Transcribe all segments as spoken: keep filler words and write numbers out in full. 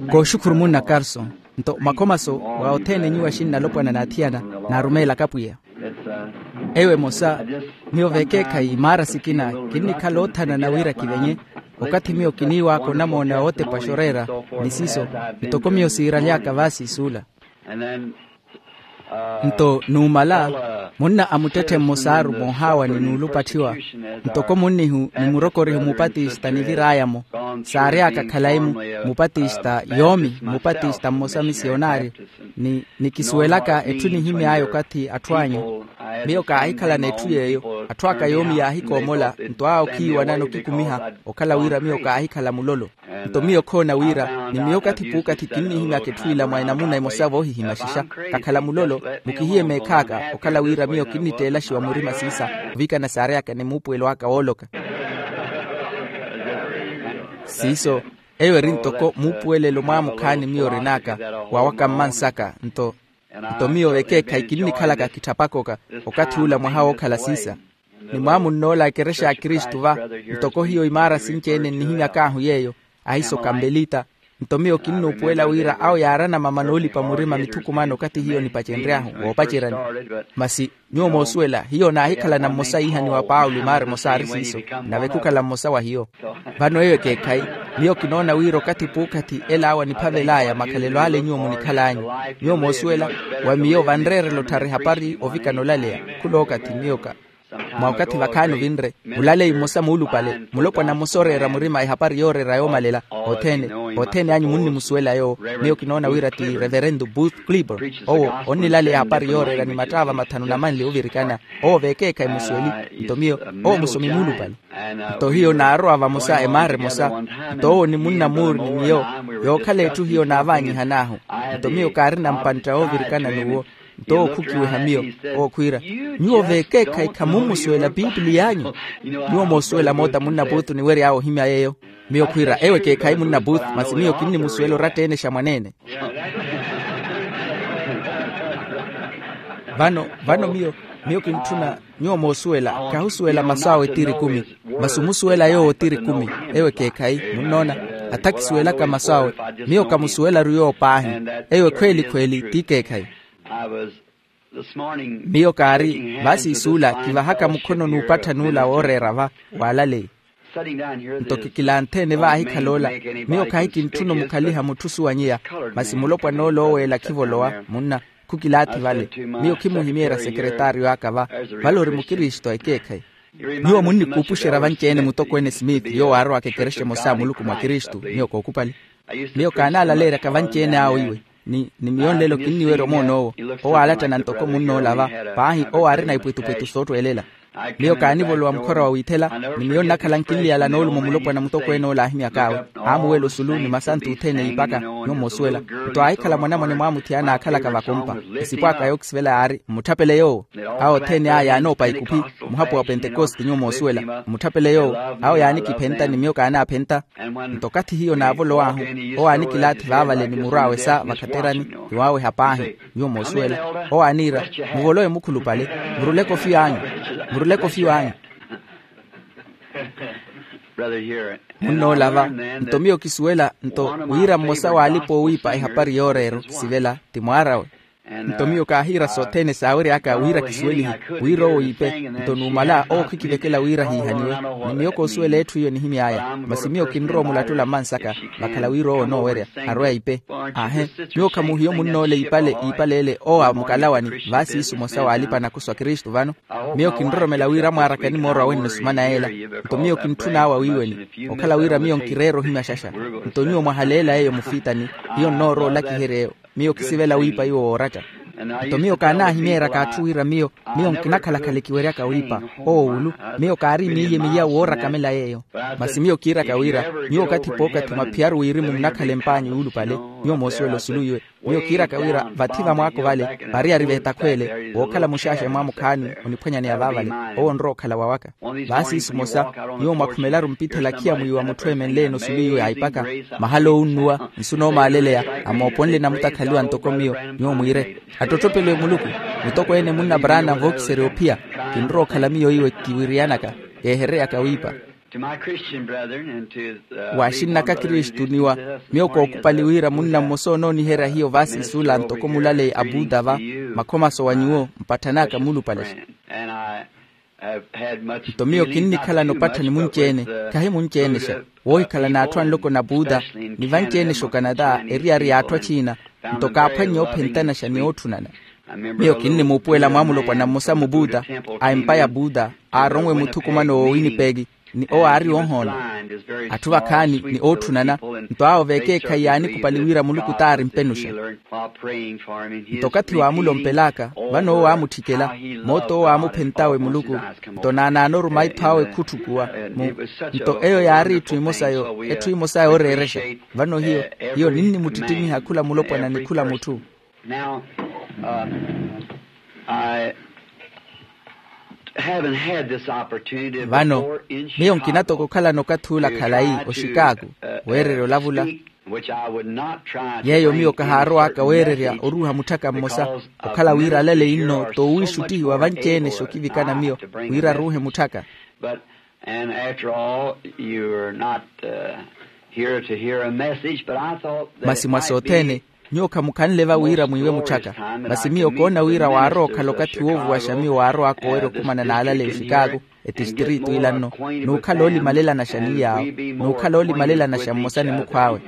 Kooxukhuru munna carson. Nto makhomaso wa othene nyuwo axinnalopwana n'athiyana, naarumeelaka pwiya. Eyo emosa. Miyo vekeekhayi maara sikina, kinnikhala oothanana wira kivenye. Okathi miyo kiniiwaaka onamoona wootepa xoreera, ni siiso, ntoko miyo siiraly'aka vaasi suula. Nto numala, munna a muttetthe mmosa aarumohaawa ni nuulupatthiwa, ntoko munnihu ni murokorihu mupatista nivir'aya-mo, saary'aka khalayi-mu, mupatista yoomi mupatista mmosa misiyonaaryo. Ni nikisuwelaka etthu enihimy'aya okathi atthu anyu. Miyo kaahikhalana etthu yeeyo. Atthu aka yoomi yaahikoomola, nto awo khiiwanana okikumiha, okhala wira miyo kaahikhala mulolo. Nto miyo khoona wira ni miyo okathi p'ukathi kinnihimyaka etthu ila mwa enamuna emosa voohihimaxixa. Kakhala mulolo, mukihiye meekh'aka okhala wira miyo kinnitteelaxiwa murima siisa, ovikana saary'aka ni muupuwelo aka wooloka. Siiso, eyo eri ntoko muupuwelelo mwaamukhaani miyo orin'aka, wawaka mmansaka. Nto nto miyo ekeekhayi kinnikhalaka kitthapak'oka, okathi ula mwaha wookhala siisa. Ni mwaamunn'ola a ekerexa ya kristu va, ntoko hiyo imaara sinci-ene nnihimyak'ahu yeeyo, ahiso kampelita. Nto miyo kinnuupuwela wira awo yaarana mama noolipa murima mithukumano okathi hiyo nipacenry'ahu woopaceryani. Masi nyuwo moosuwela hiyo naahikhalana mmosa iihaniwa paulo imaara emosa aari siiso, nave khukhala mmosa wa hiyo. Vano eyo ekeekhayi, miyo kinoona wira okathi p'ukathi el'awo aniphavel'aya makhalelo ale nyuwo munikhal'anyu. Nyuwo moosuwela wa miyo vanreerela otthara ehapari ovikana olaleya. Khul'okathi miyo ka mwa okathi vakhaani ovinre, mulaleyi mmosa muulupale, mulopwana mmosa oreera murima ehapari yooreera yoomalela. Othene, othene anyu munnimusuwela yoowo. Miyo kinoona wira ti reverendo booth clibor. Owo onnilaleya ehapari yooreera ni mattaava mathanu na manli ovirikana. Owo veekeekhayi musuweli. Nto miyo, owo musomi muulupale. Nto hiyo naarowa vamosa emaara emosa. Nto owo ni munna muuri ni miyo, yookhala etthu hiyo naavaanyihan'ahu. Nto miyo kaarina mpantta woovirikana n'uwo. Nto owo khukiweha miyo, owo khwiira, nyuwo veekeekhayi khamummusuwela pipiliy'anyu. Nyuwo moosuwela moota munna puutu niwery'awe ohimya yeeyo. Miyo khwiira eyo ekeekhayi munna puutu masi miyo kinnimusuwela oratta-ene xa mwaneene. Vano, vano miyo, miyo kintthuna. Nyuwo moosuwela, kahusuwela masu awe tiri kumi. Masi omusuwela yoowo tiri kumi. Eyo ekeekhayi, munnoona, atha kisuwelaka masu awe. Miyo kamusuwelaru yoowo paahi. Eyo ekhweeli-khweeli t'ikeekhayi. Miyo kaari vaasi isuula kivahaka mukhono n'upattha n'ula wooreera va, waalaleyi. Nto kikilanthe-ene vaahikhala ola. Miyo khahi kintthuna omukhaliha mutthu osuwanyeya. Masi mulopwan'ola ooweela khivolowa munna, khukilaathi vale. Miyo khimuhimeerya sekeretaaryo aka va. Vale ori mukristu a ekeekhayi. Nyuwo munnikuupuxerya vanci-ene mutokweene smith yoowo aarowaka ekerexa emosa a muluku mwa kristu. Miyo kookupali. Miyo kaanaalaleeryaka vanci-ene awo iwe. Ni ni miyo nlelo kinniwerya omoon'owo. Owo aalattana ntoko munn'ola va. Paahi owo aarina ipwetupwetu soottweelela. Miyo kaanivolowa mukhora wa wiithela. Ni miyo nnakhala nkinliyala noolumo mulopwana mutokweene ola aahimyak'awe. Aamuwela osulu ni masantu othene iipaka. Nyuwo moosuwela. Nto aahikhala mwanamwane mwaamuthi anaakhalaka vakompa. Esipo aka yookisivela yaari mmutthapele yoowo. Awo othene aya yaanoopa ikuphi. Muhapu wa pentekoste nyuwo moosuwela mmutthapele yoowo. Awo yaanikiphenta ni miyo kaanaaphenta. Nto okathi hiyo naavolow'ahu, owo aanikilaathi vaavale ni muru awe sa vakhaterani. Ni waaweha paahi. Nyuwo moosuwela. Owo aaniira, muvolowe mukhulupale. Muruleke ofiyo anyu. Muruleke ofiyo anyu. Munnoola va. Nto miyo kisuwela nto wira mmosa w'alipa oowiipa ehapari yooreera okisivela ti mwaar'awe. Nto miyo kaahiira sothene saawery'aka wira kisuwelihe. Wira owo iipe. Nto numala owo khikivekela wira hiihaniwe. Ni miyo koosuwela etthu iyo nihimy'aya masi miyo kinrowa omulattula mmansaka. Vakhala wira owo onoowerya arwe aipe. Aahe. Nyuwo khamuhiyo munn'ole iipale iipale ele owo a mukalawani. Vaasiisu mmosa w'alipa nakusu a kristu vano. Miyo kinroromela wira mwaaraka nimoorwa wenno sumana yeela. Nto miyo kintthun'awe awiiweni. Okhala wira miyo nkireera ohimya xaxa. Nto nyuwo mwahaleela eyo mufiitani. Hiyo nnoorowa olakiherya eyo. Miyo kisivela wiipa iwo wooratta. Nto miyo kaanaahimeeryaka atthu wira miyo miyo nkinakhala-khala ekiweryaka wiipa. Owo wulu. Miyo kaari miiye miyawu woorakamela yeeyo. Masi miyo kiiraka wira nyuwo okathi p'okathi mwaphiyaru wirimu munakhala empaanyi yuulupale. Nyuwo moosuwela osulu iwe. Miyo kiiraka wira vathi vamwaako vale variyari veetakhweele wookhala muxaaxeya mwamukhaani oniphwanyaneya vaavale. Owo onrowa okhala wawaka. Vaasiisu mmosa nyuwo mwakhumelaru mpithela khiya mwiiwa mutthu eemenle-ene osulu iwe aipaka. Mahala oowunnuwa nsu noomaaleleya amooponle namutakhaliwa ntoko miyo. Nyuwo mwiire, attottopeliwe muluku. Mutokweene munna paraana vookiserya ophiya. Kinrowa okhala miyo iwe kiwiriyanaka keehereyaka wiipa. To my Christian brethren and to, uh, waaxinnaka kristu niwa miyo kookupali wira munna mmosa onooniherya hiyo vaasi suula ntoko mulaleyi a buuda va makhomaso wa nyuwo mpatthanaaka muulupale. Nto miyo kinnikhalana opatthani munci-ene khahi munci-enexa woohikhalana atthu anloko na buuda ni vanci-enexa okanata eriyari y'atthu aciina. Nto kaaphwannye oophentanaxa ni ootthunana. Miyo kinnimuupuwela mwaamulopwana mmosa mubuuda a empa ya buuda aaronwe muthukumano wo winipeki ni owo aari oohoona atthu vakhaani ni ootthunana. Nto awo vekeekhayi yaanikupali wira muluku t'aari mpenuxa. Nto okathi waamulompelaka vano owo aamutthikela moota owo aamuphentawe muluku. Nto naanaana oruma itthu awe khutthukuwa mu nto eyo yaari etthu emosa yooreerexa. Vano hiyo hiyo ninnimuttittimiha khula mulopwana ni khula mutthu. Now, um, I haven't had this opportunity vano before in miyo nkinatoko okhalana okathi ula khalayi oxikaaku weererya olavula. Yeeyo miyo kahaarowaka weererya oruuha mutthaka mmosa okhala wira alaleyi nno toowiixuttihiwa vanci-ene xokivikana miyo wira aruuhe mutthaka. But and after all, you're not, uh, here to hear a message, but I thought that masi mwa sothene nyuwo khamukhanle va wira mwiiwe mutthaka. Masi miyo koona wira waarowa okhala okathi woovuwaxa miyo waarowaka owerya okhumana n'alaleyi oxikaaku etistiritu ila nno n'ukhala oolimalelanasha ni yaawo n'ukhala oolimalelanasha mmosa ni mukhw'awe.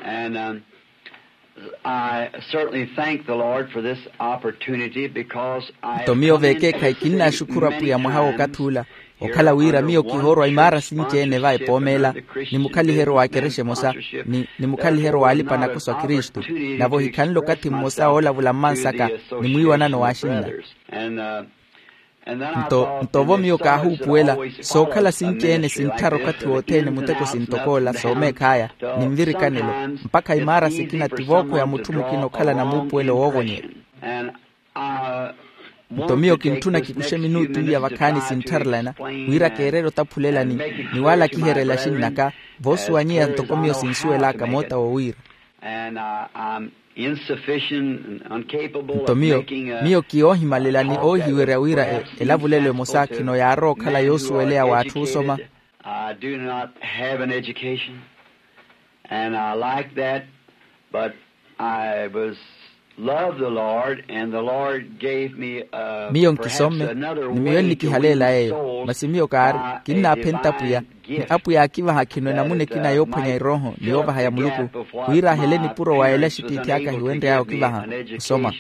And, um, I certainly thank the Lord for this opportunity because I nto miyo vekeekhayi kinnaaxukhuru apwiya mwaha w'okathi ula okhala wira miyo kihoorwa imaara sinci-ene va epoomeela ni mukhaliheryo w'akerexa emosa ni mukhaliheryo w'alipa nakoso a kristu. Nave ohikhanle okathi mmosa woolavula mmansaka ni mwiiwanano w'axinna. Nto ntovo miyo kaahuupuwela sookhala sinci-ene sintthara okathi wothene muteko sintokoola soomeekh'aya ni nvirikanelo mpakha imaara sikina ti vookho ya mutthu mukina okhalana muupuwelo woovonyerya. Nto miyo kintthuna kikuxe minutu iya vakhaani sinttharelana wira keererya otaphulelani ni waalakiherya elaxi nnaka voosuwanyeya ntoko miyo sinsuwel'aka moota wowiira. Nto miyo miyo kiyoohimalela ni oohiwerya wira elavulelo emosa khino yaarowa okhala yoosuweleya w'atthu osoma. I do not have an education and I like that, but I was love the Lord and the Lord gave me a miyo nkisomme ni miyo ennikihaleela eyo masi miyo kaari kinnaaphenta apwiya ni apwiya aakivaha khino enamuna ekina yoophwanya erooho ni yoovaha ya muluku wira ahele nipuro wa ela axitiithi aka hiwenry'aya okivaha osoma.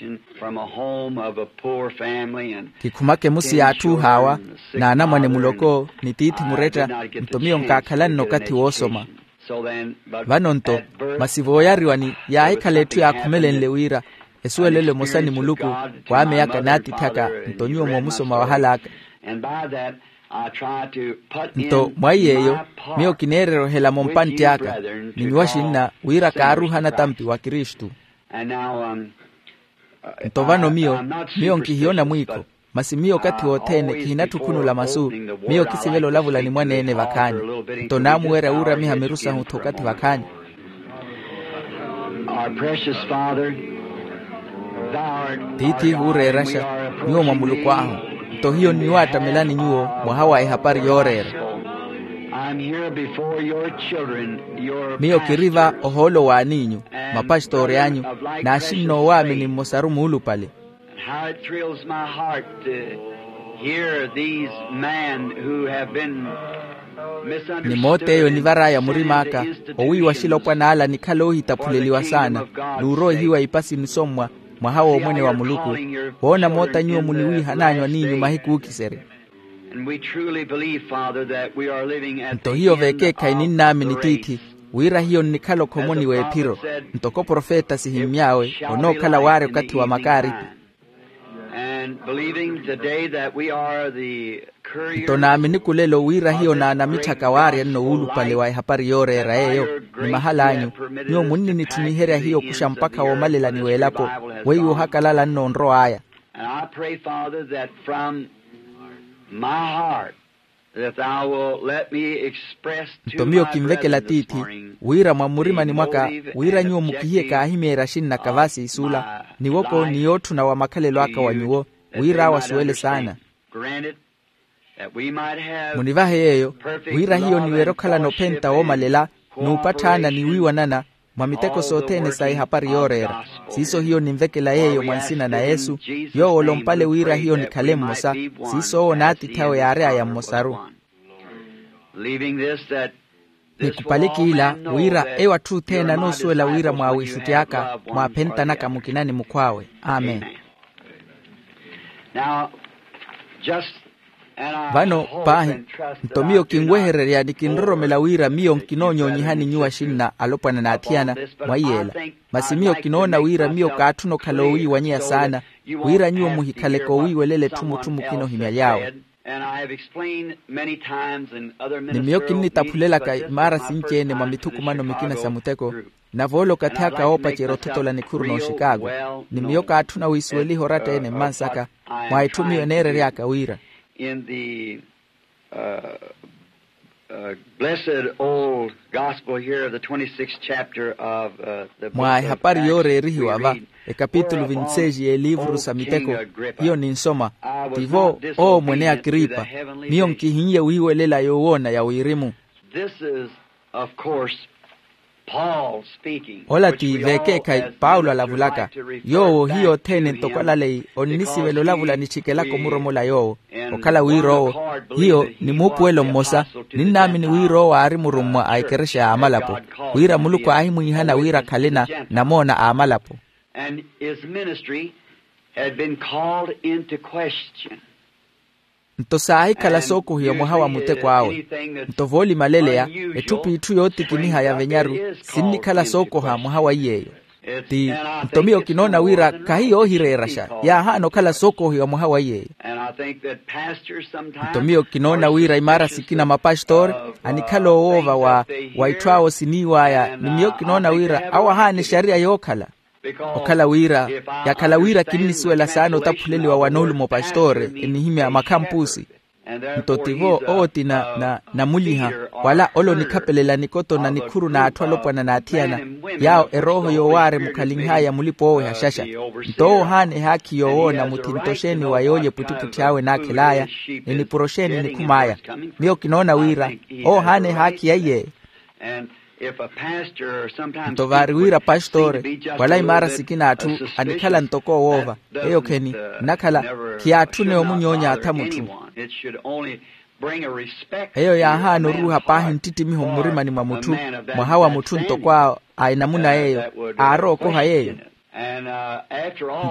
Kikhumaka emusi y'atthu ohaawa n'anamwane muloko ni tiithi muretta. Nto miyo nkaakhalanne okathi woosoma. Vano nto masi vooyariwani yaahikhala etthu yaakhumelenle wira esuwelelo emosa ni muluku waameyaka n'atith'aka. Nto nyuwo moomusoma wahal'aka nto mwa iy'eyo miyo kineererya ohelamo mpantti aka ni nyuwo axinna wira kaaruuhana tampi wa kristu. Nto vano miyo miyo nkihiyona mwiikho masi miyo okathi wothene kihinatthukhunula masu. Miyo kisivela olavula ni mwaneene vakhaani nto naamuwerya wuuramiha miru sahu-tho okathi vakhaani. Tiithi huureeraxa nyuwo mwa muluku ahu nto hiyo nniwaattamelani nyuwo mwaha wa ehapari yooreera. Miyo kiri va ohoolo w'aniinyu mapastoori anyu n'axinna oowaamini mmosaru muulupale. How it thrills my heart to hear these men who have been misunderstood ni moota eyo enivar'aya murimaaka owiiwa axilopwan'ala nikhala oohitaphuleliwa saana n'uroihiwa ipasi nisommwa mwaha w'omwene wa muluku. Woona moota nyuwo muniwiihan'anyu aniinyu mahiku ookiserya. Nto hiyo veekeekhayi ninnaamini tiithi wira hiyo nnikhala okhomoni w'ephiro ntoko profeta sihimmy'awe onookhala waarya okathi wa makaaripi. Nto naamini kulelo wira hiyo naanamitthaka waarya nno wuulupale wa ehapari yooreera eyo ni mahal'anyu nyuwo munninitthuniherya hiyo okuxa mpakha woomalelani w'elapo weiwo ohakalala nno onrow'aya. And I pray, Father, that from my heart that thou wilt let me express to nto miyo kinvekela tiithi wira mwa mmurimani mwaka wira nyuwo mukihiye kaahimyeerya axinnaka vaasi isuula niwoko ni yootthuna wa makhalelo aka wa nyuwo wira awo asuwele saana. Munivahe yeeyo, wira hiyo niwerye okhalana ophenta woomalela, n'upatthaana ni wiiwanana mwa miteko sothene sa ehapari yooreera. Siiso hiyo ninvekela yeeyo mwa nsina na yesu, yoowo olompale wira hiyo nikhale mmosa. Siiso owo n'atiith'awe yaary'aya mmosaru. Nikupaliki ila, wira eyo atthu othene anoosuwela wira mwaawiixutti aka, mwaaphentanaka mukina ni mukhw'awe. Amen. Vano paahi, nto miyo kinwehererya ni kinroromela wira miyo nkinoonyoonyihani nyuwo axinna alopwana n'athiyana mwa iy'ela. Masi miyo kinoona wira miyo kaatthuna okhala oowiiwanyeya saana, wira nyuwo muhikhaleke owiiwelela etthu mutthu mukina ohimyaly'awe. Ni miyo kinnitaphulelaka imaara sinci-ene mwa mithukumano mikina sa muteko, nave ole okathi aka woopacerya othotola nikhuru n'oxikaago. Ni miyo kaatthuna wiisuweliha oratta-ene mmansaka, mwa etthu miyo eneerery'aka wira. Mwa ehapari yooreerihiwa va, ekapitulu vinseji y'eliivuru sa miteko, hiyo ninsoma, tivo, owo mwene akripa, miyo nkihinnye wiiwelela yoowoona ya wirimu. Ola ti vekeekhayi paulo alavulaka. Yoowo hiyo othene ntoko alaleyi onnisivela olavula nithikelaka omuromola yoowo, okhala wira owo, hiyo ni muupuwelo mmosa, ninnaamini wira owo aari murummwa a ekerexa y'amalapo, wira muluku aahimwiihana wira akhale na namoona a amalapo. Nto saahikhala sookohiwa mwaha wa muteko awe. Nto voolimaleleya, etthu p'itthu yootikiniha ya venyaru, sinnikhala sookoha mwaha wa iy'eyo. Ti nto miyo kinoona wira khahi yoohireeraxa, yaahaana okhala sookohiwa mwaha wa iy'eyo. Nto miyo kinoona wira imaara sikina mapastori anikhala owoova wa wa itthu awo siniiw'aya ni miyo kinoona wira awo ahaana exariya yookhala. Okhala wira, yakhala wira kinnisuwela saana otaphuleliwa wa noolumo pastori enihimya makhampusi. Nto tivo owo ti na namuliha, wala ole onikhapelela nikoto na nikhuru n'atthu alopwana n'athiyana, yaawo erooho yoowaari mukhalinh'aya mulipa oweha xaxa. Nto owo ohaana ehaakhi yoowoona mutthinto xeeni wa yoolya epwittipwitthi awe naakhel'aya, ni nipuro xeeni nikhum'aya. Miyo kinoona wira owo ohaana ehaakhi ya iy'eyo. Nto vaari wira pastori wala imaara sikina atthu anikhala ntoko owoova, eyo kheni nnakhala, khiyaatthune omunyoonya atha mutthu. Eyo yaahaana oruuha paahi nttittimiho mmurimani mwa mutthu, mwaha wa mutthu ntoko a enamuna yeeyo, aarowa okoha yeeyo.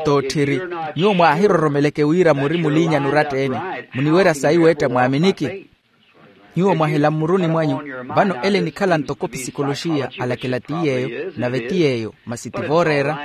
Nto otthiri, nyuwo mwaahiroromeleke wira muri muliinyani oratta-ene, muniwerya sayi weetta mwaaminiki. Nyuwo mwahela mmuruni mwanyu. Vano ele enikhala ntoko pisikoloxiya alakela ti yeeyo nave ti yeeyo masi ti vooreera.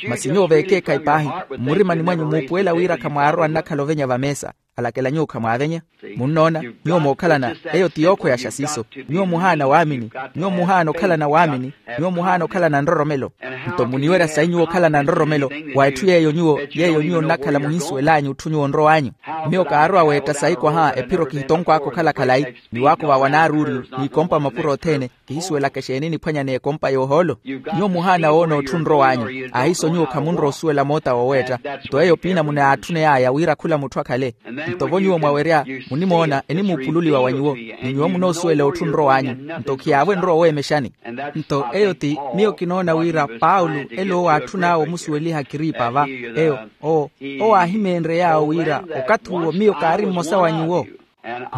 Masi nyuwo veekeekhayi paahi, mmurimani mwanyu muupuwela wira khamwaarowa nnakhala ovenya vameesa, alakela nyuwo khamwaavenya. Munnoona, nyuwo mookhalana, eyo ti yookhweyaxa siiso. Nyuwo muhaana waamini, nyuwo muhaana okhalana waamini, nyuwo muhaana okhalana nroromelo. Nto muniwerya sayi nyuwo okhalana nroromelo wa etthu yeeyo nyuwo yeeyo nyuwo nnakhala muhinsuwel'anyu etthu nyuwo onrow'anyu. Miyo kaarowa weetta sayi kwaha ephiro kihitonkw'aka okhala khalayi, ni waako vawanaaruuriyu n'ikompa mapuro othene. Kihisuwelaka exeeni niphwanya n'ekompa y'ohoolo. Nyuwo muhaana woona otthu onrow'anyu, ahiiso nyuwo khamunrowa osuwela moota wooweetta. Nto eyo piinamuna yaatthuney'aya wira khula mutthu akhale. Nto vo nyuwo mwawerya, munimoona enimuupululiwa wa nyuwo, ni nyuwo munoosuwela otthu onrow'anyu. Nto khiyaavo enrowa oweemexani. Nto eyo ti miyo kinoona wira paulo ele owo aatthun'awe omusuweliha akripa va. Eyo owo owo aahimeenrye yaawo wira, okathi uwo miyo kaari mmosa wa nyuwo.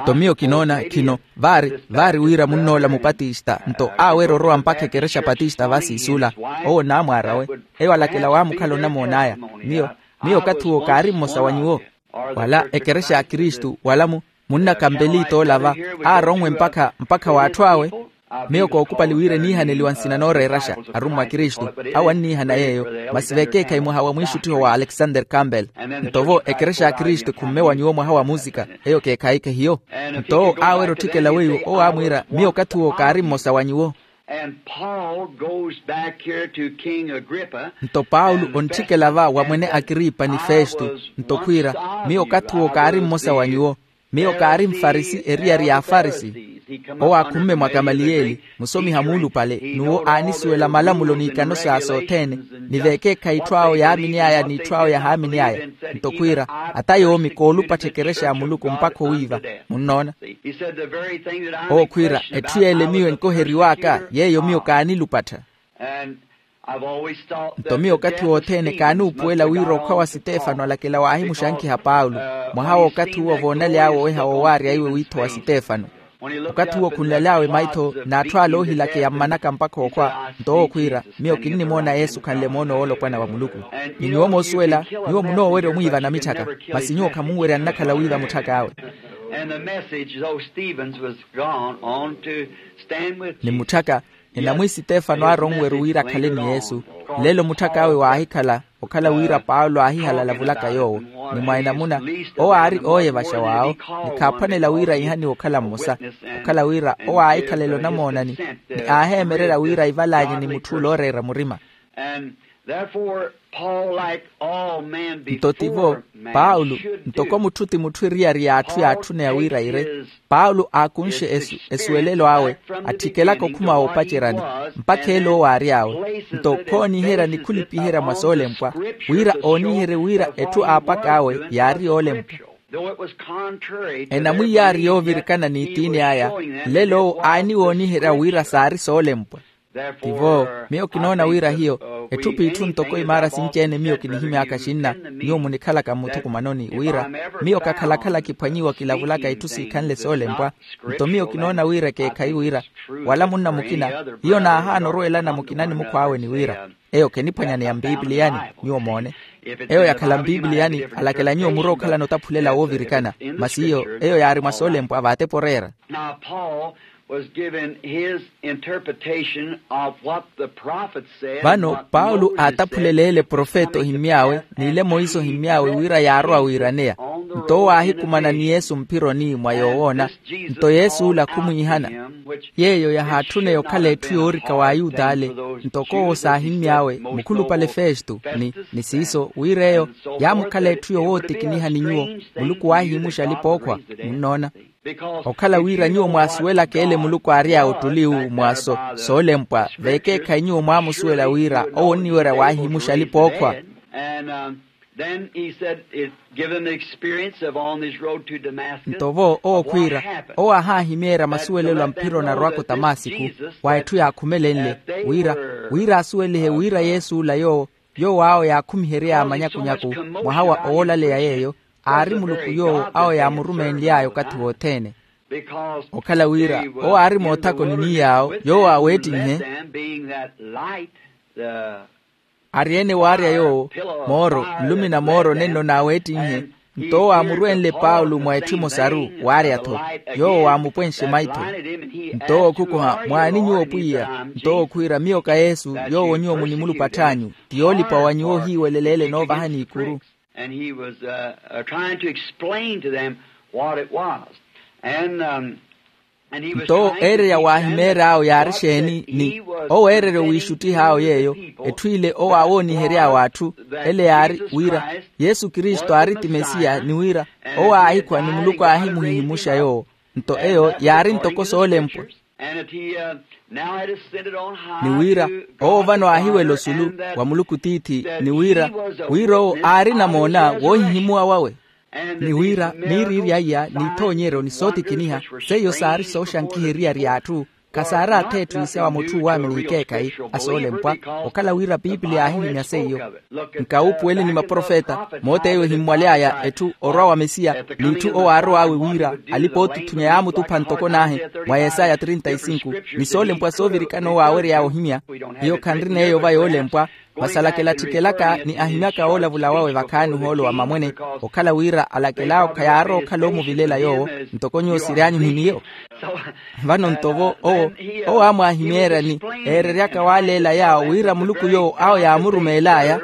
Nto miyo kinoona khino, vaari vaari wira munnoola mupatista nto aawerya orowa mpakha ekerexa patista va siisula. Owo naamwaar'awe, eyo alakela waamukhala onamoon'aya. Miyo miyo okathi uwo kaari mmosa wa nyuwo. Wala ekerexa ya kristu wala mu munnakampeliit'ola va, aaronwe mpakha mpakha w'atthu awe. Miyo kookupali wira eniihaneliwa nsina nooreeraxa arummwa a kristu. Awo anniihana yeeyo. Masi vekeekhayi mwaha wa mwiixuttiho wa alexander campbell. Nto vo ekerexa ya kristu ekhumme wa nyuwo mwaha wa muusika, eyo keekhayi kehiyo. Nto owo aawerya otthikela weiwo owo aamwiira miyo okathi uwo kaari mmosa wa nyuwo. Nto paulo ontthikela va wa mwene akripa ni festo, nto khwiira, miyo okathi uwo kaari mmosa wa nyuwo. Miyo kaari mfarisi eriyari ya afarisi. Owo aakhumme mwa kamaliyeli, musomiha muulupale, n'uwo aanisuwela malamulo n'ikano sa sothene, ni veekeekhayi itthu awo yaamini aya n'itthu awo yahaamini aya. Nto khwiira, ata yoomi koolupattha ekerexa ya muluku mpakha owiiva. Munnoona? Owo khwiira, etthu yeele miyo enkoheriw'aka yeeyo miyo kaanilupattha. Nto miyo okathi wothene kaanuupuwela wira okhwa wa sitefano alakela waahimuxankiha paulo, mwaha w'okathi uwo voonaly'awe oweha woowaarya iwe wiitho wa sitefano. Okathi uwo khunlaly'awe maitho n'atthu ale oohilakeya mmanaka mpakha okhwa. Nto owo khwiira, miyo kinnimoona yesu khanle moono woolopwana wa muluku. Ni nyuwo moosuwela, nyuwo munoowerya omwiiva namitthaka, masi nyuwo khamunwerya nnakhala wiiva mutthak'awe. And the message, though Stephen's was gone on to stand with ni mutthaka, enamwi sitefano aaronweru wira akhale ni yesu. Lelo mutthak'awe waahikhala okhala wira paulo aahihala alavulaka yoowo. Ni mwa enamuna, owo aari ooyevaxa waawo, ni khaaphwanela wira ihaniwe okhala mmosa, okhala wira owo aahikhalela onamoonani, ni aaheemererya wira ivalanye ni mutthu ole ooreera murima. And therefore, Paul, like all men before, nto tivo, paulo, ntoko mutthu ti mutthu eriyari y'atthu yaatthuneya wira ire, paulo aakunxe esu esuwelelo awe, attikelaka okhuma woopaceryani, mpakha ele owo aary'awe. Nto khooniherya ni khulipiherya mwa soolempwa, wira ooniherye wira etthu aapak'awe yaari yoolempwa. Enamwi yaari yoovirikana n'itiini aya, lelo owo aaniwooniherya wira saari soolempwa. Tivo, miyo kinoona wira hiyo, etthu p'itthu ntoko imaara sinci-ene miyo kinihimy'aka xinna, nyuwo munikhalaka mmuthukumanoni wira, miyo kakhalakhala kiphwanyiwa kilavulaka itthu siikhanle soolempwa. Nto miyo kinoona wira ekeekhayi wira, wala munna mukina, hiyo naahaana orweelana mukina ni mukhw'awe ni wira, eyo kheniphwanyaneya mpipiliyani. Nyuwo moone, eyo yakhala mpipiliyani, alakela nyuwo murwa okhalana otaphulela woovirikana, masi hiyo eyo yaari mwa soolempwa vaatepa oreera. Now Paul was given his interpretation of what the prophet said. Vano paulo aataphuleleele profeta ohimmy'awe n'ile monse ohimmy'awe wira yaarowa wiiraneya. Nto owo aahikumana ni yesu mphironi mwa yoowoona. Nto yesu ola khumwiihana, yeeyo yahaatthune okhala etthu yoorika w'ayuda ale. Ntoko owo saahimmy'awe mukhulupale festo, ni ni siiso wira eyo yaamukhala etthu yowootikiniha ni nyuwo. Muluku waahihimuxa alipa-ookhwa. Munnoona? Okhala wira nyuwo mwaasuwelaka ele muluku aary'awe ottuli uwu mwa so soolempwa, veekeekhayi nyuwo mwaamusuwela wira owo onniwerya waahihimuxa alipa-ookhwa. And then he said it given the experience of on his road to Damascus. Nto vo owo khwiira, owo aahaahimeerya masuwelelo a mphira onarowaka otamasiku, wa etthu yaakhumelenle, wira wira asuwelihe wira yesu ola yoowo yoowo awo yaakhumihery'aya manyakunyaku, mwaha wa owoolaleya yeeyo, aari muluku yoowo awo yaamurumeenly'aya okathi wothene. Okhala wira owo aari moothakoni ni yaawo yoowo aaweettinhe, ari-ene waarya yoowo mooro nlumina mooro nenno naaweettinhe. Nto owo aamurwenle paulo mwa etthu emosaru, waarya-tho yoowo waamupwenxe maitho. Nto owo okhukuha mwaani nyuwo pwiya? Nto owo khwiira miyo ka yesu yoowo nyuwo munimulupatth'anyu, ti yoolipa wa nyuwo ohiiweleleele noovahani ikuru. And he was trying to explain to them what it was. And nto owo eererya waahimeery'awo yaari xeeni ni owo eererya owiixuttih'awo yeeyo. Etthu ile owo aawoonihery'awe atthu ele yaari wira yesu kristu aari ti mesiya ni wira owo aahikhwa ni muluku aahimuhihimuxa yoowo. Nto eyo yaari ntoko soolempwa. Ni wira owo vano aahiwela osulu wa muluku tiithi ni wira wira owo aari namoona woohihimuwa wawe. Ni wira miiriiri aiya n'ithoonyeryo ni sootikiniha seiyo saari sooxankiha eriyari y'atthu. Khasaari atheetthu isia wa mutthu uwaamini ikeekhayi a soolempwa. Okhala wira piipili yaahihimya seiyo. Nkawuupuweli ni maprofeta moot'eyo ehimmwaly'aya etthu orwa wa mesiya n'itthu owo aarow'awe wira alipa-ootutthunya yaamutupha ntoko naahi mwa yesaya trinta y cinco. Ni soolempwa soovirikana owo aawery'aya ohimya hiyo khanrin'eyo va yoolempwa. Masi alakela athikelaka ni ahimyaka woolavula wawe vakhaani ohoolo wa mamwene okhala wira alakel'awo khayaarowa okhala oomuvilela yoowo ntoko nyuwo siry'anyu ni miyo. Vano nto vo owo owo aamwaahimeerya ni eereryaka waaleela yaawo wira muluku yoowo awo yaamurumeel'aya.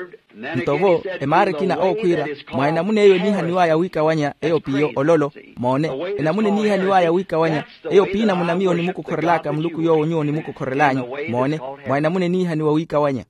Nto vo emaara ekina owo khwiira mwa enamuna eyo eniihaniw'aya wiikawanya eyo p'iyo ololo. Moone, enamuna eniihaniw'aya wiikawanya eyo p'iinamuna miyo onimukokhorel'aka muluku yoowo nyuwo onimukokhorel'anyu. Moone, mwa enamuna eniihaniwa wiikawanya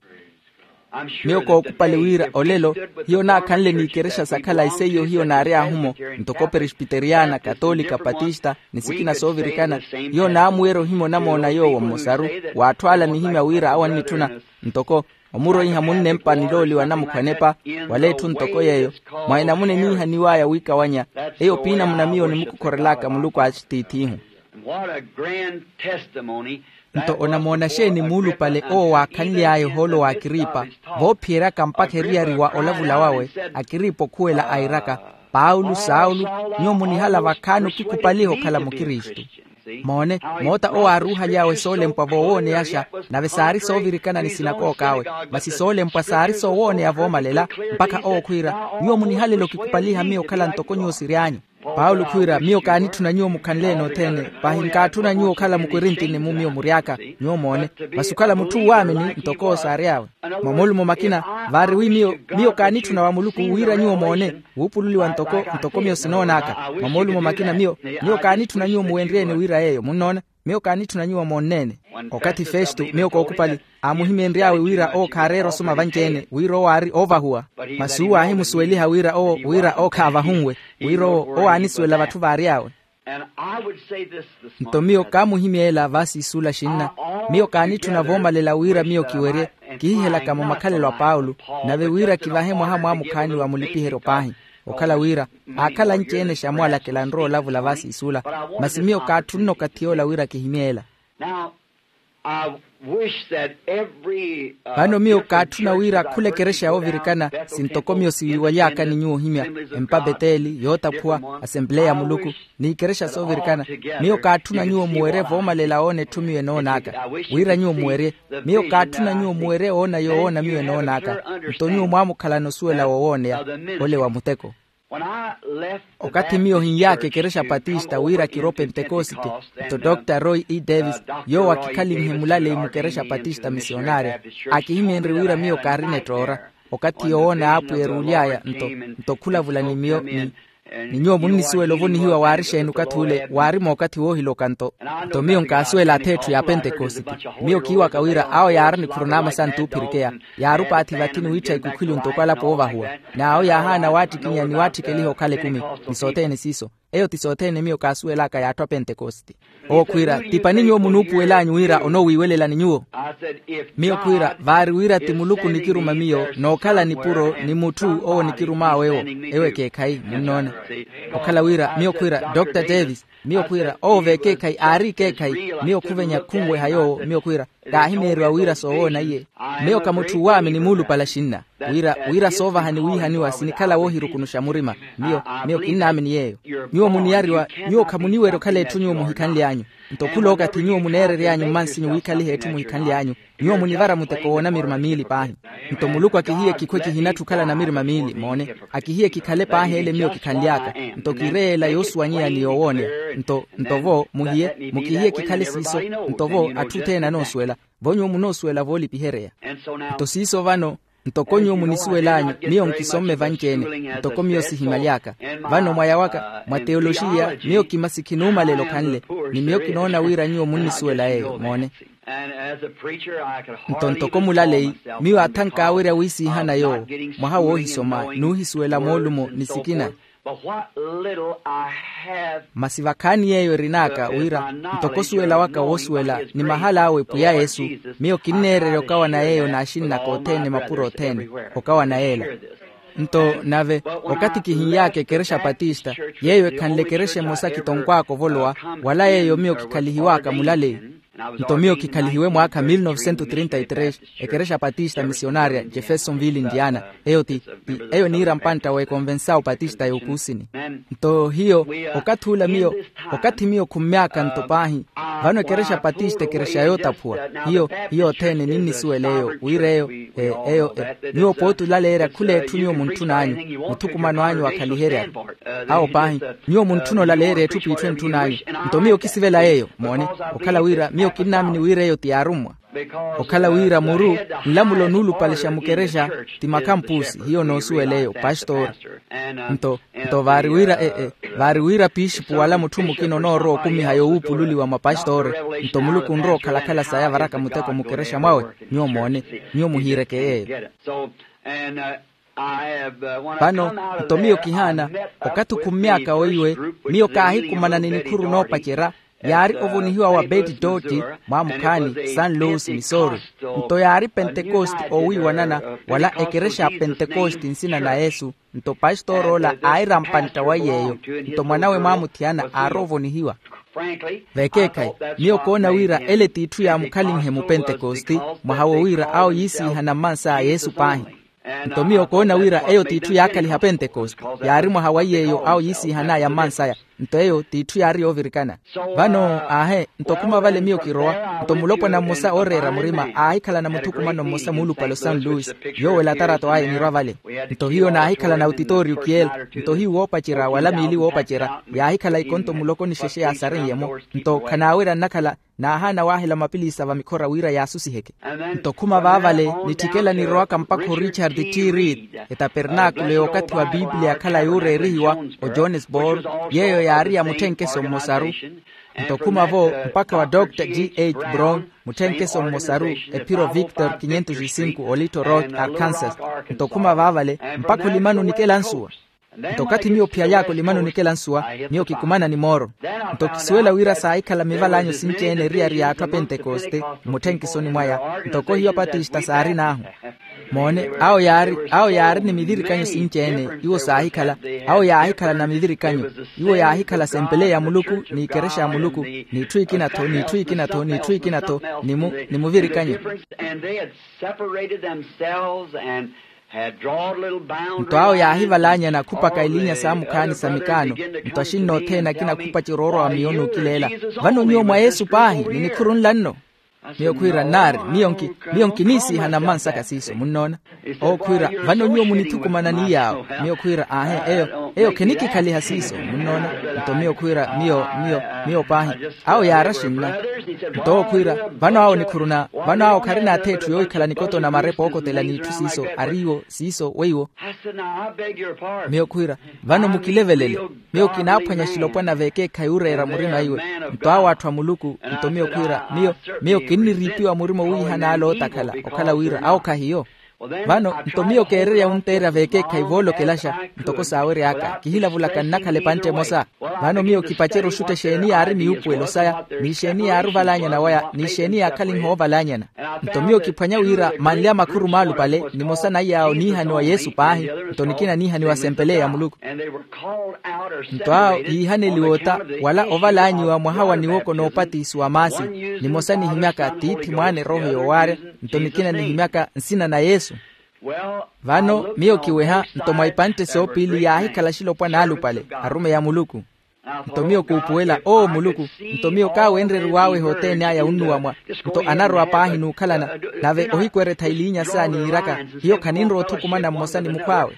Miyo kookupali wira olelo hiyo naakhanle n'ikerexa sakhala iseiyo hiyo naary'ahu-mo, ntoko presbiteriyana, katolika, patista, ni sikina soovirikana. Hiyo naamuwerya ohimya onamoona yoowo mmosaru, w'atthu ala nihimya wira awo annitthuna, ntoko omuroiha munnempa nilooliwa namukhwanepa, wala etthu ntoko yeeyo, mwa enamuna eniihaniw'aya wiikawanya. Eyo p'inamuna miyo nimukokhorel'aka muluku a axitiith'ihu. Nto onamoona xeeni muulupale owo waakhanly'aya ohoolo w'akiripa, voophiyeryaka mpakha eriyari wa olavula wawe, akiripa okhuwela airaka, paulo saulo, nyuwo munihala vakhaani okikupaliha okhala mukristu. Moone, moota owo aaruuhaly'awe soolempwa voowooneyaxa, nave saari soovirikana ni sinakooka awe, masi soolempwa saari soowooneya voomalela, mpakha owo khwiira, nyuwo munihalela okikupaliha miyo okhala ntoko nyuwo siry'anyu. Paulo khwiira miyo kaanitthuna nyuwo mukhanle-ene othene, pahi nkaatthuna nyuwo okhala mukorintini-mu miyo mury'aka. Nyuwo moone, masi okhala mutthu uwaamini ntoko owo saary'awe. Mwa moolumo makina, vaari wi miyo, miyo kaanitthuna wa muluku wira nyuwo moone, wuupululiwa ntoko ntoko miyo sinoon'aka. Mwa moolumo makina miyo, miyo kaanitthuna nyuwo muwenrye-ene wira yeeyo munnoona. Miyo kaanitthuna nyuwo moonne-ene. Okathi festo miyo kookupali, aamuhimeenry'awe wira owo khaareera osoma vanci-ene wira owo aari oovahuwa. Masi uwo aahimusuweliha wira owo wira owo khaavahunwe, wira owo owo aanisuwela vatthu vaary'awe. Nto miyo kaamuhimyeela vaasiisula xinna. Miyo kaanitthuna voomalela wira miyo kiwerye, kihihelakamo makhalelo a paulo, nave wira kivahe mwaha mwaamukhaani wa mulipiheryo paahi. Okhala wira aakhala anci-ene xamwalakela nrowa olavula vaasiisula, masi miyo kaatthunne okathi yoola wira kihimyeela. Vano miyo kaatthuna wira khula ekerexa yoovirikana, sintoko miyo siwiiwaly'aka ni nyuwo ohimya, empa beteli yootaphuwa, asempleya ya muluku, n'ikerexa soovirikana. Miyo kaatthuna nyuwo muwerye voomalela oona etthu miyo enoon'aka. Wira nyuwo muwerye, miyo kaatthuna nyuwo muwerye oona yoowoona miyo enoon'aka. Nto nyuwo mwaamukhalana osuwela woowooneya, ole wa muteko. Okathi miyo hinyaaka ekerexa patista wira kiro pentekosite, nto dr roy e davis, yoowo akikhalinhe mulaleyi mukerexa patista misionarya, akihimeenrye wira miyo kaarina ettoora. Okathi yoowoona apwiya eruuly'aya nto, nto khulavula ni miyo ni ni nyuwo munnisuwela ovonihiwa waari xeeni okathi ule waari mookathi woohiloka nto. Nto miyo nkaasuwela atheetthu ya pentekosite. Miyo kiiwaka wira awo yaari nikhuru n'amasantu oophirikeya, yaari opaathi vathi ni wiittha ikukhwilu ntoko alapo oovahuwa. N'awo yaahaana waattikinya ni waatthikeliha okhala ekumi. Ni sothene siiso, eyo ti sothene miyo kaasuwel'aka y'atthu a pentekosite. Owo khwiira, tipani nyuwo munuupuwel'anyu wira onoowiiwelelani nyuwo. Miyo khwiira vaari wira ti muluku nikiruma miyo nookhala nipuro ni mutthu owo nikirum'awe ewo. Ewo ekeekhayi munnoona. Okhala wira miyo khwiira dr davis, miyo khwiira owo v'ekeekhayi aari ekeekhayi. Miyo khuvenya khunweha yoowo miyo khwiira, kaahimeeriwa wira soowoona iye. Miyo ka mutthu uwaamini muulupala xinna, wira wira soovahani wiihaniwa sinikhala woohirukunuxa murima. Miyo miyo kinnaamini yeeyo. Nyuwo muniyariwa, nyuwo khamuniwerya okhala etthu nyuwo muhikhanly'anyu. Nto khula okathi nyuwo muneerery'anyu mmansinyu wiikhaliha etthu muhikhanly'anyu, nyuwo munivara muteko w'onamirima miili paahi. Nto muluku akihiye kikhwe kihinatthi okhala namirima miili moone, akihiye kikhale paahi ele miyo kikhanly'aka. Nto kiireyeela yoosuwanyeya ni yoowooneya. Nto nto vo muhiye mukihiye kikhale siiso. Nto vo atthu othene anoosuwela, vo nyuwo munoosuwela voolipiheryeya. Nto siiso vano, ntoko nyuwo munisuwel'anyu, miyo nkisomme vanci-ene, ntoko miyo sihimaly'aka. Vano mwaya waka mwa teyoloxiya miyo kimasi khinuumalela okhanle, ni miyo kinoona wira nyuwo munnisuwela yeeyo moone. Nto ntoko mulaleyi, miyo aathank'awerya wiisiihana yoowo, mwaha woohisoma n'uhisuwela moolumo ni sikina. Masi vakhaani yeeyo erin'aka wira, ntoko osuwela waka woosuwela ni mahal'awe pwiya yesu, miyo kinneererya okawana yeeyo n'axinn'aka othene mapuro othene, okawana yeela. Nto nave, okathi kihinyaaka ekerexa patista, yeeyo ekhanle ekerexa emosa kitonkw'aka ovolowa, wala yeeyo miyo kikhalihiw'aka mulaleyi. Nto miyo kikhalihiwe mwaakha mil novecentos trinta y tres, ekerexa patista misionarya jeffersonville indiana. Eyo ti ti eyo niira mpantta w'ekonvensawu patista y'okuusini. Nto hiyo, okathi ula miyo, okathi miyo khummy'aka nto paahi, vano ekerexa patista ekerexa yootaphuwa. Hiyo hiyo othene ninnisuwela eyo wira eyo, eyo nyuwo pooti olaleerya khula etthu nyuwo muntthun'anyu, muthukumano anyu wakhaliherya. Awo paahi, nyuwo muntthuna olaleerya etthu p'itthu entthun'anyu. Nto miyo kisivela yeeyo moone, okhala wira miyo kinnaamini wira eyo ti yaarummwa. Okhala wira muru nlamulo nuulupalixa mukerexa ti makhampusi hiyo noosuwela eyo pastori. Nto nto vaari wira e-e vaari wira pixipu wala mutthu mukina onoorowa okumiha yowuupululiwa mwa pastori. Nto muluku onrowa okhalakhala saya varaka muteko mukerexa mwawe. Nyuwo moone nyuwo muhiireke yeeyo. Vano nto miyo kihaana okathi okhummyaka weiwe miyo kaahikumana ni nikhuru noopacerya yaari ovonihiwa wa beti dotti mwaamukhaani san louis missouri. Nto yaari pentekosti oowiiwanana wala ekerexa ya pentekosti nsina na yesu. Nto pastor'ola aira mpantta wa iy'eyo nto mwanawe mwaamuthiyana aari ovonihiwa. Vekeekhayi miyo koona wira ele t'itthu yaamukhalinhe mupentekosti mwaha wo wira awo yiisiihana mmansaya yesu paahi. Nto miyo koona wira eyo t'itthu yaakhaliha pentekosti yaari mwaha wa iy'eyo awo yiisiihan'aya mmansaya. Nto eyo t'itthu yaari yoovirikana. Vano aahe nto khuma vale miyo kirowa nto mulopwana mmosa ooreera murima aahikhalana muthukumano mmosa muulupale o san louis. Yoowo elatarata aye enirwa vale. Nto hiyo naahikhalana utitooriyo kiyela nto hiyo woopacerya wala miili woopacerya yaahikhala ikonto muloko ni xexe yaasareiye-mo. Nto khanaawerya nnakhala naahaana waahela mapiliisa va mikhora wira yaasusiheke. Nto khuma vaavale nitthikela nirowaka mpakha o richard t reed etapernaakulo y'okathi wa piipiliya yakhala yuureerihiwa o johannesburg yeeyo yaari ya mutthenkeso mmosaru. Nto khuma-vo mpakha wa dr g h brown mutthenkeso mmosaru ephiro victor kinyentuxi sinku olitto road arkansas. Nto khuma vaavale mpakha olimani onikela nsuwa. Nto okathi miyo ophiyaly'aka olimani onikela nsuwa miyo kikumana ni mooro. Nto kisuwela wira saahikhala mival'anyu sinci-ene eriyari y'atthu a pentekoste mmutthenkiso ni mwaya ntoko hiyo apatista saarin'ahu. Moone awo yaari awo yaari ni mivirikanyo sinci-ene iwo saahikhala awo yaahikhalana mivirikanyo. Iwo yaahikhala asempeleya ya muluku n'ikerexa ya muluku n'itthu ikina-tho n'itthu ikina-tho n'itthu ikina-tho ni muvirikanyo. Nto awo yaahivalaanyana akhupaka eliinya saamukhaani sa mikaano. Nto axinna othene akina akhupacerya oorowa miyo n'ukileela. Vano nyuwo mwa yesu paahi ni nikhuru nla nno. Miyo khwiira nnaari miyo nkiniisiihana mmansaka siiso munnoona. Owo khwiira vano nyuwo munithukumana ni yaawo. Miyo khwiira aahe eyo eyo khinikikhaliha siiso munnoona. Nto miyo khwiira miyo miyo miyo paahi awo yaari axinna. Nto owo khwiira vano awo nikhuruna vano awo kharina ath'etthu yoohikhala nikoto na marepa ookotela n'itthu siiso ariiwo siiso weiwo. Miyo khwiira vano mukilevelele. Miyo kinaaphwanya axilopwana veekeekhayi oreera murima iwe. Nto awo atthu a muluku nto miyo khwiira miyo miyo kinniriipiwa murima owiihana ale ootakhala okhala wira awo khahiyo. Vano nto miyo keererya wunteerya veekeekhayi voolokelaxa ntoko saawery'aka kihilavulaka nnakhala epantte emosa. Vano miyo kipacerya oxutta exeeni yaari miyuupuwelo saya n'exeeni yaari ovalaanyana waya n'exeeni yaakhalinha oovalaanyana. Nto miyo kiphwanya wira manle a makhuru maalupale nimosa na iyaawo niihaniwa yesu paahi nto nikina niihaniwa asempeleya ya muluku. Nto awo yiihaneliwa ota wala ovalaanyiwa mwaha wa niwoko n'opatisiwa maasi nimosa nihimyaka tiithi mwaana erooho yoowaarya nto nikina nihimyaka nsina na yesu. Vano miyo kiweha nto mwa ipantte soopiili yaahikhala axilopwana alupale arumeyi a muluku. Nto miyo kuupuwela oo muluku nto miyo kaawenreriw'awe ehoteeni aya onnuwa mwa nto anarowa paahi n'ukhalana nave ohikweretha eliinya saya niiraka hiyo khaninrowa othukumana mmosa ni mukhw'awe.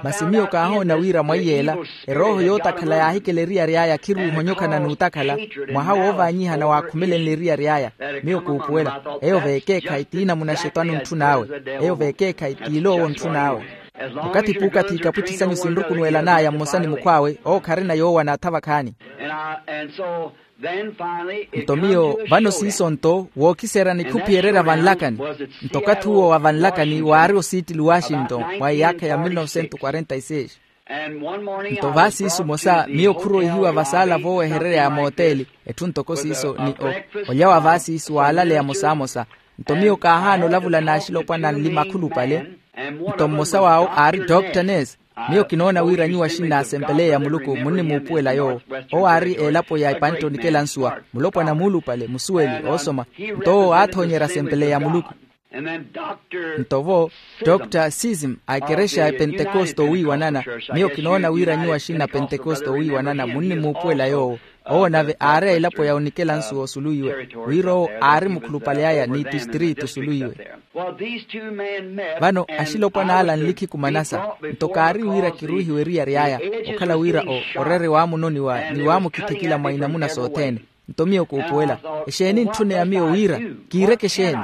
Masi miyo kaahoona wira mwa iyeela erooho yootakhala yaahikela eriyari aya khiruuhonyokana n'utakhala mwaha woovaanyihana waakhumelenle eriyari aya. Miyo kuupuwela eyo veekeekhayi tiinamuna xetwani ontthun'awe eyo veekeekhayi tiiloowo ontthun'awe. Okathi puukathi ikapwitti sanyu sinrukunuwelan'aya mmosa ni mukhw'awe owo kharina yoowa n'atha vakhaani. Nto miyo vano siiso nto wookiseerya nikhupihererya vanlakani. Nto okathi uwo wa vanlakani waari osiitili washington mwa iyaakha ya mil novecentos quarenta y seis. Nto vaasiisu mosa miyo khuroihiwa vasaala voowehererya ya mooteeli etthu ntoko siiso ni olya wa vaasiisu waalaleya mosamosa. Nto miyo kaahaana olavula n'axilopwana anli makhulupale. Nto mmosa w'awo aari dr nes. Miyo kinoona wira nyuwo axinna asempeleya ya muluku munnimuupuwela yoowo owo aari elapo ya ipantte onikela nsuwa mulopwana muulupale musuweli oosoma. Nto owo aathoonyerya asempeleya ya muluku. Nto vo dr sism a ekerexa ya epentekoste owiiwanana. Miyo kinoona wira nyuwo axinna apentekoste owiiwanana munnimuupuwela yoowo owo nave aari a elapo ya onikela nsuwa osuluwiwe wira owo aari mukhulupale aya ni tistritu osuluwiwe. Vano axilopwana ala nlikhikumana-sa nto kaari wira kiruuhiwe eriyari aya okhala wira o orere waamunoniwa ni waamukhithikila mwa inamuna sothene. Nto miyo kuupuwela, exeeni ntthune ya miyo wira? Kiireke exeeni?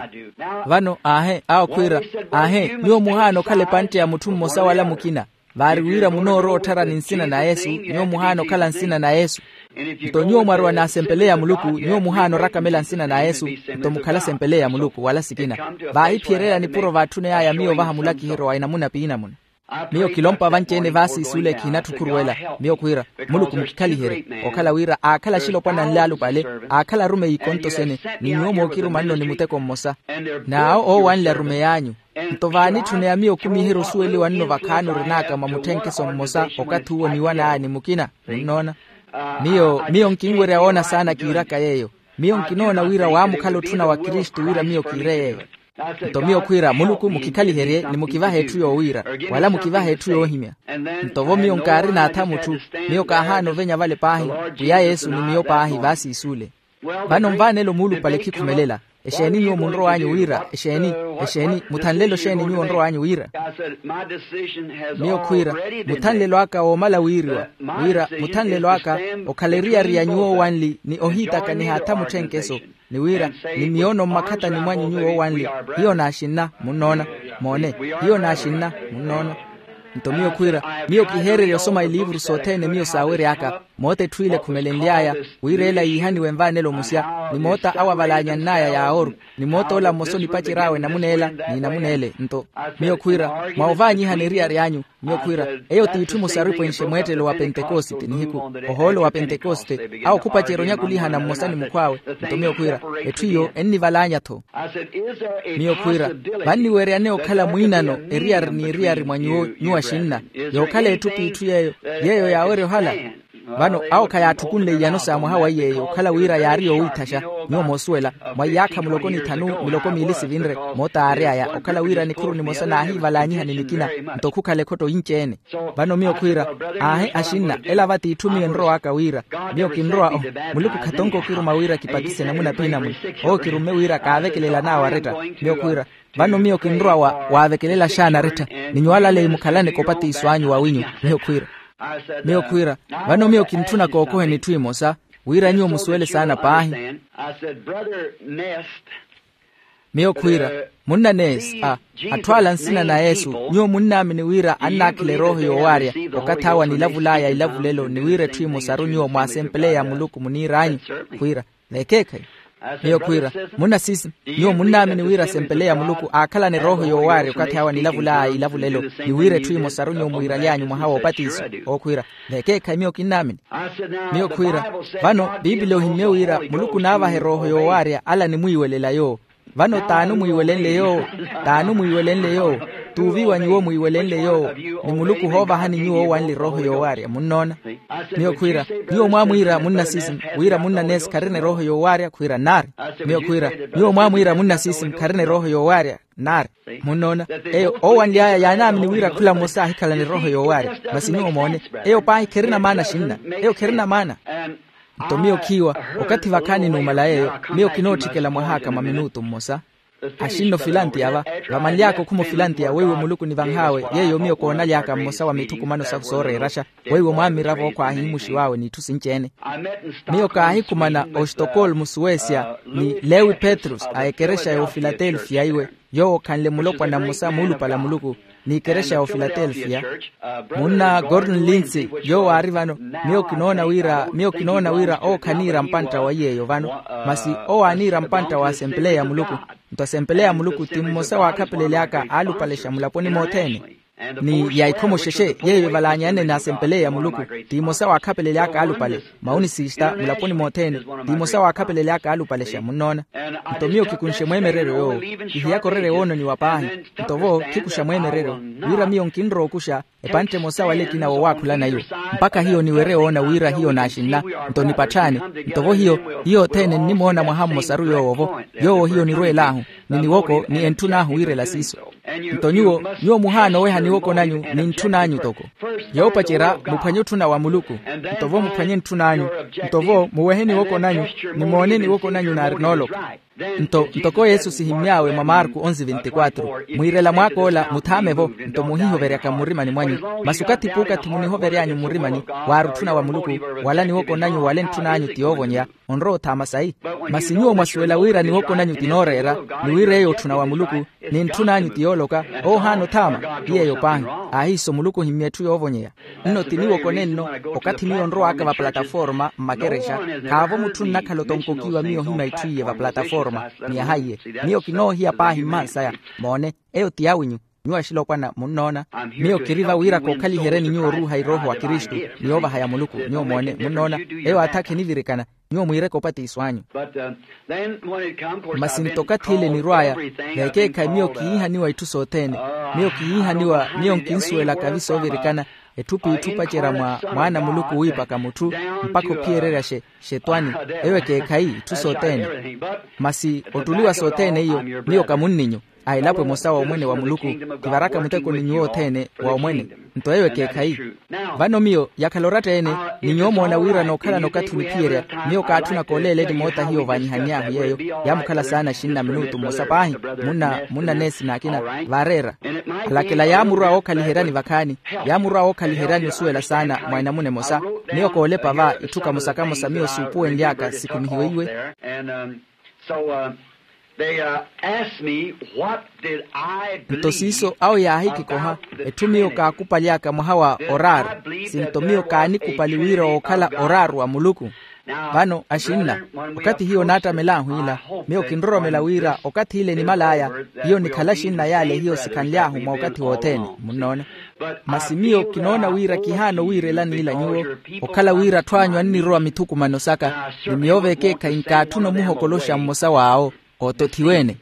Vano aahe awo khwiira, aahe nyuwo muhaana okhala epantte ya mutthu mmosa wala mukina. Vaari wira munoorowa otthara ni nsina na yesu, nyuwo muhaana okhala nsina na yesu. Nto nyuwo mwarowa n'asempeleya a muluku nyuwo muhaana orakamela nsina na yesu, nto mukhala asempeleya a muluku wala sikina. Vaahiphiyererya nipuro vaatthuney'aya miyo ovaha mulakiheryo wa enamuna p'inamuna. Miyo kilompa vanci-ene vaasiisi ole kihinatthu okhuruwela. Miyo khwiira, muluku mukikhaliherye okhala wira aakhala axilopwana anle alupale, aakhala arumeyi ikonto sene, ni nyuwo mookiruma nno ni muteko mmosa. N'awo oowanle arumeyi anyu. Nto vaanitthune ya miyo okumiherya osuweliwa nno vakhaani orin'aka mwa mutthenkeso mmosa okathi uwo niwan'aya ni mukina. Munnoona? Miyo miyo nkinwerya woona saana kiiraka yeeyo. Miyo nkinoona wira waamukhala otthuna wa kristu wira miyo kiire yeeyo. Nto miyo khwiira muluku mukikhaliherye ni mukivahe etthu yoowiira, wala mukivahe etthu yoohimya. Nto vo miyo nkaari n'atha mutthu, miyo kaahaana ovenya vale paahi, pwiya yesu ni miyo paahi vaasiisi ole. Vano nvaanelo muulupale khikhumelela. Exeeni nyuwo munrow'anyu wira exeeni? Exeeni muthanlelo xeeni nyuwo onrow'anyu wira? Miyo khwiira, muthanlelo aka woomala wiiriwa, wira muthanlelo aka okhala eriyari ya nyuwo owanli ni ohiitaka nihaatha mutthenkeso, ni wira ni miyono mmakhatani mwanyu nyuwo owanli. Hiyo naaxinna munnoona? Moone, hiyo naaxinna munnoona. Nto miyo khwiira, miyo kiheererya osoma iliivuru sothene miyo saawery'aka. Moota etthu ile ekhumelenly'aya wira ela yiihaniwe nvaanelo musya, ni moota awo avalaanyann'aya yaawooru, ni moota ola mmosa onipacery'awe namuna ela ni namuna ele. Nto miyo khwiira, mwa ovaanyihana eriyari anyu. Miyo khwiira, eyo t'itthu imosa aripwenxe mweettelo wa pentekosite nihiku, ohoolo wa pentekosite, awo khupacerya onyakulihana mmosa ni mukhw'awe. Nto miyo khwiira, etthu iyo ennivalaanya-tho. Miyo khwiira, vanniweeryane okhala mwiinano eriyari n'eriyari mwa nyuwo nyuwo axinna, yookhala etthu p'itthu yeeyo, yeeyo yaawerya ohala. Vano awo khayaatthukunle iyano sa mwaha wa iyeeyo okhala wira yaari yoowiithaxa. Nyuwo moosuwela, mwa iyaakha muloko ni thanu miloko miili sivinre, moota aary'aya okhala wira nikhuru nimosa naahiivalaanyiha ni nikina, nto khukhala ekhotto yinci-ene. Vano miyo khwiira, aahi axinna ela va t'itthu miyo enrow'aka wira, miyo kinrowa o, muluku khatonke okiruma wira kipatise namuna p'inamuna. Owo kirumme wira kaavekelela naawaretta. Miyo khwiira, vano miyo kinrowa wa waavekelela xaana aretta, ni nyuwo alaleyi mukhalane kopatiso anyu wawinyu. Miyo khwiira, miyo khwiira, vano miyo kintthuna kookoheni etthu emosa, wira nyuwo musuwele saana paahi. Miyo khwiira, munna neesi a, atthu ala nsina na yesu, nyuwo munnaamini wira annaakhela erooho yoowaarya okathi awo anilavul'aya ilavulelo ni wira etthu emosaru nyuwo mwaasempeleya a muluku muniir'anyu? Khwiira, veekeekhayi. Miyo khwiira, munna sisi, nyuwo munnaamini wira asempeleya a muluku aakhalana erooho yoowaarya okathi awo anilavul'aya ilavulelo ni wira etthu emosaru nyuwo mwiiraly'anyu mwaha woopatiso? Owo khwiira, veekeekhayi miyo kinnaamini. Miyo khwiira, vano piipili ohimmye wira muluku onaavaha erooho yoowaarya ala animwiiwelela yoowo. Vano t'ani omwiiwelenle yoowo? T'ani omwiiwelenle yoowo? T'uviiwa nyuwo mwiiwelenle yoowo, ni muluku ohoovahani nyuwo owanle erooho yoowaarya munnoona. Miyo khwiira, nyuwo mwaamwiira munna sisi wira munna neesi kharina erooho yoowaarya khwiira nnaari. Miyo khwiira, nyuwo mwaamwiira munna sisi kharina erooho yoowaarya nnaari. Munnoona, eyo oowanly'aya yaanaamini wira khula mmosa aahikhalana erooho yoowaarya. Masi nyuwo moone, eyo paahi kherina maana axinna. Eyo kherina maana. Nto miyo khiiwa, okathi vakhaani numala yeeyo, miyo kinootthikela mwah'aka mwa minutu mmosa. Axinna ofilantiya va, vamanly'aka okhuma ofilantiya weiwo muluku onivanh'awe, yeeyo miyo koonaly'aka mmosa wa mithukumano sahu sooreeraxa. Weiwo mwammiravo okhwa ahimuxiw'awe n'itthu sinci-ene. Miyo kaahikhumana ostokolmu suwesia, ni lewi petrus a ekerexa y'ofilatelfiya iwe, yoowo okhanle mulopwana mmosa muulupale a muluku, n'ikerexa y'ofilatelfiya. Munna gordon lindsay, yoowo aari vano. Miyo kinoona wira miyo kinoona wira owo khaniira mpantta wa iy'eyo vano, masi owo aaniira mpantta wa asempeleya a muluku. Nto asempeleya a muluku ti mmosa w'akhapeleli aka aalupalexa mulaponi mothene. Ni ya ikhomoxexe yeeyo evalaanyane n'asempeleya a muluku, ti mmosa w'akhapeleli aka aalupale. Mauni sista mulaponi mothene, ti mmosa w'akhapeleli aka aalupalexa munnoona. Nto miyo kikunxe mweemereryo yoowo. Kihiyaka orerya woononiwa paahi. Nto vo khikuxa mweemereryo, wira miyo nkinrowa okuxa epantte emosa wala ekina woowakhulana yo, mpakha hiyo niwerye woona wira hiyo naaxinna. Nto nipatthaani. Nto vo hiyo hiyo othene nnimoona mwaha mmosaru yoowo vo, yoowo hiyo nirweel'ahu, ni niwoko ni entthun'ahu wiirela siiso. Nto nyuwo nyuwo muhaana oweha niwoko nanyu ni ntthun'anyu toko. Yoopacerya muphwanye otthuna wa muluku. Nto vo muphwanye ntthun'anyu. Nto vo muwehe niwoko nanyu, ni moone niwoko nanyu naari nooloka. Nto ntoko yesu sihimmy'awe mwa marku onzi vinti-kwatru, mwiirela mwaak'ola muthaame-vo, nto muhihoveryaka mmurimani mwanyu. Masi okathi puukathi munihovery'anyu mmurimani, waari otthuna wa muluku, wala niwoko nanyu wala entthun'anyu ti yoovonyeya, onrowa othaama sayi. Masi nyuwo mwasuwela wira niwoko nanyu ti nooreera, ni wira eyo otthuna wa muluku, ni ntthun'anyu ti yooloka, owo ohaana othaama. Ti yeeyo paahi. Aahiiso muluku ohimmya etthu yoovonyeya. Nno ti niwoko nenno, okathi miyo onrow'aka vapalataforma mmakerexa, khaavo mutthu onnakhala otonkokiwa miyo ohimya itthu iye vapalataforma. Ni yaha iye. Miyo kinoohiya paahi mmansaya. Moone, eyo ti awinyu. Nyuwo axilopwana munnoona. Miyo kiri va wira kookhaliheryani nyuwo oruuha irooho wa kristu, ni yoovahaya muluku. Nyuwo moone munnoona, eyo aatha akhinivirikana. Nyuwo mwiireke opatiso anyu. Masi nto okathi ile enirw'aya, veekeekhayi miyo kihiihaniwa itthu sothene. Miyo kihiihaniwa, miyo nkinsuwelaka vi soovirikana, etthu p'itthu opacerya mwa mwaana a muluku wiipaka mutthu, mpakha ophiyererya xe xetwani. Eyo ekeekhayi itthu sothene. Masi ottuli wa sothene iyo, miyo kamunninyu a elapo emosa wa omwene wa muluku, kivaraka muteko ni nyuwo othene wa omwene. Nto eyo ekeekhayi. Vano miyo yakhala oratta-ene, ni nyuwo moona wira nookhalana okathi oniphiyerya. Miyo kaatthuna kooleeleni moota hiyo ovaanyihanny'ahu yeeyo. Yaamukhala saana axinna minutu mmosa paahi. Munna munna neesi n'akina vaareera. Alakela yaamurwa wookhaliheryani vakhaani. Yaamurwa wookhaliheryani osuwela saana mwa enamuna emosa. Miyo koolepa va itthu kamosa kamosa miyo suupuwenly'aka sikhumihiwe iwe. Nto siiso awo yaahikikoha, etthu miyo kaakupaly'aka mwaha wa oraaru. Sinto miyo kaanikupali wira wookhala oraaru wa muluku. Vano axinna, okathi hiyo naattamel'ahu ila, miyo kinroromela wira okathi ile enimal'aya, hiyo nikhala axinna yaale hiyo sikhanly'ahu mwa okathi wothene. Munnoona. Masi miyo kinoona wira kihaana owiirelani ila nyuwo, okhala wira atthu anyu annirowa mithukumano saka, ni miyo veekeekhayi nkaatthuna omuhokoloxa mmosa w'awo, ootothiwe-ene.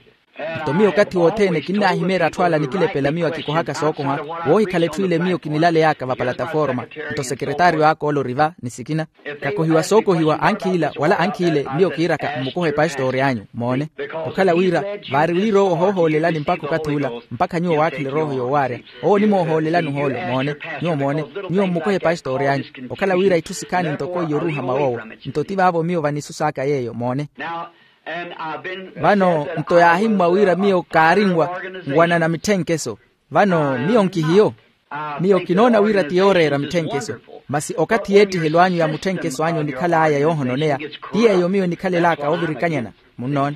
Nto miyo okathi wothene kinnaahimeerya atthu ala nikilepela miyo akikohaka sookoha, woohikhala etthu ile miyo kinilaley'aka vapalataforma. Nto sekeretaaryo aka ole ori va ni sikina. Kakohiwa sookohiwa ankhiy'ila wala ankhiy'ile, miyo kiiraka mmukohe pastori anyu. Moone. Okhala wira, vaari wira owo ohoohoolelani mpakha okathi ula, mpakha nyuwo waakhela erooho yoowaarya. Owo onimoohoolelani ohoolo. Moone. Nyuwo moone, nyuwo mmukohe pastori anyu. Okhala wira itthu sikhaani ntoko iyo oruuha mwa woowo. Nto ti vaavo miyo vanisus'aka yeeyo. Moone. Vano nto yaahimmwa wira miyo kaarinwa nwanana mitthenkeso. Vano miyo nkihiyo. Miyo kinoona wira ti yooreera mitthenkeso. Masi okathi y'ettihelo anyu ya mutthenkeso anyu onikhal'aya yoohononeya, ti yeeyo miyo enikhalel'aka oovirikanyana. Munnoona.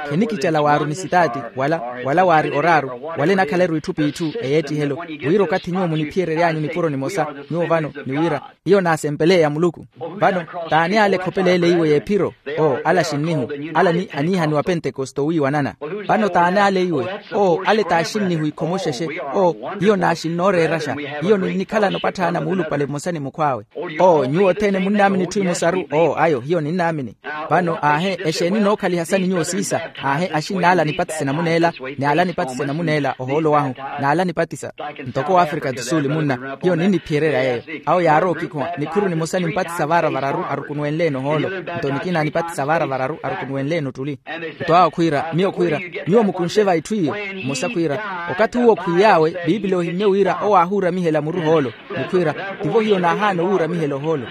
Khenikicala waari onisitaati, wala wala waari oraaru, wala enakhala-ru itthu p'itthu ey'ettihelo. Wira okathi nyuwo muniphiyerery'anyu nipuro nimosa, nyuwo vano ni wira, hiyo naasempeleya muluku. Vano t'ani ale ekhopeleele iwe y'ephiro? Oo, ale axinnihu. Ale aniihaniwa pentekoste owiiwanana. Vano t'ani ale iwe? Oo, ale t'axinnihu ikhomoxexe. Oo, hiyo naaxinnooreeraxa. Hiyo ninnikhalana opatthaana muulupale mmosa ni mukhw'awe. Oo, nyuwo othene munnaamini itthu imosaru? Oo, ayo hiyo ninnaamini. Vano aahe, exeeni nookhaliha sani nyuwo siisa? Aahe, axinn'ala anipatise namuneela, n'ala anipatise namuneela ohoolo wahu, n'ala anipatisa. Ntoko w'afrika du sul munna, hiyo ninniphiyererya yeeyo. Awo yaarowa okikhuwa nikhuru nimosa nimpatisa vaara vararu arukunuwenle-ene ohoolo. Nto nikina anipatisa vaara vararu arukunuwenle-ene ottuli. Nto awo khwiira, miyo khwiira, nyuwo mukunxe va itthu iyo. Mmosa khwiira, okathi uwo okhwiiy'awe, piipili ohimmye wira owo aahuuramihela muru hoolo. Ni khwiira, tivo hiyo naahaana owuuramihela ohoolo.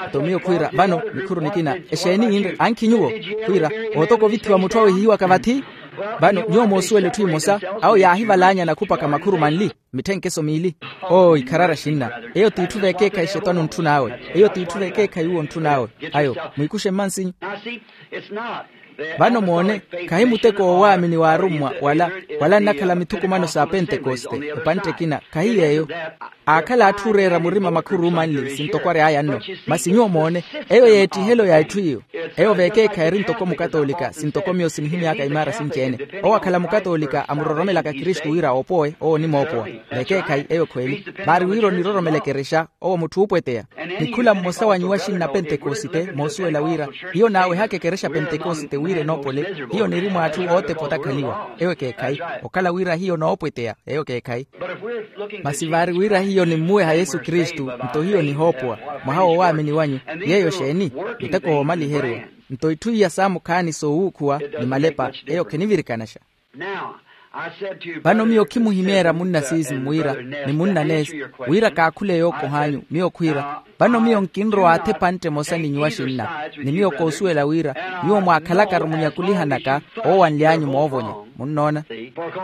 Nto miyo khwiira vano nikhuru nikina, exeeni inre ankhi nyuwo? Khwiira, ootoka ovithiwa mutthu awehihiwaka vathi. Vano nyuwo moosuwela etthu emosa, awo yaahivalaanyana khupaka makhuru manli, mitthenkeso miili. Oo ikharari axinna, eyo t'itthu v'ekeekhayi xetwani ontthun'awe. Eyo t'itthu v'ekeekhayi uwo ontthun'awe. Ayo mwiikuxe mmansinyu. Vano moone, khahi muteko w'owaamini w'arummwa wala wala nnakhala mithukumano sa pentekoste. Epantte ekina khahi yeeyo. Aakhala atthu oreera murima makhuru manli sintoko ary'aya nno. Masi nyuwo moone, eyo y'ettihelo ya etthu iyo. Eyo v'ekeekhayi eri ntoko mukatoolika sintoko miyo sinihimy'aka imaara sinci-ene. Owo akhala mukatoolika amuroromelaka kristu wira oopowe owo onimoopowa. V'ekeekhayi eyo khweeli. Vaari wira oniroromela ekerexa, owo mutthu oopweteya. Ni khula mmosa wa nyuwo axinna pentekosite moosuwela wira, hiyo naawehaka ekerexa pentekosite wira enoopole. Hiyo niri mw'atthu ootepa otakhaliwa eyo ekeekhayi. Okhala wira hiyo noopweteya eyo ekeekhayi. Masi vaari wira hiyo nimmuweha yesu kristu, nto hiyo nihoopowa mwaha w'owaamini wanyu. Yeeyo xeeni? Muteko woomaliheriwa. Nto itthu iya saamukhaani soowuukhuwa ni malepa eyo khenivirikanaxa. Now, Vano miyo khimuhimeerya munna siisi mwira, ni munna neesi, wira kaakhule yookoh'anyu. Miyo khwiira, vano miyo nkinrowa athepantte emosa ni nyuwa xinna, ni miyo koosuwela wira nyuwo mwaakhalakaru munyakulihanaka oowanly'anyu moovonya. Munnoona?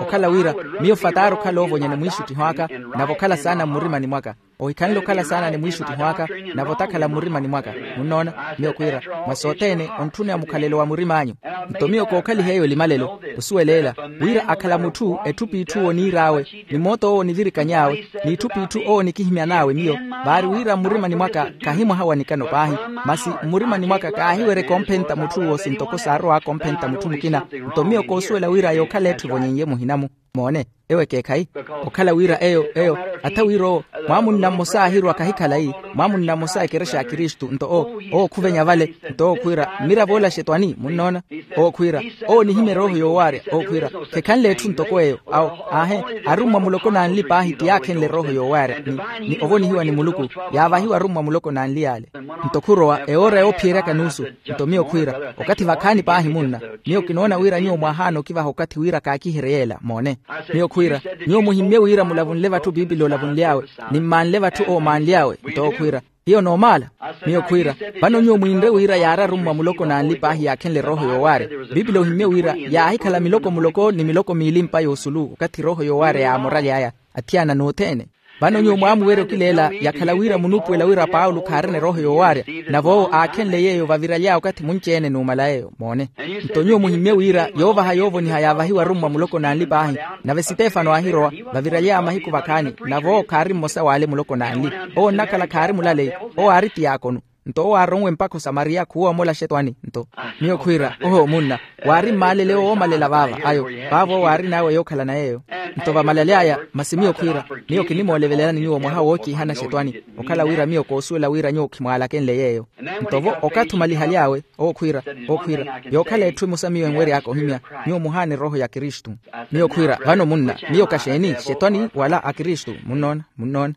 Okhala wira miyo fataari okhala oovonya ni mwiixuttiho aka, nave okhala saana mmurimani mwaka. Ohikhanle okhala saana ni mwiixuttiho aka, nave otakhala mmurimani mwaka. Munnoona? Miyo khwiira, mwa sothene ontthuna mukhalelo wa murim'anyu. Nto miyo kookhaliha eyo elimalelo, osuwela ela, wira akhala mutthu etthu p'itthu owo oniir'awe, ni moota owo onivirikany'awe, n'itthu p'itthu owo onikihimyan'awe miyo, vaari wira mmurimani mwaka kahi mwaha wa nikano paahi, masi mmurimani mwaka kaahiwerya ekompenta mutthu owo sintoko saarowa akompenta mutthu mukina. Nto miyo koosuwela wira yookhala etthu evonyen'ye muhina-mu. Moone, ewo ekeekhayi. Okhala wira eyo eyo, atha wira owo, mwaamunna mmosa aahirwa kahi khalayi, mwaamunna mmosa ekerexa ya kristu nto owo, owo khuvenya vale, nto owo khwiira, mmiravo ola xetwani munnoona. Owo khwiira, owo onihimya erooho yoowaarya. Owo khwiira, khekhanle etthu ntoko eyo. Awo, aahe, arummwa muloko n'anli paahi ti yaakhenle erooho yoowaarya ni, ni ovonihiwa ni muluku, yaavahiwa arummwa muloko n'anli yaale. Nto khurowa ewoora yoophiyerya kanuusu. Nto miyo khwiira, okathi vakhaani paahi munna, miyo kinoona wira nyuwo mwaahaana okivaha okathi wira kaakiherye yeela. Moone, miyo khwiira, nyuwo muhimmye wira mulavunle vatthu piipili olavunly'awe, ni mmaanle vatthu owo omaanly'awe. Nto owo khwiira, hiyo noomaala. Miyo khwiira, vano nyuwo mwiinre wira yaari arummwa muloko n'anli paahi yaakhenle erooho yoowaarya. Piipili ohimmye wira yaahikhala miloko muloko ni miloko miili mpa yoosulu okathi erooho yoowaarya yaamoraly'aya, athiyana n'othene. Vano nyuwo mwaamuwerya okileela yakhala wira munuupuwela wira paulo khaarina erooho yoowaarya, nave owo aakhenle yeeyo vaviraly'aya okathi munci-ene numala yeeyo. Moone, nto nyuwo muhimmye wira yoovaha yoovoniha yaavahiwa arummwa muloko n'anli paahi. Nave sitefano aahirowa, vaviraly'aya mahiku vakhaani, nave owo khaari mmosa w'ale muloko n'anli. Owo onnakhala khaari mulaleyi, owo aari tiyaakono. Nto owo aaronwe mpakha osamariya khuwowa omola xetwani. Nto miyo khwiira, oho munna, waari mmaalele owo oomalela vaava ayo, vaavo owo aarin'awe yookhalana yeeyo. Nto vamalaly'aya, masi miyo khwiira, miyo kinimoolevelelani nyuwo mwaha wookiihana xetwani, okhala wira miyo koosuwela wira nyuwo khimwaalakenle yeeyo. Nto-vo okathi omalihaly'awe, owo khwiira, owo khwiira, yookhala etthu emosa miyo enwery'aka ohimya, nyuwo muhaana erooho ya kristu. Miyo khwiira, vano munna, miyo kaxeeni xetwani wala akristu? Munnoona, munnoona.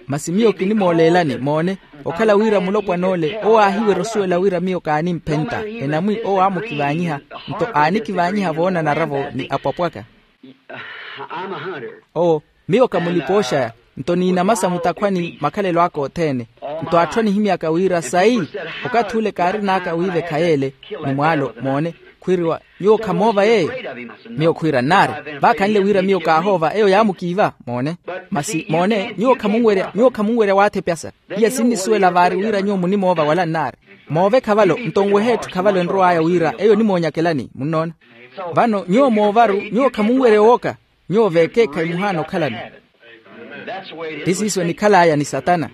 Masi miyo kinimooleelani. Moone, okhala wira mulopwan'ole owo aahiwerya osuwela wira miyo kaanimphenta, enamwi owo aamukivaanyiha, nto aanikivaanyiha voonanara-vo ni apwapwaka. Owo, miyo ka mulipooxaya, nto niinamasa mutakhwani makhalelo aka othene. Nto atthu anihimyaka wira sayi, okathi ule kaarin'aka wiivekha yeele, ni mwaalo. Moone, khwiiriwa, nyuwo khamoova yeeyo? Miyo khwiira nnaari, vaakhanle wira miyo kaahoova eyo yaamukiiva. Moone, masi moone, nyuwo khamunwerya, nyuwo khamunwerya waathepyasa. Iya sinnisuwela vaari wira nyuwo munimoova wala nnaari. Moove khavalo, nto nwehe etthu khavalo enrow'aya wira eyo onimoonyakelani. Munnoona? Vano nyuwo moovaru, nyuwo khamunwerya owooka. Nyuwo veekeekhayi muhaana okhalani. Ti siiso enikhal'aya ni satana.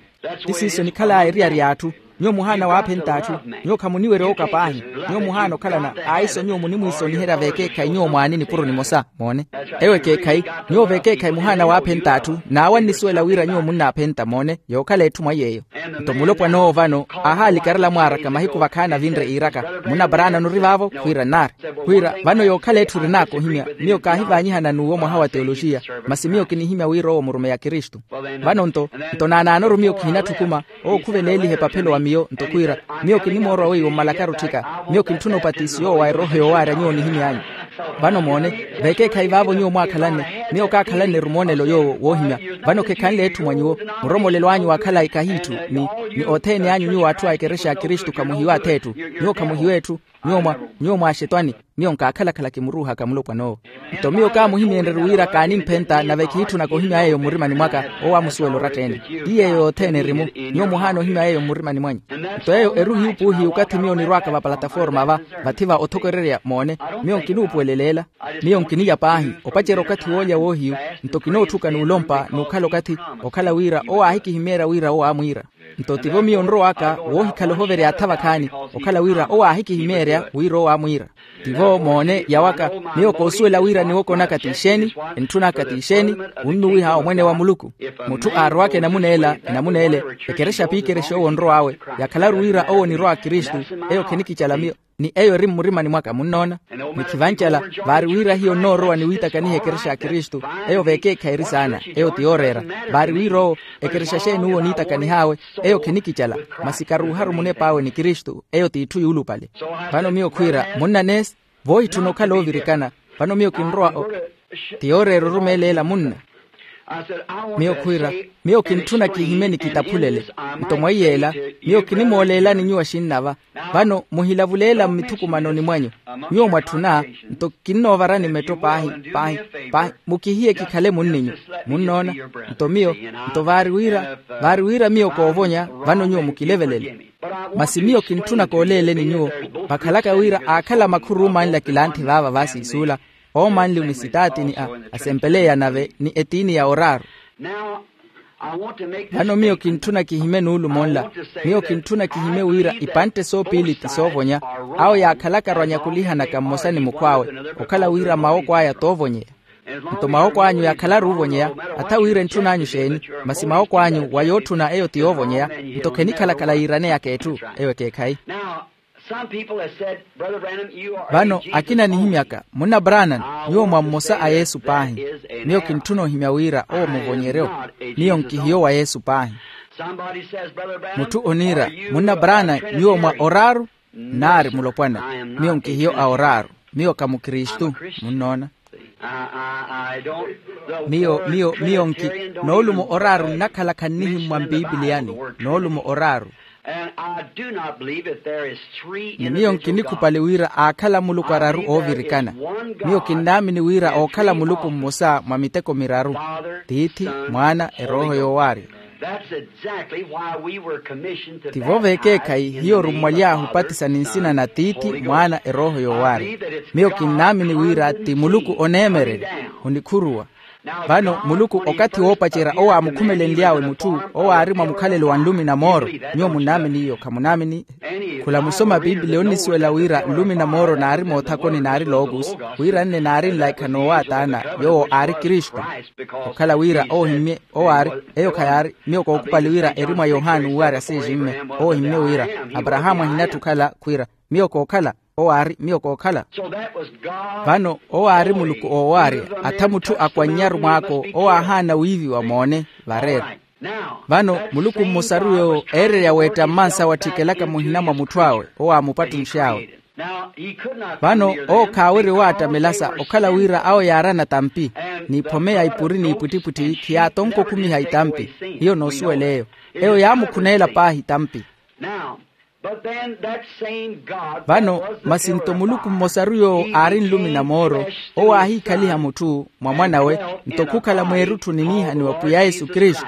Ti siiso enikhal'aya eriyari y'atthu. Nyuwo muhaana waaphenta atthu. Nyuwo khamuniwerya owooka paahi. Nyuwo muhaana okhalana. Aiso nyuwo munimwiisoniherya veekeekhayi nyuwo mwaani nipuro nimosa. Moone, ewo ekeekhayi. Nyuwo veekeekhayi muhaana waaphenta atthu, n'awo annisuwela wira nyuwo munnaaphenta. Moone, yookhala etthu mwa yeeyo. Nto mulopwana owo vano aahaalikarela mwaaraka mahiku vakhaani avinre iiraka, munna paraana onori vaavo? Khwiira nnaari. Khwiira, vano yookhala etthu erin'aka ohimya, miyo kaahivaanyihana n'uwo mwaha wa teoloxiya, masi miyo kinihimya wira owo murumeyi a kristu. Vano nto, nto naanaanoru miyo kihinatthukhuma, owo khuveleeliha epaphelo wa miyo. Nto khwiira, miyo kinimoorowa weiwo mmalakaru otthika. Miyo kintthuna opatisiyo wa erooho yoowaarya nyuwo onihimy'anyu. Vano moone, veekeekhayi vaavo nyuwo mwaakhalanne, miyo kaakhalanne-ru moonelo yoowo woohimya. Vano khekhanle etthu mwa nyuwo, muromolelo anyu wa khalayi kahiitthu, ni, ni othene anyu nyuwo atthu a ekerexa ya kristu khamuhiwe ath'etthu. Nyuwo khamuhiwe etthu. Nyuwo mwa, nyuwo mwaaxetwani. Miyo nkaakhalakhala kimuruuhaka mulopwan'owo. Nto miyo kaamuhimyeenrye-ru wira kaanimphenta nave khiitthunaka ohimya yeeyo mmurimani mwaka. Owo aamusuwela oratta-ene. Ti yeeyo yothene eri-mu. Nyuwo muhaana ohimya yeeyo mmurimani mwanyu. Nto eyo eruuhiyu puuhiyu okathi miyo onirw'aka vapalataforma va, vathi va othokorerya. Moone, miyo nkinuupuweleleela. Miyo nkiniya paahi opacerya okathi woolya woohiyu. Nto kinootthuka n'ulompa n'ukhala okathi, okhala wira owo aahikihimeerya wira owo aamwiira. Nto tivo miyo nrow'aka woohikhala ohoverya atha vakhaani, okhala wira owo aahikihimeerya wira owo aamwiira. Tivo moone yawaka. Miyo koosuwela wira niwokonaka t'ixeeni, entthun'aka t'ixeeni, wunnuwiha omwene wa muluku. Mutthu aarowaka enamuna ela, enamuna ele, ekerexa p'ikerexi owo onrow'awe, yakhalaru wira owo onirwa a kristu, eyo khinikicala miyo. Ni eyo eri mmurimani mwaka munnoona. Ni khivancala, vaari wira hiyo nnoorowa ni wiitakaniha ekerexa ya kristu. Eyo veekeekhayi eri saana, eyo ti yooreera. Vaari wira owo, ekerexa xeeni uwo oniitakanih'awe? Eyo khinikicala. Masi karuuharu munep'awe ni kristu, eyo t'itthu yuulupale. Vano miyo khwiira munna neesi, voohitthuna okhala oovirikana. Vano miyo kinrowa o- ti yooreera orumeela ela munna. Miyo khwiira, miyo kintthuna kihimye ni kitaphulele. Nto mwaiy'ela, miyo kinimooleelani nyuwo axinnava. Vano muhilavuleela mmithukumanoni mwanyu. Nyuwo mwatthuna, nto kinnoovarani metto paahi, paahi, paahi. Mukihiye kikhale munninyu. Munnoona? Nto miyo, nto vaari wira, vaari wira miyo koovonya. Vano nyuwo mukilevelele. Masi miyo kintthuna kooleeleni nyuwo, vakhalaka wira aakhala makhuru omanla kilanthi vaava vaasiisuula, oomanli onisitaati ni a, asempeleya nave ni etiini ya oraaru. Vano miyo kintthuna kihimye nuulumo nla. Miyo kintthuna kihimye wira ipantte soopiili ti soovonya, awo yaakhalakaru anyakulihanaka mmosa ni mukhw'awe, okhala wira mawoko aya toovonyeya. Nto mawoko anyu yaakhalaru oovonyeya, atha wira entthun'anyu xeeni, masi mawoko anyu wa yootthuna eyo ti yoovonyeya. Nto khenikhalakhala yiiraneyaka etthu. Eyo ekeekhayi. Vano akina anihimyaka, munna brannan, nyuwo mwa mmosa a yesu paahi. Miyo kintthuna ohimya wira owo muvonyeryo. Miyo nkihiyo wa yesu paahi. Mutthu oniira, munna brannan, nyuwo mwa oraaru? Nnaari mulopwana. Miyo nkihiyo a oraaru. Miyo ka mukristu. Munnoona? Miyo miyo miyo nki, noolumo oraaru nnakhalaka nnihimmwa mpiipiliyani. Noolumo oraaru. Ni miyo nkinikhupali wira aakhala muluku araru oovirikana. Miyo kinnaamini wira ookhala muluku mmosa mwa miteko miraru, tiithi, mwaana, erooho yoowaarya. Tivo vekeekhayi hiyo orummwaly'ahu opatisa ni nsina na tiithi, mwaana, erooho yoowaarya. Miyo kinnaamini wira ti muluku oneemererya. Onikhuruwa. Vano muluku okathi woopacerya owo aamukhumelenly'awe mutthu owo aari mwa mukhalelo wa nlumi na mooro. Nyuwo munnaamini iyo khamunaamini? Khula musoma piipiliya onnisuwela wira nlumi na mooro naari moothakoni naari lookusi, wira nne naari nlaikha noowaataana. Yoowo aari kristu. Okhala wira owo ohimmye owo aari, eyo khayaari. Miyo kookhupali wira eri mwa yohani uuwaarya seeximme. Owo ohimmye wira aparahaamu ahinatthu okhala khwiira, miyo kookhala. Owo aari miyo kookhala. Vano owo aari muluku oowaarya. Atha mutthu akwannyaru mwaako owo aahaana wiiviwa moone vareera. Vano muluku mmosaru yoowo eererya weetta mmansa wattikelaka muhina mwa mutthu awe owo aamupattunx'awe. Vano owo khaawerya owaattamela sa okhala wira awo yaarana tampi, n'iphome ya ipuri n'ipwittipwitthi khiyaatonka okhumiha itampi. Hiyo noosuwela eyo. Eyo yaamukhuneela paahi tampi. Vano masi nto muluku mmosaru yoowo aari nlumi na mooro, owo aahiikhaliha mutthu mwa mwan'awe, nto khukhala mweerutthuni niihaniwa pwiya yesu kristu.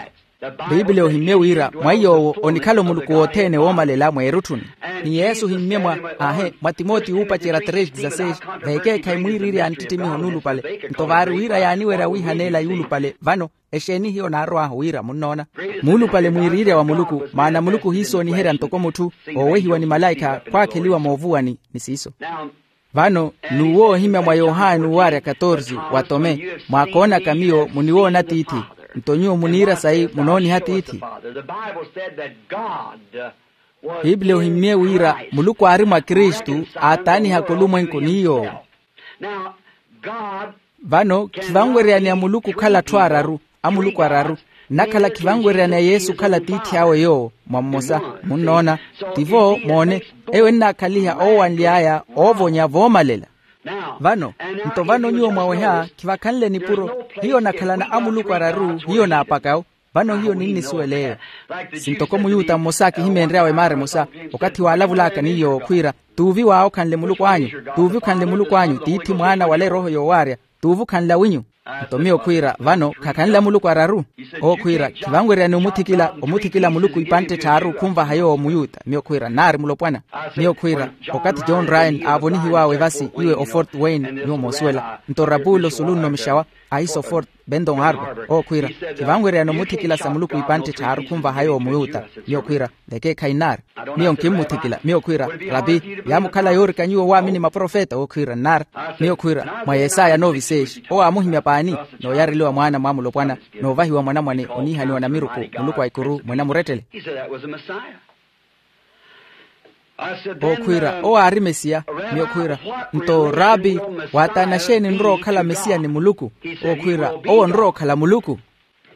Piipiliya ohimmye wira mwa iy'owo onikhala omuluku wothene woomalela mweerutthuni. Ni yesu ohimmye mwa, aahe, mwa timoti wuupacerya tres dezasseis, vekeekhayi mwiiriirya a nttittimiho nuulupale. Nto vaari wira yaaniwerya wiihaneela yuulupale vano. Exeeni hiyo naarow'ahu wira munnoona? Muulupale mwiiriirya wa muluku, maana muluku ohiisooniherya ntoko mutthu oowehiwa ni malaikha khwaakheliwa moovuwani ni siiso. Vano n'uwo oohimya mwa yohani uuwaarya katorsi, wa tome, mwaakoonaka miyo muniwoona tiithi. Nto nyuwo muniira sayi munooniha tiithi. Piipiliya ohimmye wira muluku aari mwa kristu, aataanihaka olumwenku ni yoowo. Vano khivanweryaneya muluku okhala atthu araru, a muluku araru. Nnakhala khivanweryaneya yesu okhala tiithi awe yoowo mwa mmosa. Munnoona? Tivo moone. Eyo ennaakhaliha oowanly'aya oovonya voomalela. Vano nto vano nyuwo mwaweha khivakhanle nipuro. Hiyo nakhalana a muluku araru hiyo naapakawo. Vano hiyo ninnisuwela eyo. Sintoko muyuta mmosa kihimenry'awe maara emosa, okathi waalavulaka ni yoowo khwiira, t'uvi waawo okhanle muluku anyu. T'uvi okhanle muluku anyu tiithi mwaana wala erooho yoowaarya. T'uvi okhanle awinyu. Nto miyo khwiira vano khakhanle amuluku araru. Owo khwiira khivanweryani omuthikila omuthikila muluku ipantte tthaaru khunvaha yoowo muyuta miyo khwiira nnaari mulopwana. Miyo khwiira okathi john ryan aavonihiw'awe vasi iwe ofort wayne nyuwo moosuwela nto rapulo sulu nno mixawa, ahiso fort benton harbo. Owo khwiira khivanweryani omuthikila sa muluku ipantte tthaaru khunvaha yoowo muyuta. Miyo khwiira vekeekhayi nnaari. Miyo nkimmuthikila miyo khwiira, rapi, yaamukhala yoorika nyuwo waamini maprofeta owo khwiira nnaari. Miyo khwiira mwa yesaya nooviseexi owo aamuhimya paani, nooyareliwa mwaana mwa mulopwana, noovahiwa mwanamwane oniihaniwa namiruku muluku a ikuru mwene amurettele. Owo khwiira owo aari mesiya. Miyo khwiira, nto rapi, waataana xeeni nrowa okhala mesiya ni muluku? Owo khwiira owo nrowa okhala muluku.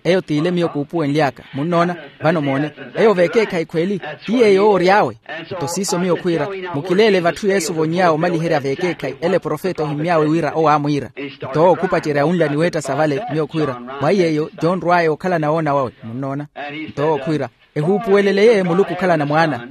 Eyo t'ile miyo kuupuwenly'aka. Munnoona? Vano moone, eyo veekeekhayi khweli, ti yeeyo owo ory'awe. Nto siiso miyo khwiira, mukileele vatthu yesu ovonyiy'awe omaliherya veekeekhayi ele profeta ohimmy'awe wira owo aamwiira. Nto owo khupacerya wunla ni weetta sa vale miyo khwiira, mwa iy'eyo john rwaya okhala na woona wawe. Munnoona? Nto owo khwiira, ehuupuweleleyeye muluku okhalana mwaana.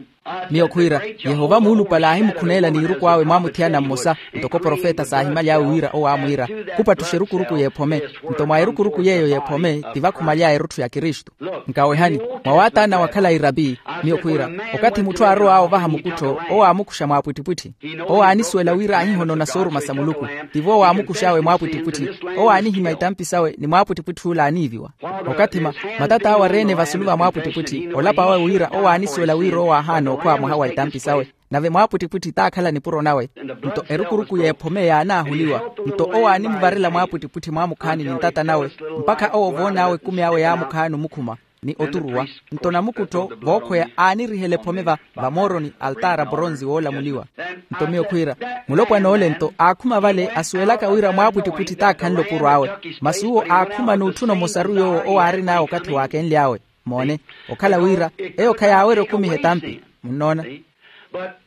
Miyo khwiira, yehova muulupale aahimukhuneela n'iruku awe mwaamuthiyana mmosa, ntoko profeta saahimaly'awe wira owo aamwiira, khupattuxa erukuruku y'ephome. Nto mwa erukuruku y'eyo y'ephome, ti vakhumaly'aya erutthu ya kristu. Nkawehani, mwa waataana wa khalayi rapi, miyo khwiira, okathi mutthu aarow'awe ovaha mukuttho owo aamukuxa mwaapwittipwitthi. Owo aanisuwela wira aahihonona sooruma sa muluku. Tivo owo aamukux'awe mwaapwittipwitthi. Owo aanihimya itampi sawe ni mwaapwittipwitthi ula aaniiviwa. Okathi ma, matat'awe ari-ene vasulu va mwaapwittipwitthi, olapa wawe wira owo aanisuwela wira owo aahaana okhwa mwaha wa itampi sawe, nave mwaapwittipwitthi taakhala nipuro nawe. Nto erukuruku y'ephome yaanaahuliwa. Nto owo aanimuvarela mwaapwittipwitthi mwaamukhaani ni ntata nawe, mpakha owo ovoon'awe ekumi awe yaamukhaani omukhuma ni oturuwa. Nto namukuttho vookhweya aanirihela ephome va, vamooroni altaara poronzi woolamuliwa. Nto miyo khwiira, mulopwan'ole nto aakhuma vale asuwelaka wira mwaapwittipwitthi taakhanle opuro awe. Masi uwo aakhuma n'utthuna omosaru yoowo owo aarin'awe okathi waakenly'awe. Moone, okhala wira, eyo khayaawerya okumiha etampi. Munnoona?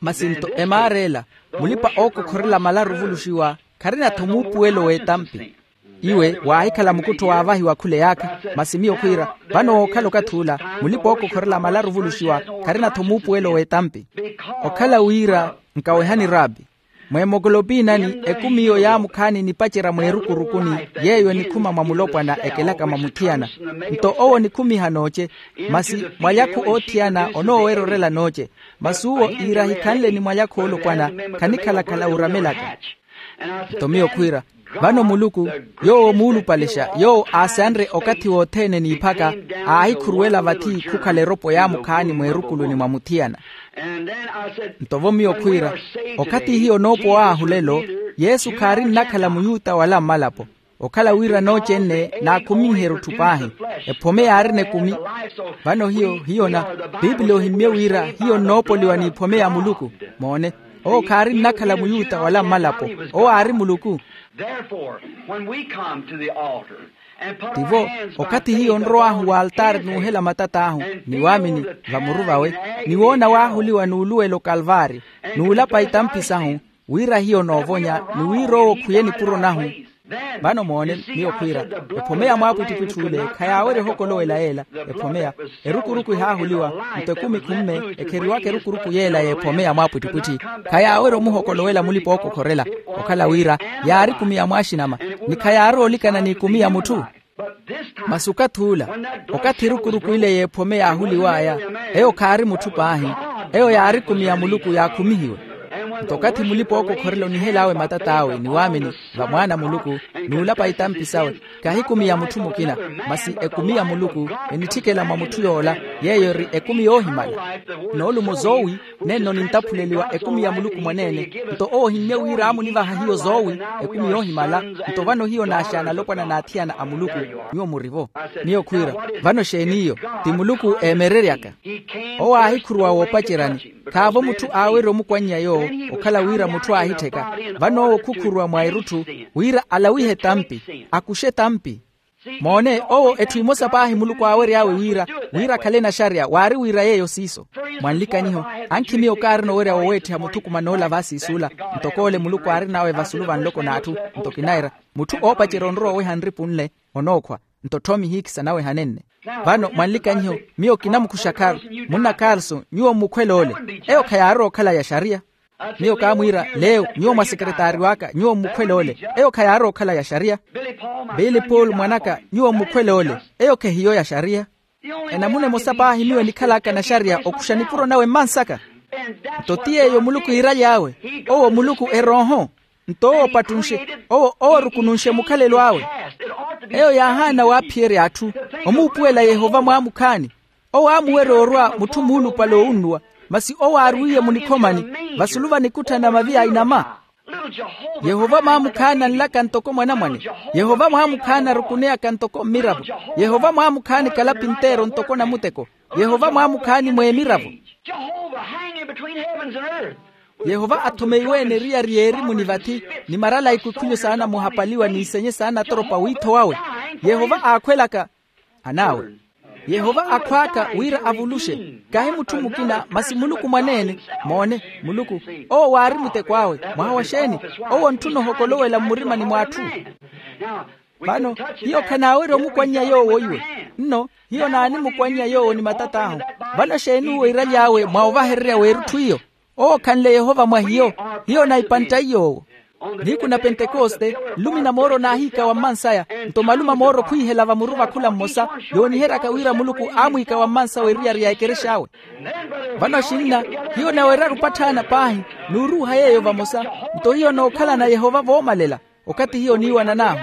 Masi nto emaara ela, mulipa-ookokhorela malaru ovuluxiwa, kharina-tho muupuwelo w'etampi. Iwe waahikhala mukuttho waavahiwa khule yaakha. Masi miyo khwiira, vano wookhala okathi ula, mulipa-ookokhorela malaru ovuluxiwa, kharina-tho muupuwelo w'etampi. Okhala wira, nkawehani rapi, mweemokolopinani ekumi iyo yaamukhaani nipacerya mweerukurukuni, yeeyo enikhuma mwa mulopwana ekelaka mwa muthiyana. Nto owo onikhumiha nooce, masi mwalyakhu oothiyana onoowerya orela nooce. Masi uwo iira ahikhanle ni mwalyakhu oolopwana, khanikhala-khala uuramelaka. Nto miyo khwiira, vano muluku, yoowo muulupalexa yoowo aasanre okathi wothene n'iphaka, aahikhuruwela vathi khukhala eropo yaamukhaani mweerukuluni mwa muthiyana. Nto vo miyo khwiira, okathi hiyo onoopowa ahu lelo, yesu khaari nnakhala muyuta wala mmalapo. Okhala wira nooce-ene naakhuminherya otthu paahi, ephome yaarina ekumi. Vano hiyo hiyona, piipili ohimmye wira hiyo nnoopoliwa n'iphome ya muluku. Moone, owo khaari nnakhala muyuta wala mmalapo, owo aari muluku. Tivo, okathi hiyo onrow'ahu w'altaari n'uhela matat'ahu, ni waamini, vamuru vawe, ni woona waahuliwa n'uluwela okalvaari, n'ulapa itampi sahu, wira hiyo onoovonya ni wira owo okhuye nipuro nahu. Vano moone, miyo khwiira, ephome ya mwaapwittipwitthi ule khayaawerya ohokolowela yeela. Ephome ya, erukuruku ehaahuliwa, nto ekumi khumme ekheriwaka erukuruku yeela y'ephome ya mwaapwittipwitthi, khayaawerya omuhokolowela mulipa-ookokhorela. Okhala wira, yaari ekumi ya mwaaxinama, ni khayaari oolikana n'ekumi ya mutthu. Masi okathi ula, okathi erukuruku ile y'ephome yaahuliw'aya, eyo khaari mutthu paahi, eyo yaari ekumi ya muluku yaakhumihiwe. Nto okathi mulipa-ookokhorela onihel'awe matat'awe ni waamini, va mwaana a muluku, n'ulapa itampi sawe, kahi ekumi ya mutthu mukina, masi ekumi ya muluku enitthikela mwa mutthu yoola, yeeyo eri ekumi yoohimala. Noolumo zoowi, nenno nintaphuleliwa ekumi ya muluku mwaneene. Nto owo ohimmye wira aamunivaha hiyo zoowi, ekumi yoohimala. Nto vano hiyo naaxaana alopwana n'athiyana a muluku. Nyuwo muri-vo. Miyo khwiira, vano exeeni iyo? Ti muluku eemereryaka. Owo aahikhuruwa woopaceryani, khaavo mutthu aawerya omukwannya yoowo. Okhala wira mutthu aahittheka, vano owo khukhuruwa mwa erutthu, wira alawihe etampi, akuxe etampi. Moone, owo etthu emosa paahi muluku aawery'awe wira, wira akhale naxariya waari wira yeeyo siiso. Mwanlikanyiho, ankhi miyo kaarina owerya woweettiha muthukuman'ola vaasiis'ula, ntoko ole muluku aarin'awe vasulu va nloko n'atthu. Nto kinaira, mutthu oopacerya onrowa oweha nripu nle, onookhwa. Nto tthoomi ihiikisa naweha nenne. Vano mwanlikanyiho, miyo kinamukuxa carl, munna carlson, nyuwo mmukhwele ole. Eyo khayaari okhala ya xariya. Miyo kaamwiira, leo nyuwo mwa sekeretaari w'aka nyuwo mmukhwele ole. Eyo khayaari okhala ya xariya. Bili paul mwan'aka, nyuwo mmukhwele ole. Eyo khehiyo ya xariya. Enamuna emosa paahi miyo enikhal'aka naxariya okuxa nipuro nawe mmansaka. Nto ti yeeyo muluku iiraly'awe. Owo muluku erooho. Nto owo opattunxe, owo oorukununxe mukhalelo awe. Eyo yaahaana waaphiyerya atthu, omuupuwela yehova mwaamukhaani. Owo aamuwerya orwa mutthu muulupale oowunnuwa, masi owo aarwiiye munikhomani, vasulu va nikutthana mavi ainama. Yehova mwaamukhaani anlaka ntoko mwanamwane. Yehova mwaamukhaani arukuneyaka ntoko mmiravo. Yehova mwaamukhaani kalapi nteero ntoko namuteko. Yehova mwaamukhaani mweemiravo. Yehova athumeiwe eneriyari y'erimu ni vathi, ni marala a ikwikhwilyo saana muhapaliwa n'isenye saana atoropa wiitho wawe. Yehova aakhwelaka. Anaawe, yehova akhwaaka wira avuluxe, kahi mutthu mukina masi muluku mwaneene. Moone, muluku, owo waari muteko awe. Mwaha wa xeeni? Owo ontthuna ohokolowela mmurimani mw'atthu. Vano, hiyo khanaawerya omukwannya yoowo iwe. Nno, hiyo naanimukwannya yoowo ni matat'ahu. Vano xeeni uwo iraly'awe mwa ovahererya w'erutthu iyo? Owo khanle yehova mwa hiyo. Hiyo naipanttayi yoowo. Nihiku na pentekoste, nlumi na mooro naahiikawa mmansaya. Nto malume a mooro khwiihela vamuru vakhula mmosa, yooniheryaka wira muluku aamwiikawa mmansa w'eriyari ya ekerex'awe. Vano axinna, hiyo naweryaru opatthaana paahi, n'uruuha yeeyo vamosa. Nto hiyo nookhalana yehova voomalela. Okathi hiyo niiwanan'ahu.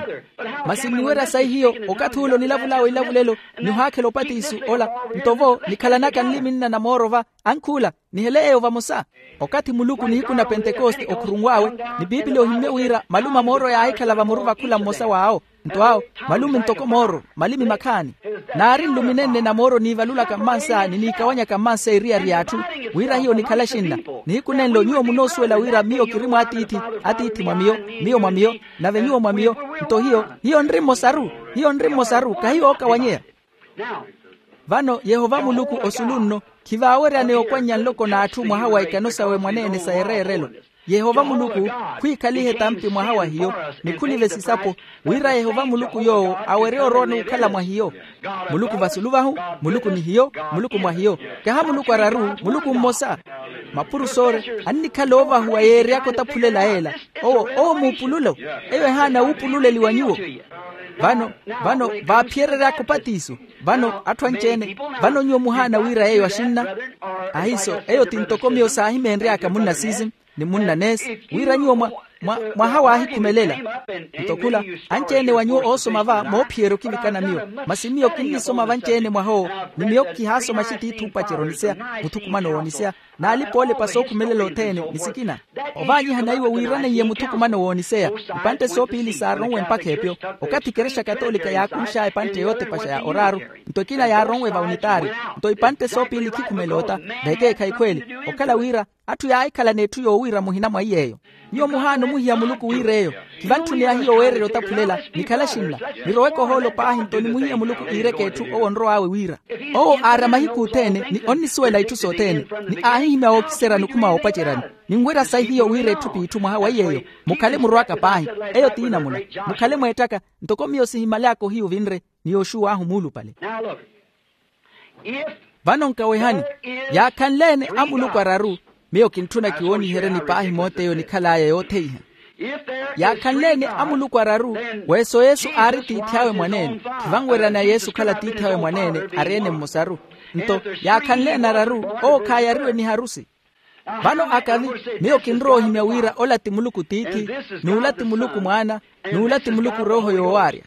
Masi nniwerya sayi hiyo, okathi ule onilavul'awe ilavulelo, nihaakhela opatiso ola. Nto vo nikhalanaka nlimi nna na mooro va, ankhuula, nihele yeeyo vamosa. Okathi muluku nihiku na pentekoste okhurunw'awe, ni piipili ohimmye wira malume a mooro yaahikhala vamuru vakhula mmosa w'awo. Nto awo, malume ntoko mooro, malimi makhaani. Naari nlumi nenne na mooro niivalulaka mmansa ni niikawanyaka mmansa eriyari y'atthu, wira hiyo nikhala axinna. Nihiku nenlo nyuwo munoosuwela wira miyo kiri mw'atiithi, atiithi mwa miyo, miyo mwa miyo, nave nyuwo mwa miyo. Nto hiyo, hiyo nri mmosaru. Hiyo nri mmosaru, kahi yookawanyeya. Vano yehova muluku osulu nno, khivaaweryaneya okwannya nloko n'atthu mwaha wa ikano sawe mwaneene sa ereerelo. Yehova muluku, khwiikhalihe tampi mwaha wa hiyo, ni khulive sisapo, wira yehova muluku yoowo awerye orowa n'ukhala mwa hiyo. Muluku vasulu vahu, muluku ni hiyo, muluku mwa hiyo. Kaha muluku araru, muluku mmosa. Mapuro soore, annikhala oovahuwa yeeryaka otaphulela yeela. Owo owo muupululo. Eyo ehaana wuupululeliwa nyuwo. Vano, vano vaaphiyereryaka opatiso. Vano atthu anci-ene, vano nyuwo muhaana wira yeeyo axinna? Ahiiso, eyo ti ntoko miyo saahimeenry'aka munna sisim, ni munna nes, wira nyuwo mwa, mwa, mwaha waahikhumelela. Nto khula, anci-ene wa nyuwo oosoma va moophiyerya okivikana miyo. Masi miyo kinnisoma vanci-ene mwaha owo, ni miyo kihaasoma axitiithi oopacerya oniseya, muthukumano w'oniseya, n'alipa oolepa sookhumelela othene ni sikina. Ovaanyihana iwo wiiraneiye muthukumano w'oniseya. Ipantte soopiili saaronwe mpakha epyo. Okathi ekerexa katolika yaakunx'aya epantte yootepaxa ya oraaru, nto ekina yaaronwe va unitaari. Nto ipantte soopiili khikhumela ota, vekeekhayi khweeli. Okhala wira atthu yaahikhalana etthu yoowiira muhina mwa iy'eyo. Nyuwo muhaana omuhiya muluku wiir'eyo. Khivantthuniya hiyo weererya otaphulela, nikhale axinna. Niroweke ohoolo paahi nto nimuhiye muluku iireke etthu owo onrow'awe wiira. Owo aarya mahiku othene ni onnisuwela itthu sothene, ni aahihimya wookiserya nikhuma woopaceryani. Ninwerya sayi hiyo wira etthu p'itthu mwaha wa iy'eyo. Mukhale murw'aka paahi. Eyo ti namuna. Mukhale mweettaka, ntoko miyo sihimaly'aka ohiya ovinre, ni yooxuw'ahu muulupale. Vano nkawehani, yaakhanle-ene amuluku araru. Miyo kintthuna kiwooniheryeni paahi moot'eyo nikhal'aya yootheiha. Yaakhanle-ene amuluku araru, weeso yesu aari tiithi awe mwaneene. Khivanweryaneya yesu okhala tiithi awe mwaneene, ari-ene mmosaru. Nto yaakhanle-ene araru, owo khaayariwe ni harusi. Vano akavi, miyo kinrowa ohimya wira ola ti muluku tiithi, n'ula ti muluku mwaana, n'ula ti muluku erooho yoowaarya.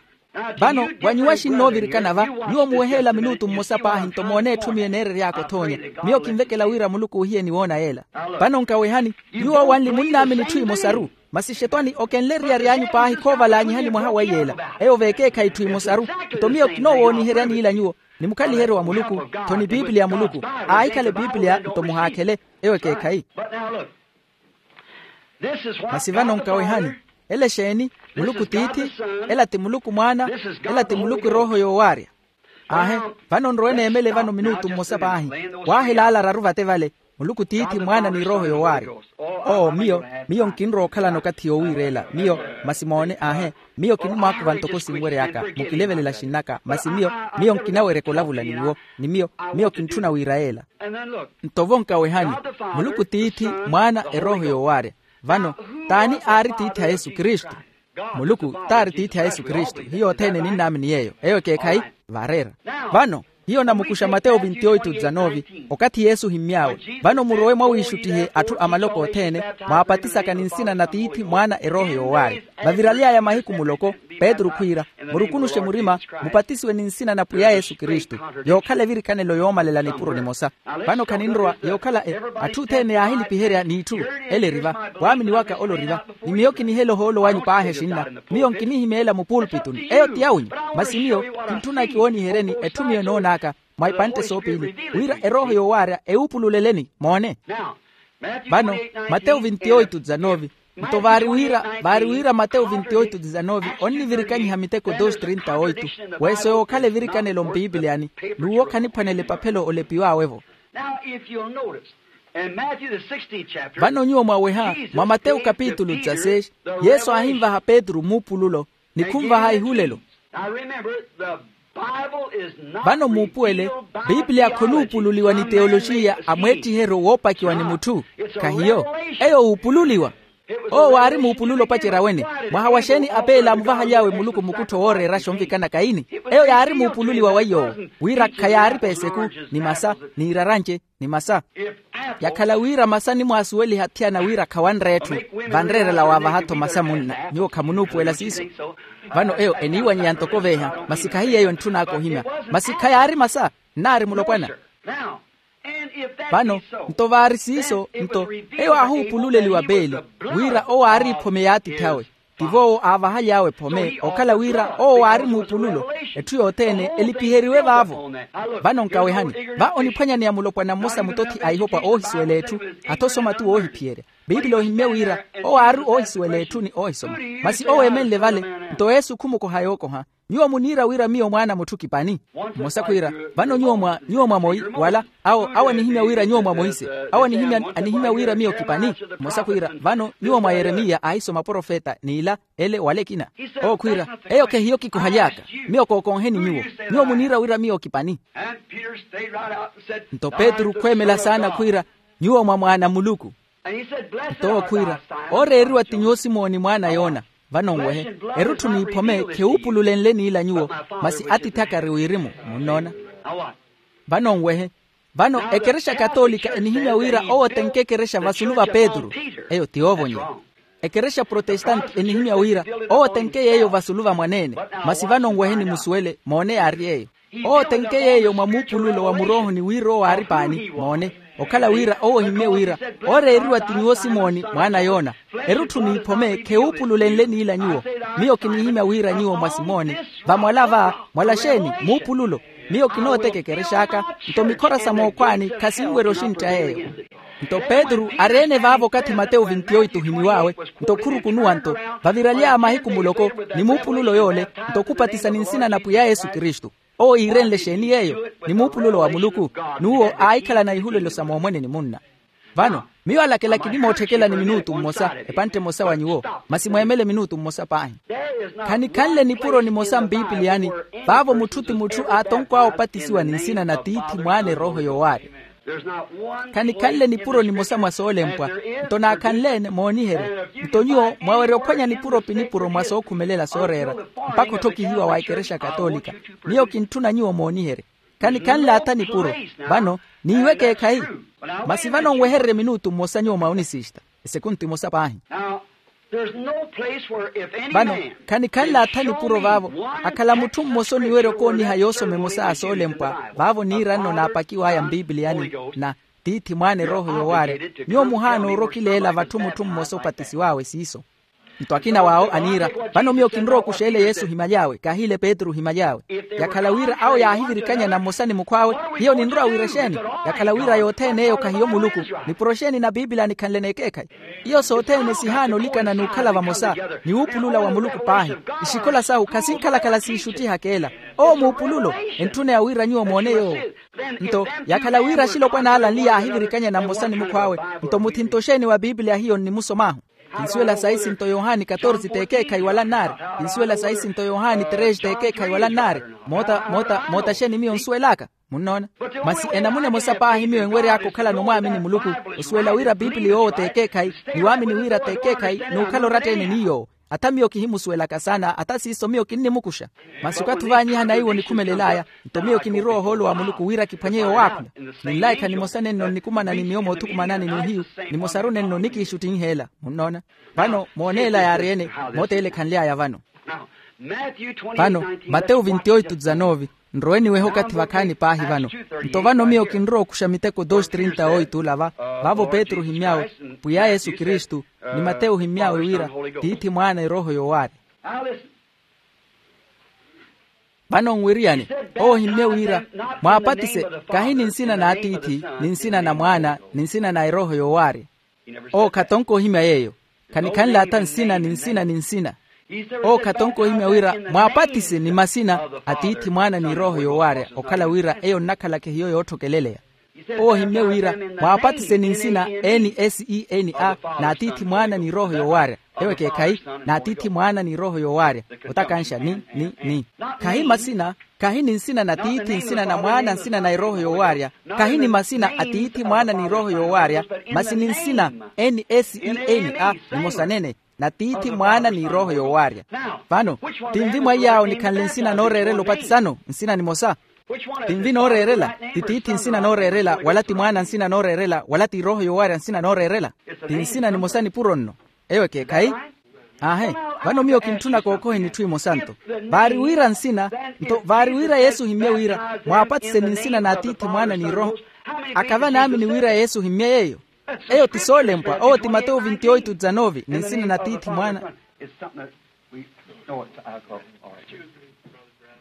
Vano wa nyuwo axinnoovirikana va, nyuwo muwehe ela minutu mmosa paahi nto moone etthu miyo eneerery'aka othoonya. Miyo kinvekela wira muluku ohiyeni woona yeela. Vano nkawehani, nyuwo owanli munnaamini itthu imosaru. Masi xetwani okenle eriyari anyu paahi khoovalaanyihani mwaha wa iyeela. Eyo veekeekhayi itthu imosaru. Nto miyo kinoowooniheryani ila nyuwo, ni mukhaliheryo wa muluku, tho ni piipiliya ya muluku. Aahikhala epiipiliya nto muhaakhele. Eyo ekeekhayi. Masi vano nkawehani, ela exeeni? Muluku tiithi, ela ti muluku mwaana, ela ti muluku erooho yoowaarya. Aahe, vano nrowe neemele vano minutu mmosa paahi. Waahelaala araru vate vale, muluku tiithi mwaana ni erooho yoowaarya. Oo miyo, miyo nkinrowa okhalana okathi yoowiireela miyo. Masi moone aahe, miyo kinimwaakuva ntoko sinwery'aka, mukilevelela xinn'aka masi miyo, miyo nkinaweryaka olavula ni nyuwo. Ni miyo, miyo kintthuna wiira yeela. Nto vo nkawehani, muluku tiithi, mwaana, erooho yoowaarya. Vano, t'ani aari tiithi a yesu kristu? Muluku t'aari tiithi a yesu kristu. Hiyo othene ninnaamini yeeyo. Eyo ekeekhayi. Vaareera. Vano, hiyo namukuxa mateyo vinti oitu dizanovi. Okathi yesu ohimmy'awe, vano murowe mwawiixuttihe atthu a maloko othene, mwaapatisaka ni nsina na tiithi, mwaana, erooho yoowaarya. Vaviraly'aya mahiku muloko, petru khwiira, murukunuxe murima, mupatisiwe ni nsina na pwiya yesu kristu, yookhala evirikanelo yoomalela nipuro nimosa. Vano khaninrowa yookhala e atthu othene yaahilipiherya n'itthu. Ele eri va, waamini waka ole ori va. Ni miyo kinihela ohoolo wanyu paahi exinna. Miyo nkinihimeela mupulpituni eyo ti yawinyu. Masi miyo kintthuna kiwooniheryeni etthu miyo enoon'aka mwa ipantte soopiili, wira erooho yoowaarya ewuupululeleni moone. Vano, matewu vinti oitu dizanovi. Nto vaari wira vaari wira matewu vinti oitu disanove onnivirikanyiha miteko dos trinta oitu. Weeso yookhala evirikanelo mpipiliyani, n'uwo khaniphwanela epaphelo olepiwawe-vo. Now if you'll notice, in Matthew the sixteenth chapter, vano nyuwo mwaweha mwa matewu kapitulu dzaseis, yesu aahinvaha petru muupululo ni khunvaha ihulelo. Now remember, the Bible is not vano muupuwele, biipiliya khonuupululiwa ni teyolojiya a mweettiheryo woopakiwa ni mutthu. Khahiyo. Eyo wuupululiwa. Owo waari muupululo opacerya wene. Mwaha wa xeeni apeele aamuvahaly'awe muluku mukuttho wooreeraxa onvikana kaini? Eyo yaari muupululiwa wa iy'owo, wira khayaari peeseku, ni masa, ni iraranje, ni masa. Yakhala wira masa animwaasuweliha athiyana wira khawanreya etthu, vanreerela waavaha-tho masa munna. Nyuwo khamunuupuwela siiso? Vano eyo eniiwanyeya ntoko veeha, masi khahiyo eyo entthun'aka ohimya. Masi khayaari masa, nnaari mulopwana. Vano nto vaari siiso nto, eyo aahuupululeliwa peeli, wira owo aari ephome y'atiithi awe. Tivo owo aavahaly'awe ephome okhala wira owo waari muupululo. Etthu yothene elipiheriwe vaavo. Vano nkawehani, va oniphwanyaneya mulopwana mmosa mutothi a ihopa oohisuwela etthu, atho osoma tu woohiphiyerya. Piipili ohimmye wira owo aari oohisuwela etthu ni oohisoma. Masi owo eemenle vale, nto yesu khumukoha yookoha. Nyuwo muniira wira miyo mwaana a mutthu kipani? Mmosa khwiira, vano nyuwo mwa nyuwo mwa moi wala? Awo awo anihimya wira nyuwo mwa moise. Awo anihimya anihimya wira miyo kipani? Mmosa khwiira, vano nyuwo mwa yeremiya aahisoma profeta n'ila, ele wala ekina. Owo khwiira, eyo khehiyo kikohaly'aka. Miyo kookonheni nyuwo. Nyuwo muniira wira miyo kipani? Nto petru khweemela saana khwiira, nyuwo mwa mwaana a muluku. Nto owo khwiira, ooreeriwa ti nyuwo simooni mwaana a yona. Vano nwehe, erutthu n'iphome khewuupululenle n'ila nyuwo, masi atiithi aka ari wirimu. Munnoona? Vano nwehe, vano ekerexa katoolika enihimya wira owo tenke ekerexa vasulu va petru. Eyo ti yoovonyela. Ekerexa protestante enihimya wira owo tenke yeeyo vasulu va mwaneene. Masi vano nwehe nimusuwele moone yaari eyo. Owo tenke yeeyo mwa muupululo wa muroohoni wira owo aari paani moone. Okhala wira owo ohimmye wira, ooreeriwa ti nyuwo simooni mwaana a yona. Erutthu n'iphome khewuupululenle n'ila nyuwo. Miyo kinihimya wira nyuwo mwa simooni. Vamwala va, mwala xeeni? Muupululo. Miyo kinooteka ekerex'aka, nto mikhora sa mookhwaani khasinwerya oxintta yeeyo. Nto petru ari-ene vaavo okathi matewu vinti oitu ohimiw'awe. Nto khurukunuwa nto, vaviraly'aya mahiku muloko, ni muupululo yoole, nto khupatisa ni nsina na pwiya yesu kristu. Owo iirenle xeeni yeeyo? Ni muupululo wa muluku. N'uwo aahikhalana ihulelo sa moomwene ni munna. Vano, miyo alakela kinimootthekela ni minuutu mmosa, epantte emosa wa nyuwo. Masi mweemele minuutu mmosa paahi. Khanikhanle nipuro nimosa mpiipiliyani, vaavo mutthu ti mutthu aatonkw'awe opatisiwa ni nsina na tiithi mwaana erooho yoowaari. Khanikhanle nipuro nimosa mwa soolempwa. Nto naakhanle-ene mooniherye. Nto nyuwo mwawerya ophwanya nipuro pi nipuro mwa sookhumelela sooreera, mpakha otthokihiwa wa ekerexa katoolika. Miyo kintthuna nyuwo mooniherye. Khanikhanle atha nipuro. Vano, niiwe ekeekhayi. Masi vano nwehererye minuutu mmosa nyuwo mwa onisista. Esekuntu imosa paahi. Vano, khanikhanle atha nipuro vaavo. Akhala mutthu mmosa oniwerya okooniha yoosoma emosa ya soolempwa vaavo niira nno naapakiw'aya mpipiliyani, na tiithi mwaana erooho yoowaari. Nyuwo muhaana oorokileela vatthu mutthu mmosa opatisiw'awe siiso. Nto akina w'awo aniira, vano miyo kinrowa okuxa ele yesu ohimaly'awe kahiile petru ohimaly'awe. Yakhala wira awo yaahivirikanyana mmosa ni mukhw'awe, hiyo ninrowa wira exeeni? Yakhala wira yothene eyo khahiyo muluku. Nipuro exeeni na piipili anikhanle n'ekeekhayi? Iyo sothene sihaana olikana n'ukhala vamosa, ni wuupulula wa muluku paahi. Ixikola sahu khasinkhalakhala siixuttihaka ela. Owo muupululo. Entthuneya wira nyuwo moone yoowo. Nto yakhala wira axilopwana ala nli yaahivirikanyana mmosa ni mukhw'awe, nto muthinto exeeni wa piipili ahiyo nnimusom'ahu? Kinsuwela saisi nto yohani katorsi t'ekeekhayi wala nnaari. Kinsuwela saisi nto yohani tresi t'ekeekhayi wala nnaari. Moota moota moota exeeni miyo nsuwel'aka? Munnoona? Masi enamuna emosa paahi miyo enwery'aka okhalana omwaamini muluku, osuwela wira piipili yoowo t'ekeekhayi, ni waamini wira t'ekeekhayi n'ukhala oratta-ene ni yoowo. Atha miyo kihimusuwelaka saana atha siiso miyo kinnimukuxa. Masi okathi ovaanyihana iwo onikhumelel'aya, nto miyo kinirowa ohoolo wa muluku wira kiphwanye yowaakhula. Ninlaikha nimosa nenno nnikumanani miyo moothukumanani n'uhiyu, nimosaru nenno nikiixuttinheela. Munnoona? Vano mooneela yaari-ene. Moota ele ekhanly'aya vano. Vano, matewu vinti oitu dizanove. Nrowe niwehe okathi vakhaani paahi vano. Nto vano miyo kinrowa okuxa miteko dos trinta oitu olava, vaavo petru ohimmy'awe, pwiya yesu kristu, ni matewu ohimmy'awe wira, tiithi mwaana erooho yoowaari. Vano nwiriyani, owo ohimmye wira, mwaapatise, kahi ni nsina n'atiithi, ni nsina na mwaana, ni nsina na erooho yoowaari. Owo khatonka ohimya yeeyo. Khanikhanle atha nsina ni nsina ni nsina. Owo khatonka ohimya wira mwaapatise ni masina a tiithi mwaana ni erooho yoowaarya okhala wira eyo nnakhalaka ehiyo yootthokeleleya. Owo ohimmye wira mwaapatise ni nsina n s e n a n'atiithi mwaana ni erooho yoowaarya. Ewo ekeekhayi, n'atiithi mwaana ni erooho yoowaarya. Otakanxa ni ni ni khahi masina. Khahi ni nsina na tiithi nsina na mwaana nsina na erooho yoowaarya. Khahi ni masina a tiithi mwaana ni erooho yoowaarya, masi ni nsina n s e n a nimosa nene, na tiithi mwaana ni erooho yoowaarya. Vano, tinvi mwa iyaawo nikhanle nsina nooreerela opatisano nsina nimosa? Tinvi nooreerela? Ti tiithi nsina nooreerela wala ti mwaana nsina nooreerela wala ti erooho yoowaarya nsina nooreerela? Ti nsina nimosa nipuro nno. Eyo ekeekhayi. Aahe. Vano miyo kintthuna kookhoheni itthu imosa nto. Vaari wira nsina, nto vaari wira yesu ohimmye wira mwaapatise ni nsina n'atiithi mwaana ni erooho. Akava naamini wira yesu ohimmye yeeyo? Eyo ti soolempwa owo ti matewu vinti oitu dzanovi ni nsina na tiithi mwaana.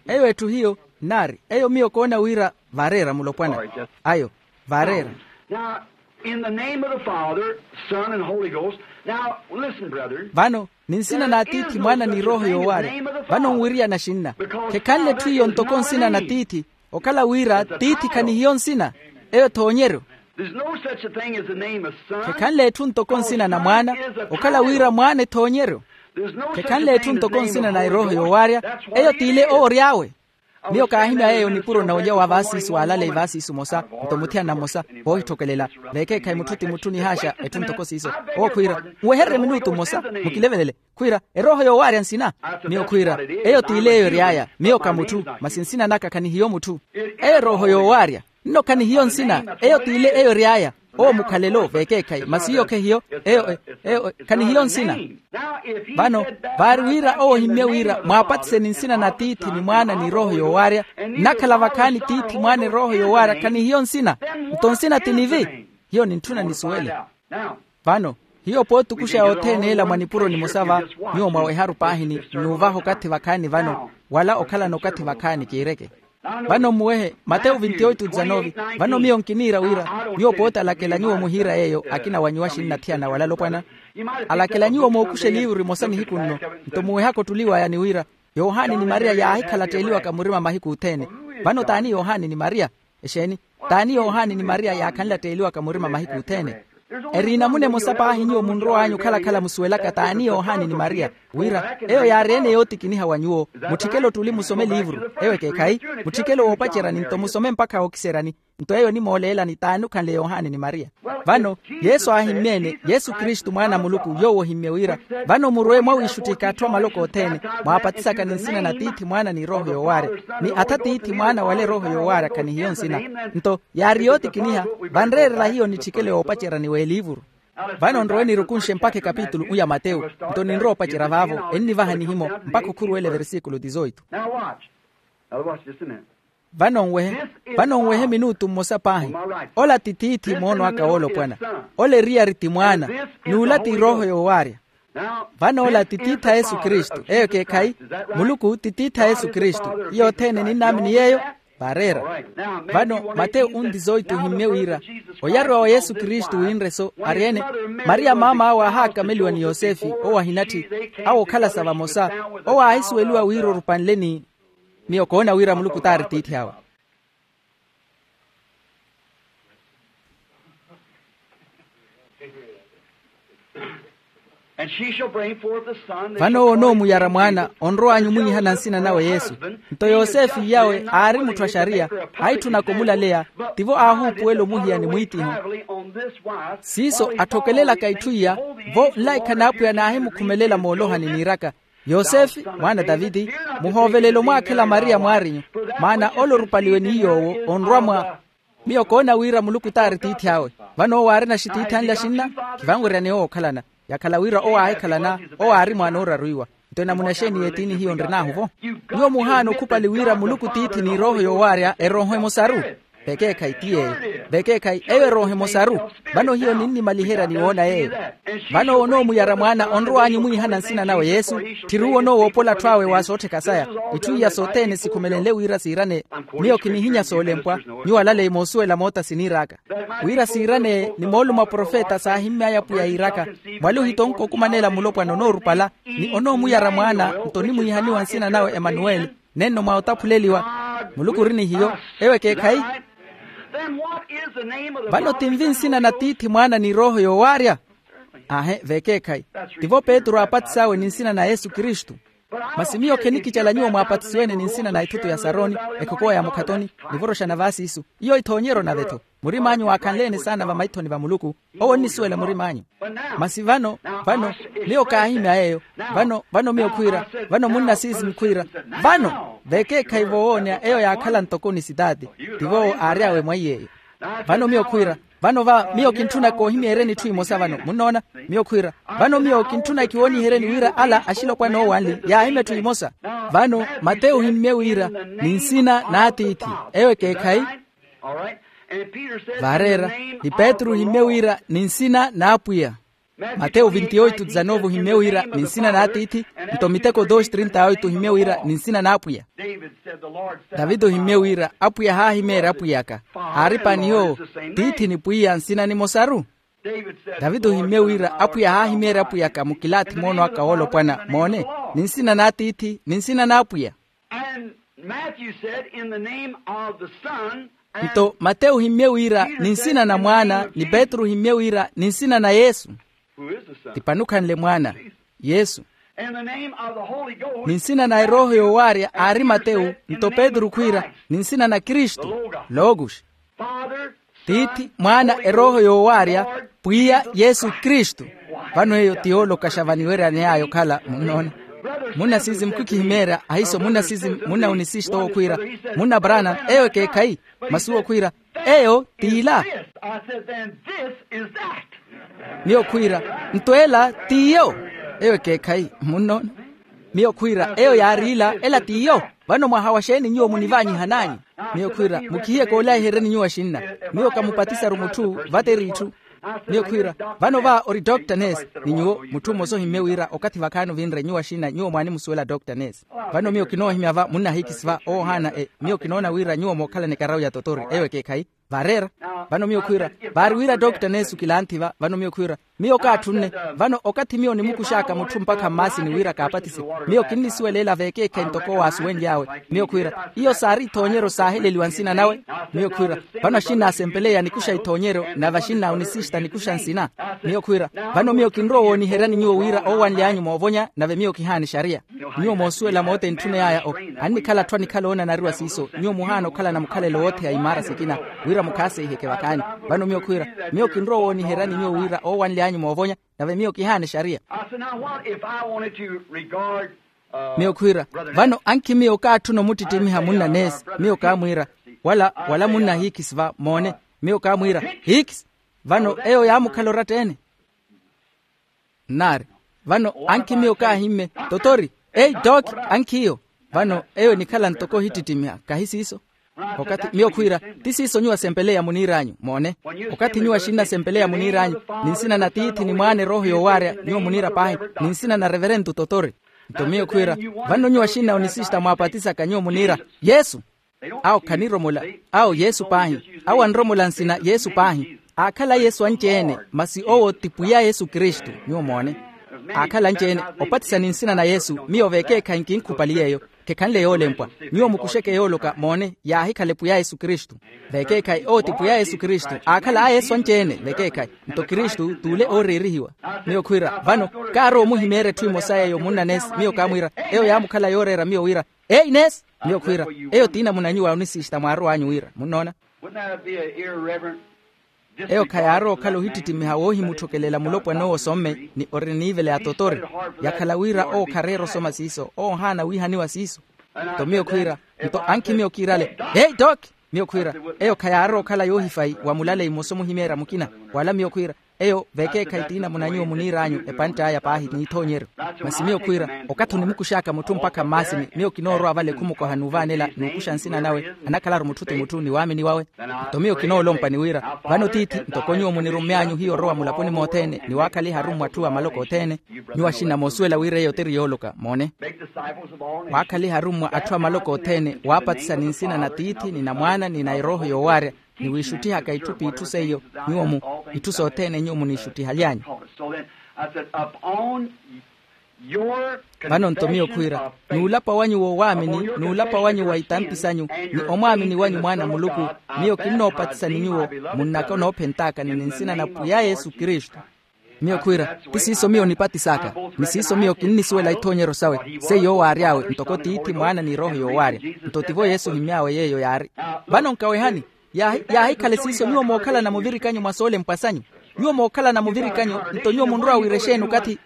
Eyo etthu hiyo nnaari eyo miyo koona wira vareera mulopwana. Ayo vareera. Now, in the name of the Father, Son, and Holy Ghost. Now, listen, brethren. Vano ni nsina n'atiithi mwaana ni erooho yoowaarya. Vano nwiriyana xinna. Khekhanle etthu iyo ntoko nsina na tiithi. Okhala wira tiithi khanihiyo nsina. Eyo thoonyeryo. There's no such a thing as the name of Son. Khekhanle etthu ntoko nsina na mwaana. Okhala wira mwaana ethoonyeryo. Khekhanle etthu ntoko nsina na erooho yoowaarya. Eyo t'ile owo ory'awe. Miyo kaahimya yeeyo nipuro na olya wa vaasiisu waalaleyi vaasiisu mosa. Nto muthiyana mmosa voohitthokelela. Veekeekhayi mutthu ti mutthu nihaaxa etthu ntoko siiso. Owo khwiira, nwehererye minutu mmosa. Mukilevelele. Khwiira, erooho yoowaarya nsina? Miyo khwiira, eyo t'ile eyo ery'aya. Miyo ka mutthu, masi nsina naka khanihiyo mutthu. Eyo erooho yoowaarya. Nno khanihiyo nsina, eyo t'ile eyo ery'aya. Owo mukhalelo veekeekhayi masi iyo khehiyo. Eyo eyo khanihiyo nsina. Vano, vaari wira owo ohimmye wira mwaapatise ni nsina na tiithi ni mwaana ni erooho yoowaarya. Nnakhala vakhaani tiithi mwaana erooho yoowaarya khanihiyo nsina. Nto nsina ti nivi. Hiyo nintthuna nisuwele. Vano, hiyo pootukuxa yothene ela mwa nipuro nimosa va, nyuwo mwaweharu paahi ni nnuuvaha okathi vakhaani vano, wala okhalana okathi vakhaani kiireke. Vano mmuwehe matewu vinti oitu dzanovi. Vano miyo nkiniira wira, nyuwo pooti alakela nyuwo muhiira yeeyo akina wa nyuwo axinnathiyana wala alopwana. Alakela nyuwo mookuxa eliivuru emosa nihiku nno. Nto muwehaka ottuli waya ni wira, yohani ni mariya yaahikhalatteeliwaka murima mahiku othene. Vano t'ani yohani ni mariya? Exeeni? T'ani yohani ni mariya yaakhanlatteeliwaka murima mahiku othene? Eri enamuna emosa paahi nyuwo munrow'anyu okhala-khala musuwelaka t'ani yohani ni mariya, wira eyo yaari ene yootikiniha wa nyuwo. Mutthikele ottuli musome eliivuru. Eyo ekeekhayi. Mutthikele woopacerani nto musome mpakha wookiseryani. Nto eyo onimooleelani t'ani okhanle yohani ni mariya. Vano, yesu aahimmye-ene yesu kristu mwaana a muluku yoowo ohimmye wira, vano murwe mwawiixuttika atthu a maloko othene, mwaapatisaka ni nsina na tiithi mwaana ni erooho yoowaarya, ni atha tiithi mwaana wala erooho yoowaarya khanihiyo nsina. Nto yaari yootikiniha, vanreerela hiyo nitthikele woopacerani w'eliivuru. Vano nrowe nirukunxe mpakha ekapitulu u ya matewu. Nto ninrowa opacerya vaavo ennivaha nihimo mpakha okhuruwela eversikulu dizoitu. Vano nwehe, vano nwehe minutu mmosa paahi. Ola ti tiithi moono aka woolopwana. Ola eriyari ti mwaana, n'ula ti erooho yoowaarya. Vano ola ti tiithi a yesu kristu eyo ekeekhayi? Muluku ti tiithi a yesu kristu. Hiyo othene ninnaamini yeeyo. Vaareera. Vano matewu undizoitu ohimmye wira, oyaruwa wa yesu kristu winre-so ari ene? Mariya maam'awe aahaakameliwa ni yosefe owo ahinatthi, awo okhalasa vamosa. Owo aahisuweliwa wira orupanle ni miyo koona wira muluku t'ari tiithi awe. Vano owo onoomuyara mwaana onrow'anyu omwihihana nsina nawe yesu. Nto yosefe iyawe aari mutthu a xariya, aahitthunaka omulaleya. Tivo aahuupuwela omuhiyani mwiitiho. Siiso atthokelelaka itthu iya, vo nlaikha n'apwiya naahimukhumelela moolohani niiraka, yosefe mwaana a taviti, muhoovelela omwaakhela mariya mwaarinyu. Maana ole orupaliwe ni yoowo onrwa mwa. Miyo koona wira muluku t'ari tiithi awe. Vano owo aari naxitiithi anle axinna, khivanweryani owo okhalana. Yakhala wira owo aahikhalana, owo aari mwaana ooraruiwa. Nto enamuna exeeni y'etiini hiyo nrin'ahu-vo? Nyuwo muhaana okhupali wira muluku tiithi ni erooho yoowaarya erooho emosaru. Vekeekhayi ti yeeyo. Vekeekhayi eyo erooha emosaru. Vano hiyo ninnimaliherya ni woona yeeyo. Vano owo onoomuyara mwaana onrow'anyu omwiihana nsina nawe yesu. Tthiri uwo onoowoophola atthu awe wa soottheka saya. Itthu iya sothene sikhumelenle wira siirane. Miyo kinihinya soolempwa. Nyuwo alaleyi moosuwela moota siniir'aka wira siirane ni moolumo a profeta saahimmy'aya apwiya yiiraka, mwali ohitonka okumanela mulopwana onoorupala, ni onoomuyara mwaana nto onimwiihaniwa nsina nawe emanuweli, nenno mwa otaphuleliwa. Muluku ori ni hiyo. Eyo ekeekhayi. Vano tinvi nsina na tiithi mwaana ni erooho yoowaarya? Aahe veekeekhayi. Tivo petru aapatis'awe ni nsina na yesu kristu. Masi miyo khenikicala nyuwo mwaapatisiwene ni nsina na ithutu ya saroni, ekhokowa ya mukhatoni, nivoroxa na vaasiisu. Iyo ithoonyeryo nave-tho. Murim'anyu waakhanle-ene saana vamaithoni va muluku. Owo onnisuwela murim'anyu. Masi vano, vano miyo kaahimya eyo. Vano vano miyo khwiira, vano munna siisi mukhwiira. Vano veekeekhayi voowooneya eyo yaakhala ntoko onisitaati. Tivoowo aary'awe mwaiy'eyo. Vano miyo khwiira, vano va miyo kintthuna koohimyeeryeni itthu imosa vano munnoona. Miyo khwiira, vano miyo kintthuna kiwooniheryeni wira ala axilopwana oowanli yaahimya itthu imosa. Vano mateyu ohimmye wira ni nsina n'atiithi. Eyo ekeekhayi. Vaareera, ni petru ohimmye wira ni nsina n'apwiya. Mateyu vinti oitu dizanovo ohimmye wira ni nsina n'atiithi. Nto miteko dos trinta oitu ohimmye wira ni nsina n'apwiya. Davide ohimmye wira apwiya haahimeerya apwiyaka. Aari paani yoowo, tiithi ni pwiya nsina nimosaru. Davide ohimmye wira apwiya haahimeerya apwiyaka mukilaathi moono aka woolopwana moone, ni nsina n'atiithi ni nsina n'apwiya. Nto mateyu ohimmye wira ni nsina na mwaana ni petru ohimmye wira ni nsina na yesu. Ti pani okhanle mwaana? Yesu. Ni nsina na erooho yoowaarya aari mateyu. Nto petru khwiira, ni nsina na kristu. Logos. Tiithi, mwaana, erooho yoowaarya, pwiya yesu kristu. Vano eyo ti yoolokaxa vaniweryaney'aya okhala munnoona. Munna siisi mukhikihimeerya ahiiso munna siisi, munna onisisto owo khwiira, munna branham, eyo ekeekhayi. Masi uwo khwiira, eyo t'ila. Miyo khwiira, nto ela t'iyo. Eyo ekeekhayi munnoona. Miyo khwiira eyo yaari ila, ela t'iyo. Vano mwaha wa xeeni nyuwo munivaanyihananyu? Miyo khwiira, mukhihiye koolayiheryeni nyuwo axinna. Miyo kamupatisaru mutthu, vateri itthu. Miyo khwiira, vano va ori dokta neesi. Ni nyuwo mutthu mmosa ohimmye wira okathi vakhaani ovinre nyuwo axinna nyuwo mwaanimusuwela dokta neesi. Vano miyo kinoohimya va munna hiikisi va owo ohaana e miyo kinoona wira nyuwo mookhalana ekarawu ya totori eyo ekeekhayi. Vaareera. Vano miyo khwiira, vaari wira dokta neesi okilanthi va vano miyo khwiira, miyo kaatthunne. Vano okathi miyo nimukux'aka mutthu mpakha mmaasini wira kaapatise, miyo kinnisuwela ela veekeekhayi ntoko owaasuwenly'awe. Miyo khwiira, iyo saari ithoonyeryo saaheleliwa nsina nawe. Miyo khwiira, vano axinna asempeleya nikuxa ithoonyeryo nave axinna onisista nikuxa nsina. Miyo khwiira, vano miyo kinrowa owooniheryani nyuwo wira oowanly'anyu moovonya nave miyo kihaana exariya. Nyuwo moosuwela moota entthuney'aya o, annikhala atthu anikhala oonanariwa siiso. Nyuwo muhaana okhalana mukhalelo woothe ya imaara sikina wira mukhaaseyiheke vakhaani. Vano miyo khwiira, miyo kinrowa owooniheryani nyuwo wira oowanly'anyu moovonya nave miyo kihaana exariya. Miyo khwiira, vano ankhi miyo kaatthuna omuttitimiha munna neesi. Miyo kaamwiira, wala wala munna hiikisi va moone. Miyo kaamwiira, hiikisi. Vano eyo yaamukhala oratta-ene. Nnaari, vano ankhi miyo kaahimme, totori, ei dooki, ankhi iyo. Vano eyo enikhala ntoko ohittittimiha kahi siiso. Okathi miyo khwiira, ti siiso nyuwo asempeleya muniir'anyu moone. Okathi nyuwo axinna asempeleya muniir'anyu, ni nsina na tiithi ni mwaana erooho yoowaarya nyuwo muniira paahi, ni nsina na reverentu totori. Nto miyo khwiira, vano nyuwo axinna onisista mwaapatisaka nyuwo muniira yesu. Awo khaniromola. Awo yesu paahi. Awo anromola nsina yesu paahi. Aakhala yesu anci-ene masi owo ti pwiya yesu kristu. Nyuwo moone, aakhala anci-ene opatisa ni nsina na yesu. Miyo veekeekhayi nkinkhupali yeeyo. Khekhanle yoolempwa. Nyuwo mukuxeke yooloka moone yaahikhala epwiya yesu kristu. Veekeekhayi owo ti pwiya yesu kristu. Aakhala a yesu anci-ene veekeekhayi. Nto kristu t'ule ooreerihiwa. Miyo khwiira vano, kaarowa omuhimeerya etthu emosa yeeyo munna neesi. Miyo kaamwiira, eyo yaamukhala yooreera miyo wira, ei neesi. Miyo khwiira, eyo ti namuna nyuwo a onisista mwaarow'anyu wira munnoona. Eyo khayaarowa okhala ohittittimiha woohimutthokelela mulopwana owo osomme ni ori n'ivela ya totori. Yakhala wira owo khareera osoma siiso owo ohaana wiihaniwa siiso. Nto miyo khwiira, nto ankhi miyo kiirale, ei dooki. Miyo khwiira, eyo khayaarowa okhala yoohifayi wa mulaleyi mmosa omuhimeerya mukina. Wala miyo khwiira, Eyo vekeekhayi tiinamuna nyuwo muniir'anyu epantt'aya paahi n'ithoonyeryo. Masi miyo khwiira, okathi onimukux'aka mutthu mpakha mmaasini miyo kinoorwa vale khumukoha n'uvaanela n'ukuxa nsina nawe, anakhalaru mutthu ti mutthu ni waamini wawe. Nto miyo kinoolompa ni wira, vano tiithi ntoko nyuwo munirumy'anyu hiyo orowa mulaponi mothene ni waakhaliha arummwa atthu a maloko othene. Nyuwo axinna moosuwela wira eyo tiri yooloka moone. Waakhaliha arummwa atthu a maloko othene waapatisa ni nsina na tiithi ni na mwaana ni na erooho yoowaarya, ni wiixutthihaka itthu p'itthu seiyo, nyuwo mu itthu sothene nyuwo muniixutthihaly'anyu. Vano nto miyo khwiira, n'ulapa wanyu woowaamini n'ulapa wanyu wa itampi sanyu, ni omwaamini wanyu mwaana a muluku, miyo kinnoopatisa ni nyuwo, munnaka onoophent'aka ni nsina na pwiya yesu kristu. Miyo khwiira, ti siiso miyo nipatis'aka, ni siiso miyo kinnisuwela ithoonyeryo sawe. Seiyo owo aary'awe ntoko tiithi mwaana ni erooho yoowaarya. Nto tivo yesu ohimy'awe yeeyo yaari. Vano nkawehani, yaahikhale siiso nyuwo mookhalana muvirikanyu mwa soolempwa sanyu. Nyuwo mookhalana muvirikanyu, nto nyuwo munrowa wira exeeni okathi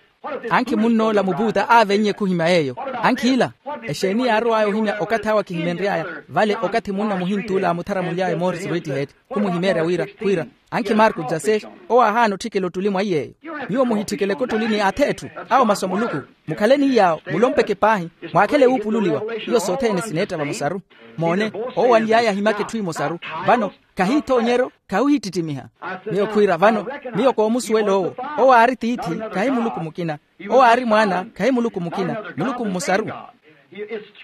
ankhi munn'ola mupuuta aavennye khuhimya yeeyo. Ankhi ila, exeeni yaarow'aya ohimya okathi awe akihimenry'aya? Vale okathi munna muhint'ula aamutharamuly'aya morris redhead, khumuhimeerya wira khwiira, ankhi marko jasesh, owo aahaana otthikela ottuli mwa iy'eyo. Nyuwo muhitthikeleke ottuli ni ath'etthu, awo masu a muluku. Mukhale ni iy'awo, mulompeke paahi, mwaakhele wuupululiwa. Iyo sothene sineetta vamosaru. Moone, owo anly'aya ahimaka etthu emosaru. Vano, khahiithoonyeryo, khahuhittittimiha. Miyo khwiira vano, miyo koomusuwela owo. Owo aari tiithi, khahi muluku mukina. Owo aari mwaana, khahi muluku mukina, muluku mmosaru.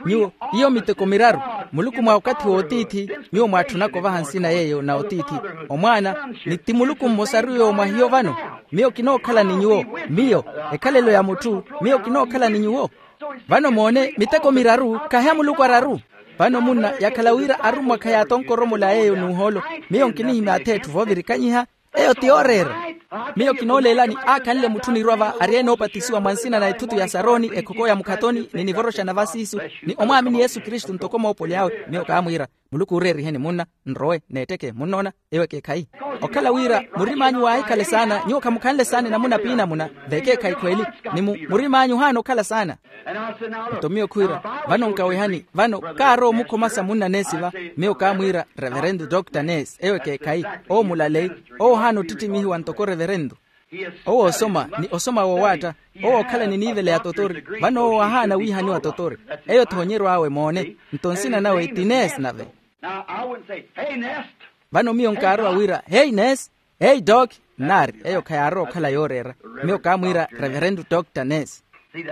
Nyuwo, iyo miteko miraru. Muluku mwa okathi w'otiithi, nyuwo mwaatthunaka ovaha nsina yeeyo na otiithi, omwaana, ni ti muluku mmosaru yoowo mwa hiyo vano. Miyo kinookhala ni nyuwo. Miyo, ekhalelo ya mutthu, miyo kinookhala ni nyuwo. Vano moone miteko miraru khahi a muluku araru. Vano munna yakhala wira arummwa khayaatonkoromole a yeeyo n'uhoolo. Miyo nkinihimya ath'etthu voovirikanyiha. Eyo ti yooreera. Miyo kinooleelani aakhanle mutthu nirwa va ari enoopatisiwa mwa nsina na ethutu ya saroni ekhoko ya mukhatoni ni nivoroxana va siisu, ni omwaamini yesu kristu ntoko moopoli awe. Miyo kaamwiira, muluku ooreeriheni munna, nrowe neetteke munnoona. Eyo ekeekhayi. Okhala wira murim'anyu waahikhale saana nyuwo khamukhanle saana enamuna p'inamuna. V'ekeekhayi khweeli, ni mu murim'anyu ohaana okhala saana. Nto miyo khwiira, vano nkawehani vano, kaarowa omukhomasa munna neesi va. Miyo kaamwiira, reverendo dr neesi eyo ekeekhayi. Owo mulaleyi, owo ohaana ottittimihiwa ntoko reverendo. Owo osoma ni osoma woowaatta. Owo okhala ni niivela ya totori. Vano owo ahaana wiihaniwa totori. Eyo thoonyeryo awe moone. Nto nsina nawe ti neesi nave. Vano miyo nkaarowa wira heyi neesi, heyi doki, nnaari eyo khayaarowa okhala yooreera. Miyo kaamwiira, reverendo dr neesi.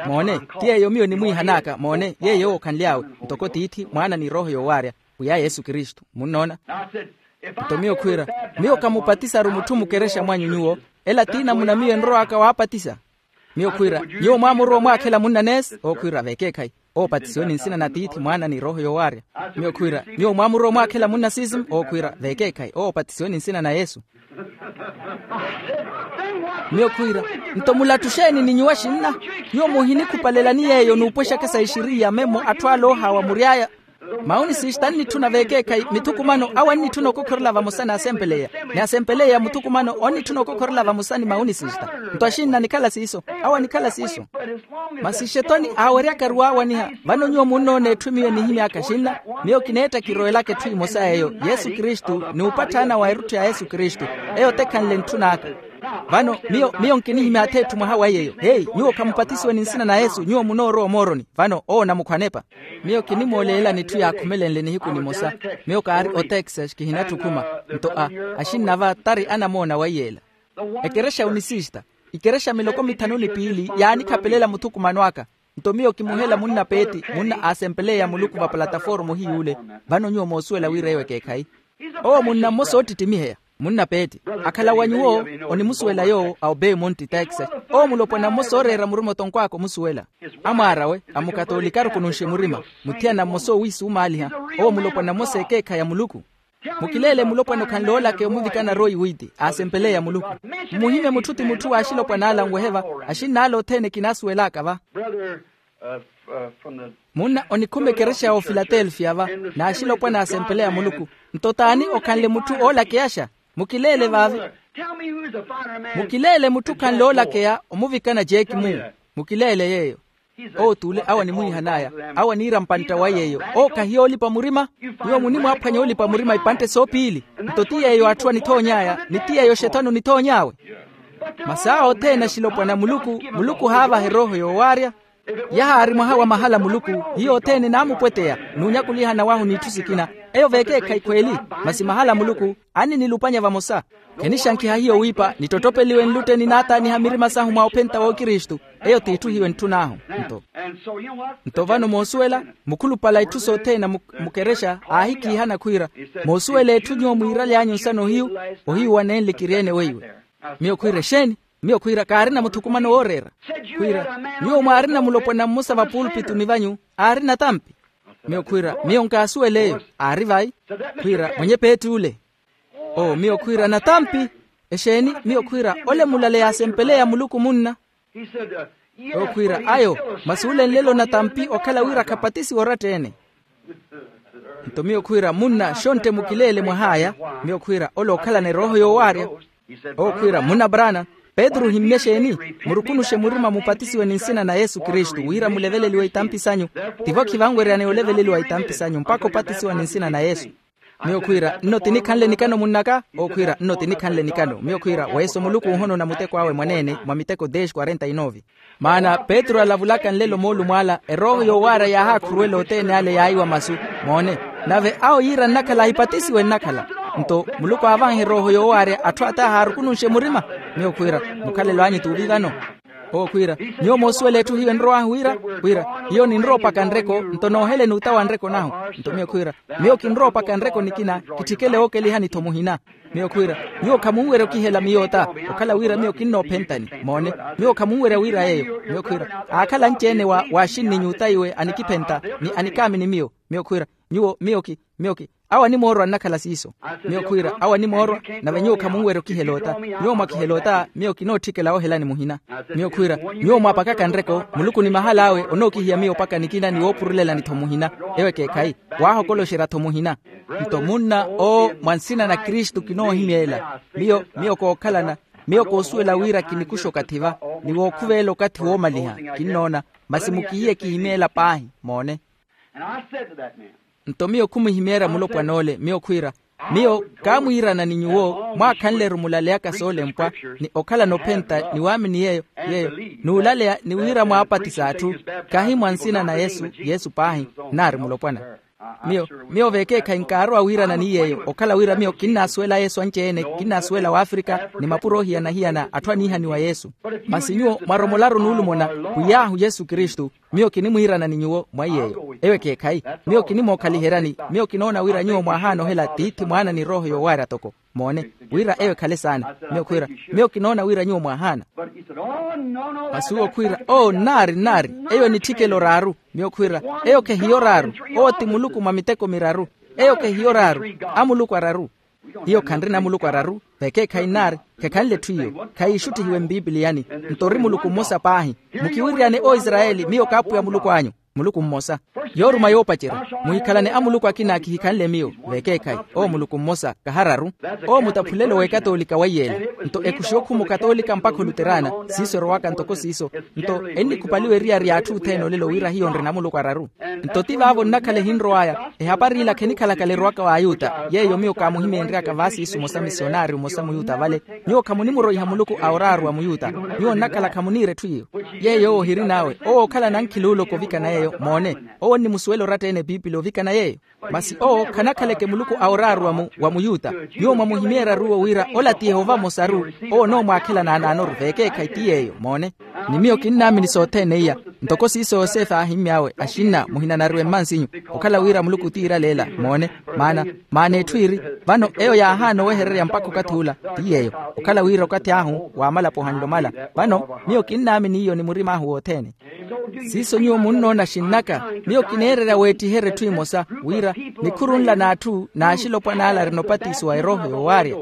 Moone, ti yeeyo miyo nimwiihan'aka moone yeeyo owo okhanly'awe, ntoko tiithi mwaana ni erooho yoowaarya, pwiya yesu kristu munnoona. Nto miyo khwiira, miyo kamupatisaru mutthu mukerexa mwanyu nyuwo. Ela ti namuna miyo enrow'aka waapatisa. Miyo khwiira, nyuwo mwaamurowa omwaakhela munna neesi? Owo khwiira v'ekeekhayi. Oopatisiwe ni nsina na tiithi mwaana ni erooho yoowaarya. Miyo khwiira, nyuwo mwaamurowa omwaakhela munna sism? Owo khwiira v'ekeekhayi. Oopatisiwe ni nsina na yesu. Miyo khwiira, nto mulattuxeeni ni nyuwo axinna? Nyuwo muhinikhupalelani yeeyo n'upwexaka sa ixiriya memmo atthu ale oohaawa mury'aya. Maunisista annitthuna v'ekeekhayi mithukumano awo annitthuna okokhorela vamosa n'asempeleya, ni asempeleya muthukumano onnitthuna okokhorela vamosa ni maunisista. Nto axinna anikhala siiso, awo anikhala siiso. Masi xetoni aaweryakaru waawaniha. Vano nyuwo munnoona etthu miyo enihimy'aka axinna. Miyo kineetta kirowelaka etthu emosa yeeyo, yesu kristu ni upatthaana wa erutthi ya yesu kristu. Eyo tekhanle ntthun'aka. Vano miyo miyo nkinihimya ath'etthu mwaha wa yeeyo heyi nyuwo khamupatisiwe ni nsina na yesu nyuwo munoorowa omooroni. Vano owo onamukhwa anepa. Miyo kinimooleelani etthu yaakhumelenle nihiku nimosa. Miyo kaari otexas kihinattukhuma. Nto a axinna va tari anamoona wa iyeela. Ekerexa unisista, ikerexa miloko mithanu ni piili yaanikhapelela muthukumano aka. Nto miyo kimuhela munna peeti munna aasempeleya muluku va palataformu ohiy'ule. Vano nyuwo moosuwela wira eyo ekeekhayi. Owo munna mmosa oottittimiheya, munna peeti. Akhala wa nyuwo onimusuwela yoowo a obeyi monti texas. Owo mulopwana mmosa ooreera murima otonkw'aka omusuwela. Amwaar'awe, amukatoolikaru kununxe murima. Muthiyana mmosa oowiisumaaliha. Owo mulopwana mmosa ekeekhayi a muluku. Mukileele mulopwana okhanle oolakeya omuvikana royi wiiti aasempeleya muluku. Mmuhimye mutthu ti mutthu w'axilopwana ala anwehe va. Axinn'ala othene kinaasuwel'aka va. Munna onikhuma ekerexa ya ofilatelfiya va, n'axilopwana aasempeleya muluku. Nto t'ani okhanle mutthu oolakeyaxa? Mukileele vaavi. Mukileele mutthu okhanle oolakeya omuvikana jeeki muu. Mukileele yeeyo. Owo t'ule awo animwiihan'aya. Awo aniira mpantta wa yeeyo. Owo khahiyoolipa murima. Nyuwo munimwaaphwanya oolipa murima ipantte soopiili. Nto ti yeeyo atthu anithoony'aya ni ti yeeyo xethoni onithoony'awe. Masi awo othene axilopwana a muluku, muluku ohaavaha erooho yoowaarya. Yahaari mwaha wa mahala muluku, hiyo othene naamupweteya, n'unyakulihana wahu n'itthu sikina. Eyo vekeekhayi khweeli, masi mahala muluku anninilupanya vamosa. Khenixankiha hiyo wiipa nittottopeliwe nlutte ninaataaniha mirima sahu mwa ophenta w'okristu. Eyo t'itthu hiyo entthun'ahu. Nto nto vano moosuwela, mukhulupale a itthu sothene mu- mukerexa aahikiihana khwiira, moosuwela etthu nyuwo mwiiraly'anyu nsana ohiyu, ohiyu wa nenle kiryeene weiwe. Miyo khwiira exeeni? Miyo khwiira kaarina muthukumano wooreera. Khwiira, nyuwo mwaarina mulopwana mmosa va pulpituni vanyu, aarina tampi. Miyo khwiira, miyo nkaasuwela eyo. Aari vai? Khwiira mwenye peetti ole. Oo miyo khwiira natampi. Exeeni? Miyo khwiira ole mulale yaasempeleya muluku munna. Okhwiira ayo, masi ole nlelo natampi okhala wira khapatisiwa oratta-ene. Nto miyo khwiira munna xontte mukileele mwah'aya. Miyo khwiira ole okhalana erooho yoowaarya. Okhwiira munna brana, petru ohimmye xeeni? Murukunuxe murima mupatisiwe ni nsina na yesu kristu wira muleveleliwe itampi sanyu. Tivo khivanweryane oleveleliwa itampi sanyu mpakha opatisiwa ni nsina na yesu. Miyo khwiira nno tinikhanle nikano munnaka. Okhwiira nno tinikhanle nikano miyo khwiira weeso muluku onhonona muteko awe mwaneene mwa miteko dez quarenta y nove. Maana petru alavulaka nlelo moolumo ala erooho yoowaarya yaahakhuruwela othene ale yaayiwa masu. Moone, nave awo yiira nnakhala ahipatisiwe nnakhala. Nto muluku aavaha erooho yoowaarya atthu ata ahaarukununxe murima. Miyo khwiira mukhalelo anyu t'uvi vano. Owo khwiira, nyuwo moosuwela etthu hiyo enrow'ahu wira? Khwiira, hiyo ninrowa opaka nreko nto noohele n'uta wa nreko nahu. Nto miyo khwiira, miyo kinrowa opaka nreko nikina, kitthikele wookelihani-tho muhina. Miyo khwiira, nyuwo khamunwerya okihela miyo ota, okhala wira miyo kinnoophentani. Moone, nyuwo khamunwerya wira yeeyo. Miyo khwiira, aakhala anci-ene wa waaxinni nyuta iwe anikiphenta ni anikaamini miyo. Miyo khwiira, nyuwo miyo ki miyo ki awo animoorwa nnakhala siiso. Miyo khwiira awo animoorwa, nave nyuwo khamunwerya okihela ota. Nyuwo mwakihela ota miyo kinootthikela woohelani muhina. Miyo khwiira, nyuwo mwaapakaka nreko muluku ni mahal'awe onookihiya miyo opaka nikina ni woopurulelani-tho muhina. Eyo ekeekhayi, waahokoloxerya-tho muhina. Nto munna owo mwa nsina na kristu kinoohimeela. Miyo miyo kookhalana, miyo koosuwela wira kinikuxa okathi va, ni wookhuvelela okathi woomaliha. Kinnoona, masi mukihiye kihimeela paahi. Moone. Nto miyo khumuhimeerya mulopwan'ole miyo khwiira, miyo kaamwiirana ni nyuwo mwaakhanle-ru mulaleyaka soolempwa, ni okhalana ophenta ni waamini yeeyo, yeeyo n'ulaleya ni wira mwaapatisa atthu, kahi mwa nsina na yesu yesu paahi, nnaari mulopwana. Miyo miyo vekeekhayi nkaarowa wiirana ni yeeyo okhala wira miyo kinnaasuwela yesu anci-ene kinnaasuwela w'afrika, ni mapuro ohiyana-hiyana atthu aniihaniwa yesu. Masi nyuwo mwaromolaru nuulumona, pwiy'ahu yesu kristu. Miyo kinimwiirana ni nyuwo mwa iy'eyo eyo ekeekhayi. Miyo kinimookhaliheryani miyo kinoona wira nyuwo mwaahaana ohela tiithi mwaana ni erooho yoowaarya toko. Moone, wira eyo ekhale saana miyo khwiira, miyo kinoona wira nyuwo mwaahaana. Masi uwo khwiira oo nnaari nnaari, eyo enitthikela oraaru. Miyo khwiira, eyo khehiya oraaru. Owo ti muluku mwa miteko miraru. Eyo khehiya oraaru. Amuluku araru. Hiyo khanrina amuluku araru. Vekeekhayi nnaari, khekhanle etthu iyo khayiixutthihiwe mpipiliyani. Nto ori muluku mmosa paahi. Mukiwiryane oisarayeli miyo kaapwiya muluku anyu. Muluku mmosa. Yooruma yoopacerya. Muhikhalane amuluku akina kihikhanle miyo. Vekeekhayi, owo muluku mmosa kahararu. Owo mutaphulelo w'ekatoolika weiyeela. Nto ekuxi okhuma okatoolika mpakha oluterana. Siiso erowaka ntoko siiso. Nto ennikhupaliwa eriyari y'atthu othene olelo wira hiyo nrina amuluku araru. Nto ti vaavo nnakhala ehinrow'aya. Ehapari ila khenikhalakala erowaka w'ayuta yeeyo miyo kaamuhimeenry'aka vaasiisu mmosa misionari mmosa muyuta vale. Nyuwo khamunimuroiha muluku a oraaru wa muyuta. Nyuwo nnakhala khamuniira etthu iyo. Yeeyo owo ohirin'awe owo ookhalana ankhiluuloko ovikana yeeyo moone. Owo onnimusuwela oratta-ene epiipili ovikana yeeyo. Masi owo khanakhaleke muluku a oraaru wa muyuta. Nyuwo mwamuhimeerya-ru owo wira ola ti yehova mmosa-ru. Owo onoomwaakhela naanaanoru vekeekhayi ti yeeyo moone. Ni miyo kinnaamini sothene iya. Ntoko siiso yosefe aahimmy'awe axinna muhinanariwe mmansinyu. Okhala wira muluku tiiraleela moone. Maana maana etthu iiri, vano eyo yaahaana owehererya mpakha okathi ula. Ti yeeyo. Okhala wira okathi ahu waamalapo ohanle omala. Vano miyo kinnaamini iyo ni murim'ahu wothene. Siiso nyuwo munnoona xinnaka. Miyo kineererya weettiherya etthu emosa wira nikhuru nla n'atthu n'axilopwana ala arina opatisiwa erooho yoowaarya.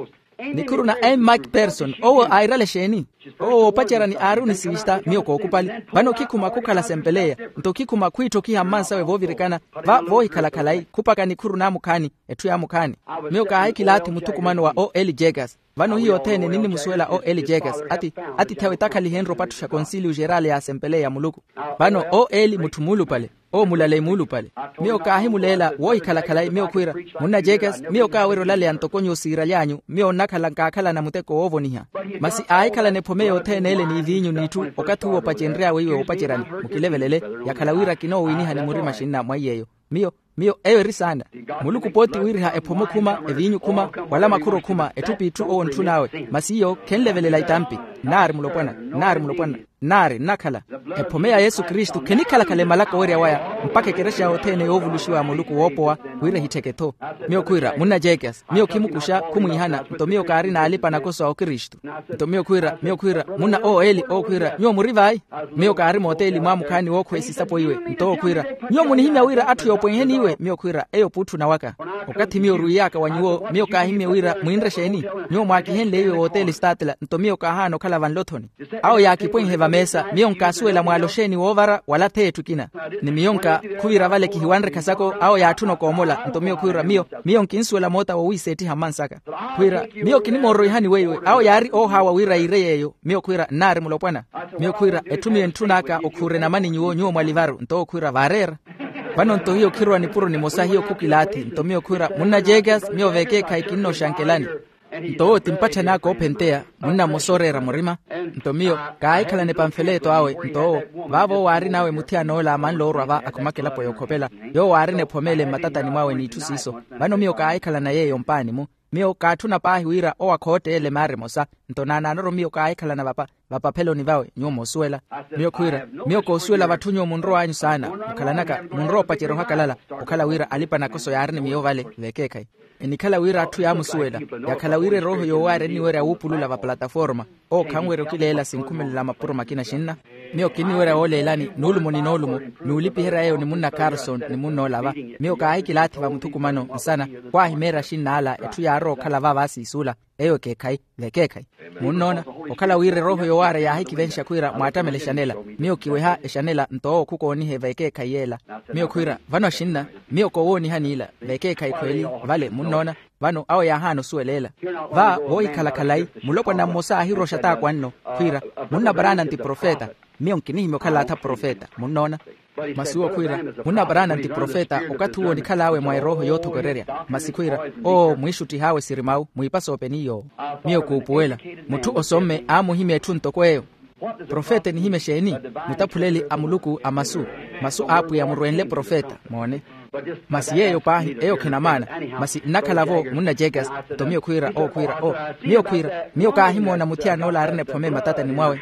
Nikhuru na m macpherson owo airale exeeni? Owo woopacerani aari onisivista miyo kookupali. Vano khikhuma khukhala sempeleya, nto khikhuma khwiitthokiha mmansawe voovirikana, va voohikhala khalayi khupaka nikhuru naamukhaani, etthu yaamukhaani. Miyo kaahikilaathi muthukumano wa o l jekas. Vano hiyo othene ninnimusuwela o l jekas, ati atiithi awe takhalihenrye opattuxa konsiliyu xerali ya sempeleya ya muluku. Vano o l mutthu muulupale, owo mulaleyi muulupale. Miyo kaahimuleela woohikhala khalayi miyo khwiira, munna jekas, miyo kaawerya olaleya ntoko nyuwo siiraly'anyu, miyo nnakhala nkaakhalana muteko woovoniha. Masi aahikhalana ephome yothene ele n'iviinyu n'itthu. Okathi uwo opacenry'awe iwe woopaceryani, mukilevelele, yakhala wira kinoowiinihani murima xinna mwa iy'eyo. Miyo miyo eyo eri saana. Muluku pooti wiiriha ephomo khuma, eviinyu khuma, wala makhuro khuma, etthu p'itthu owo ontthun'awe. Masi iyo khenlevelela itampi. Nnaari mulopwana, nnaari mulopwana, nnaari nnakhala. Ephome ya yesu kristu khenikhala-khala emalaka owerya waya, mpakha ekerexa yothene yoovuluxiwa ya muluku woopowa, wira ehittheke-tho. Miyo khwiira munna jekas, miyo khimukuxa khumwiihana nto miyo kaarina alipa nakoso a okristu. Nto miyo khwiira miyo khwiira, munna o l owo khwiira nyuwo muri vayi? Miyo kaari mooteli mwaamukhaani wookhweya esisapo iwe. Nto owo khwiira, nyuwo munihimya wira atthu yoopwenheni iwe? Miyo khwiira eyo puutthu nawaka. Okathi miyo orwiiy'aka wa nyuwo miyo kaahimye wira mwiinre exeeni? Nyuwo mwaakihenle iwe wooteli statla nto miyo kaahaana okhala vanlo-thoni. Awo yaakipwenhe vameesa miyo nkaasuwela mwaalo exeeni woovara wala th'etthu ekina. Ni miyo nka khuvira vale kihiwanre khasako awo yaatthuna okoomola nto miyo khwiira miyo miyo nkinsuwela moota wowiiseettiha mmansaka. Khwiira, miyo kinimoororihani weiwe awo yaari oohaawa wira yiire yeeyo. Miyo khwiira nnaari mulopwana. Miyo khwiira etthu miyo entthun'aka okhuure namani nyuwo nyuwo mwalivaru nto owo khwiira vaareera. Vano nto hiyo khirowa nipuro nimosa hiyo khukilaathi nto miyo khwiira munna jekas miyo vekeekhayi kinnooxankelani. Nto owo ti mpatthani aka oophenteya, munna mmosa ooreera murima. Nto miyo kaahikhalana epamfeleeto awe nto owo, vaavo owo aarin'awe muthiyana ola amanla oorwa va akhumakelapo yookhopela, yoowo aarina ephome ele mmatatani mwawe n'itthu siiso. Vano miyo kaahikhalana yeeyo mpaani-mu. Miyo kaatthuna paahi wira owo akhootte ele maara emosa. Nto naanaanoru miyo kaahikhalana vapa vapapheloni vawe nyuwo moosuwela. Miyo khwiira, miyo koosuwela vatthu nyuwo munrow'anyu saana mukhalanaka munrowa opacerya ohakalala. Okhala wira alipa nakoso yaarina miyo vale vekeekhayi. Enikhala wira atthu yaamusuwela, yakhala wira erooho yoowaarya enniwerya wuupulula va plataforma. Owo khanwerya okileela sinkhumelela mapuro makina xinna. Miyo kinniwerya wooleelani nuulumo ni noolumo, nuulipiherya eyo ni munna carson ni munna ola va. Miyo kaahikilaathi va muthukumano nsana, khwaahimeerya xinnaala etthu yaarowa okhala va vaasiisuula. Eyo ekeekhayi, vekeekhayi. Munnoona, okhala wira erooho yoowaarya yaahikivenxa khwiira mwaattamele exanela. Miyo kiweha exanela nto owo khukoonihe vekeekhayi yeela. Miyo khwiira vano axinna, miyo koowoonihani ila vekeekhayi khweeli. Vale munnoona. Vano awo yaahaana osuweleela. Va voohikhala khalayi, mulopwana mmosa aahiroxa t'akwanno, khwiira, munna paraana nti profeta. Miyo nkinihimya okhala atha profeta munnoona. Masi uwo khwiira, munna paraana nti profeta. Okathi uwo onikhal'awe mwa erooho yoothokorerya. Masi khwiira, oo mwiixuttih'awe siri mawu mwiipasa openi yoowo. Miyo kuupuwela, mutthu osomme aamuhimya etthu ntoko eyo. Profeta enihimya exeeni? Mutaphuleli a muluku a masu. Masu a apwiya murwenle profeta moone. Masi yeeyo paahi eyo khinamaana. Masi nnakhala-vo munna jekas. Nto miyo khwiira owo khwiira o, miyo khwiira, miyo kaahimoona muthiyana ola aarina ephome mmatatani mwawe.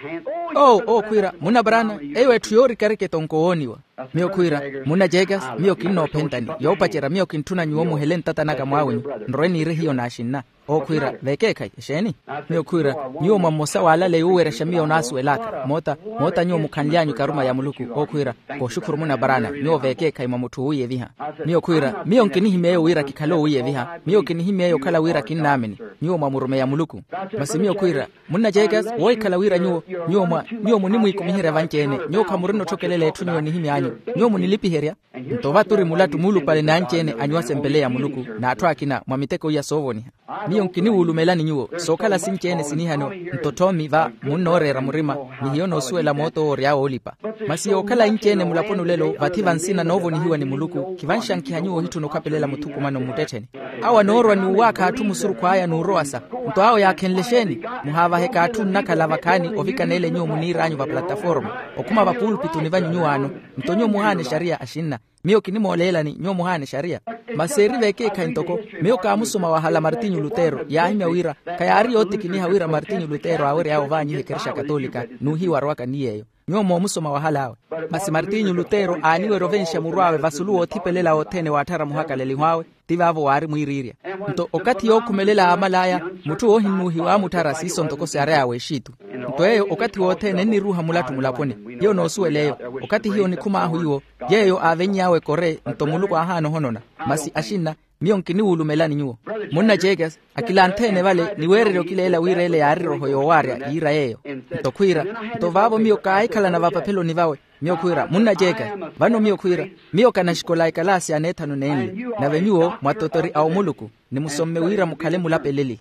Oo owo khwiira munna paraana, eyo etthu yoorikarike tonko wooniwa. Miyo khwiira, munna jekas, miyo kinnoophentani yoopacerya miyo kintthuna nyuwo muhele ntatan'aka mwaawenyu. Nrowe niire hiyo n'axinna. Owo khwiira vekeekhayi exeeni? Miyo khwiira, nyuwo mwa mmosa waalaleya oowerexa miyo onaasuwel'aka moota, moota nyuwo mukhanly'anyu ekaruma ya muluku. Owo khwiira, kooxukhuru munna paraana nyuwo vekeekhayi mwa mutthu oowiiyeviha. Miyo khwiira, miyo nkinihimya eyo wira kikhale oowiiyeviha. Miyo kinihimya eyo okhala wira kinnaamini nyuwo mwa murumeya muluku. Masi miyo khwiira, munna jekas, woohikhala wira nyuwo, nyuwo mwa, nyuwo munimwiikumiherya vanci-ene nyuwo khamurina otthokelela etthu nyuwo enihimy'anyu. Nyuwo munilipiherya. Nto vaturi mulattu muulupale n'anci-ene anyuwa sempeleya muluku, n'atthu akina mwa miteko iya soovoniha. Miyo nkiniwulumelani nyuwo sookhala sinci-ene sinihano. Nto thoomi va munnooreera murima, ni hiyo noosuwela moot'owo ory'awe oolipa. Masi yookhala inci-ene mulaponi olelo vathi vansina noovonihiwa ni muluku khivanxankiha nyuwo ohitthuna okhapelela muthukumano mmuttettheni. Awo anoorwa n'uwaakha atthu musurukhu aya n'urowasa. Nto awo yaakhenle exeeni? Muhaavaheke atthu nnakhala vakhaani ovikana ele nyuwo muniir'anyu va plataforma, okhuma vapuulupituni vanyu nyuwaano. Nto nyuwo muhaana exariya axinna. Miyo kinimooleelani nyuwo muhaana exariya. Masi eri vekeekhayi ntoko, miyo kaamusoma wahala martinyu lutero yaahimya wira khayaari yootikiniha wira martinyu lutero aawery'awe ovaanyiha ekerexa katolika n'uhiiwa arowaka ni yeeyo. Nyuwo moomusoma wahal'awe. Masi martinyu lutero aaniwerya ovenxa murw'awe vasulu woothipelela othene waatthara muhakaleliho awe. Ti vaavo waari mwiiriirya. Nto okathi yookhumelela aamal'aya, mutthu woohinnuuhiwa aamutthara siiso ntoko siary'awe exitu. Nto eyo okathi wothene enniruuha mulattu mulaponi. Hiyo noosuwela eyo. Okathi hiyo onikhum'ahu iwo, yeeyo aavenny'awe ekore nto muluku aahaana ohonona. Masi axinna, Miyo nkiniwulumelani nyuwo. Munna jekas, akilanthe-ene vale ni weererya okileela wira ele yaari roho yoowaarya yiira yeeyo. Nto khwiira, nto vaavo miyo kaahikhalana vapapheloni vawe. Miyo khwiira munna jekas, vano miyo khwiira, miyo kanaxikola ekalaasi ya neethanu nenle. Nave nyuwo mwatotori a omuluku, ni musomme wira mukhale mulapeleli.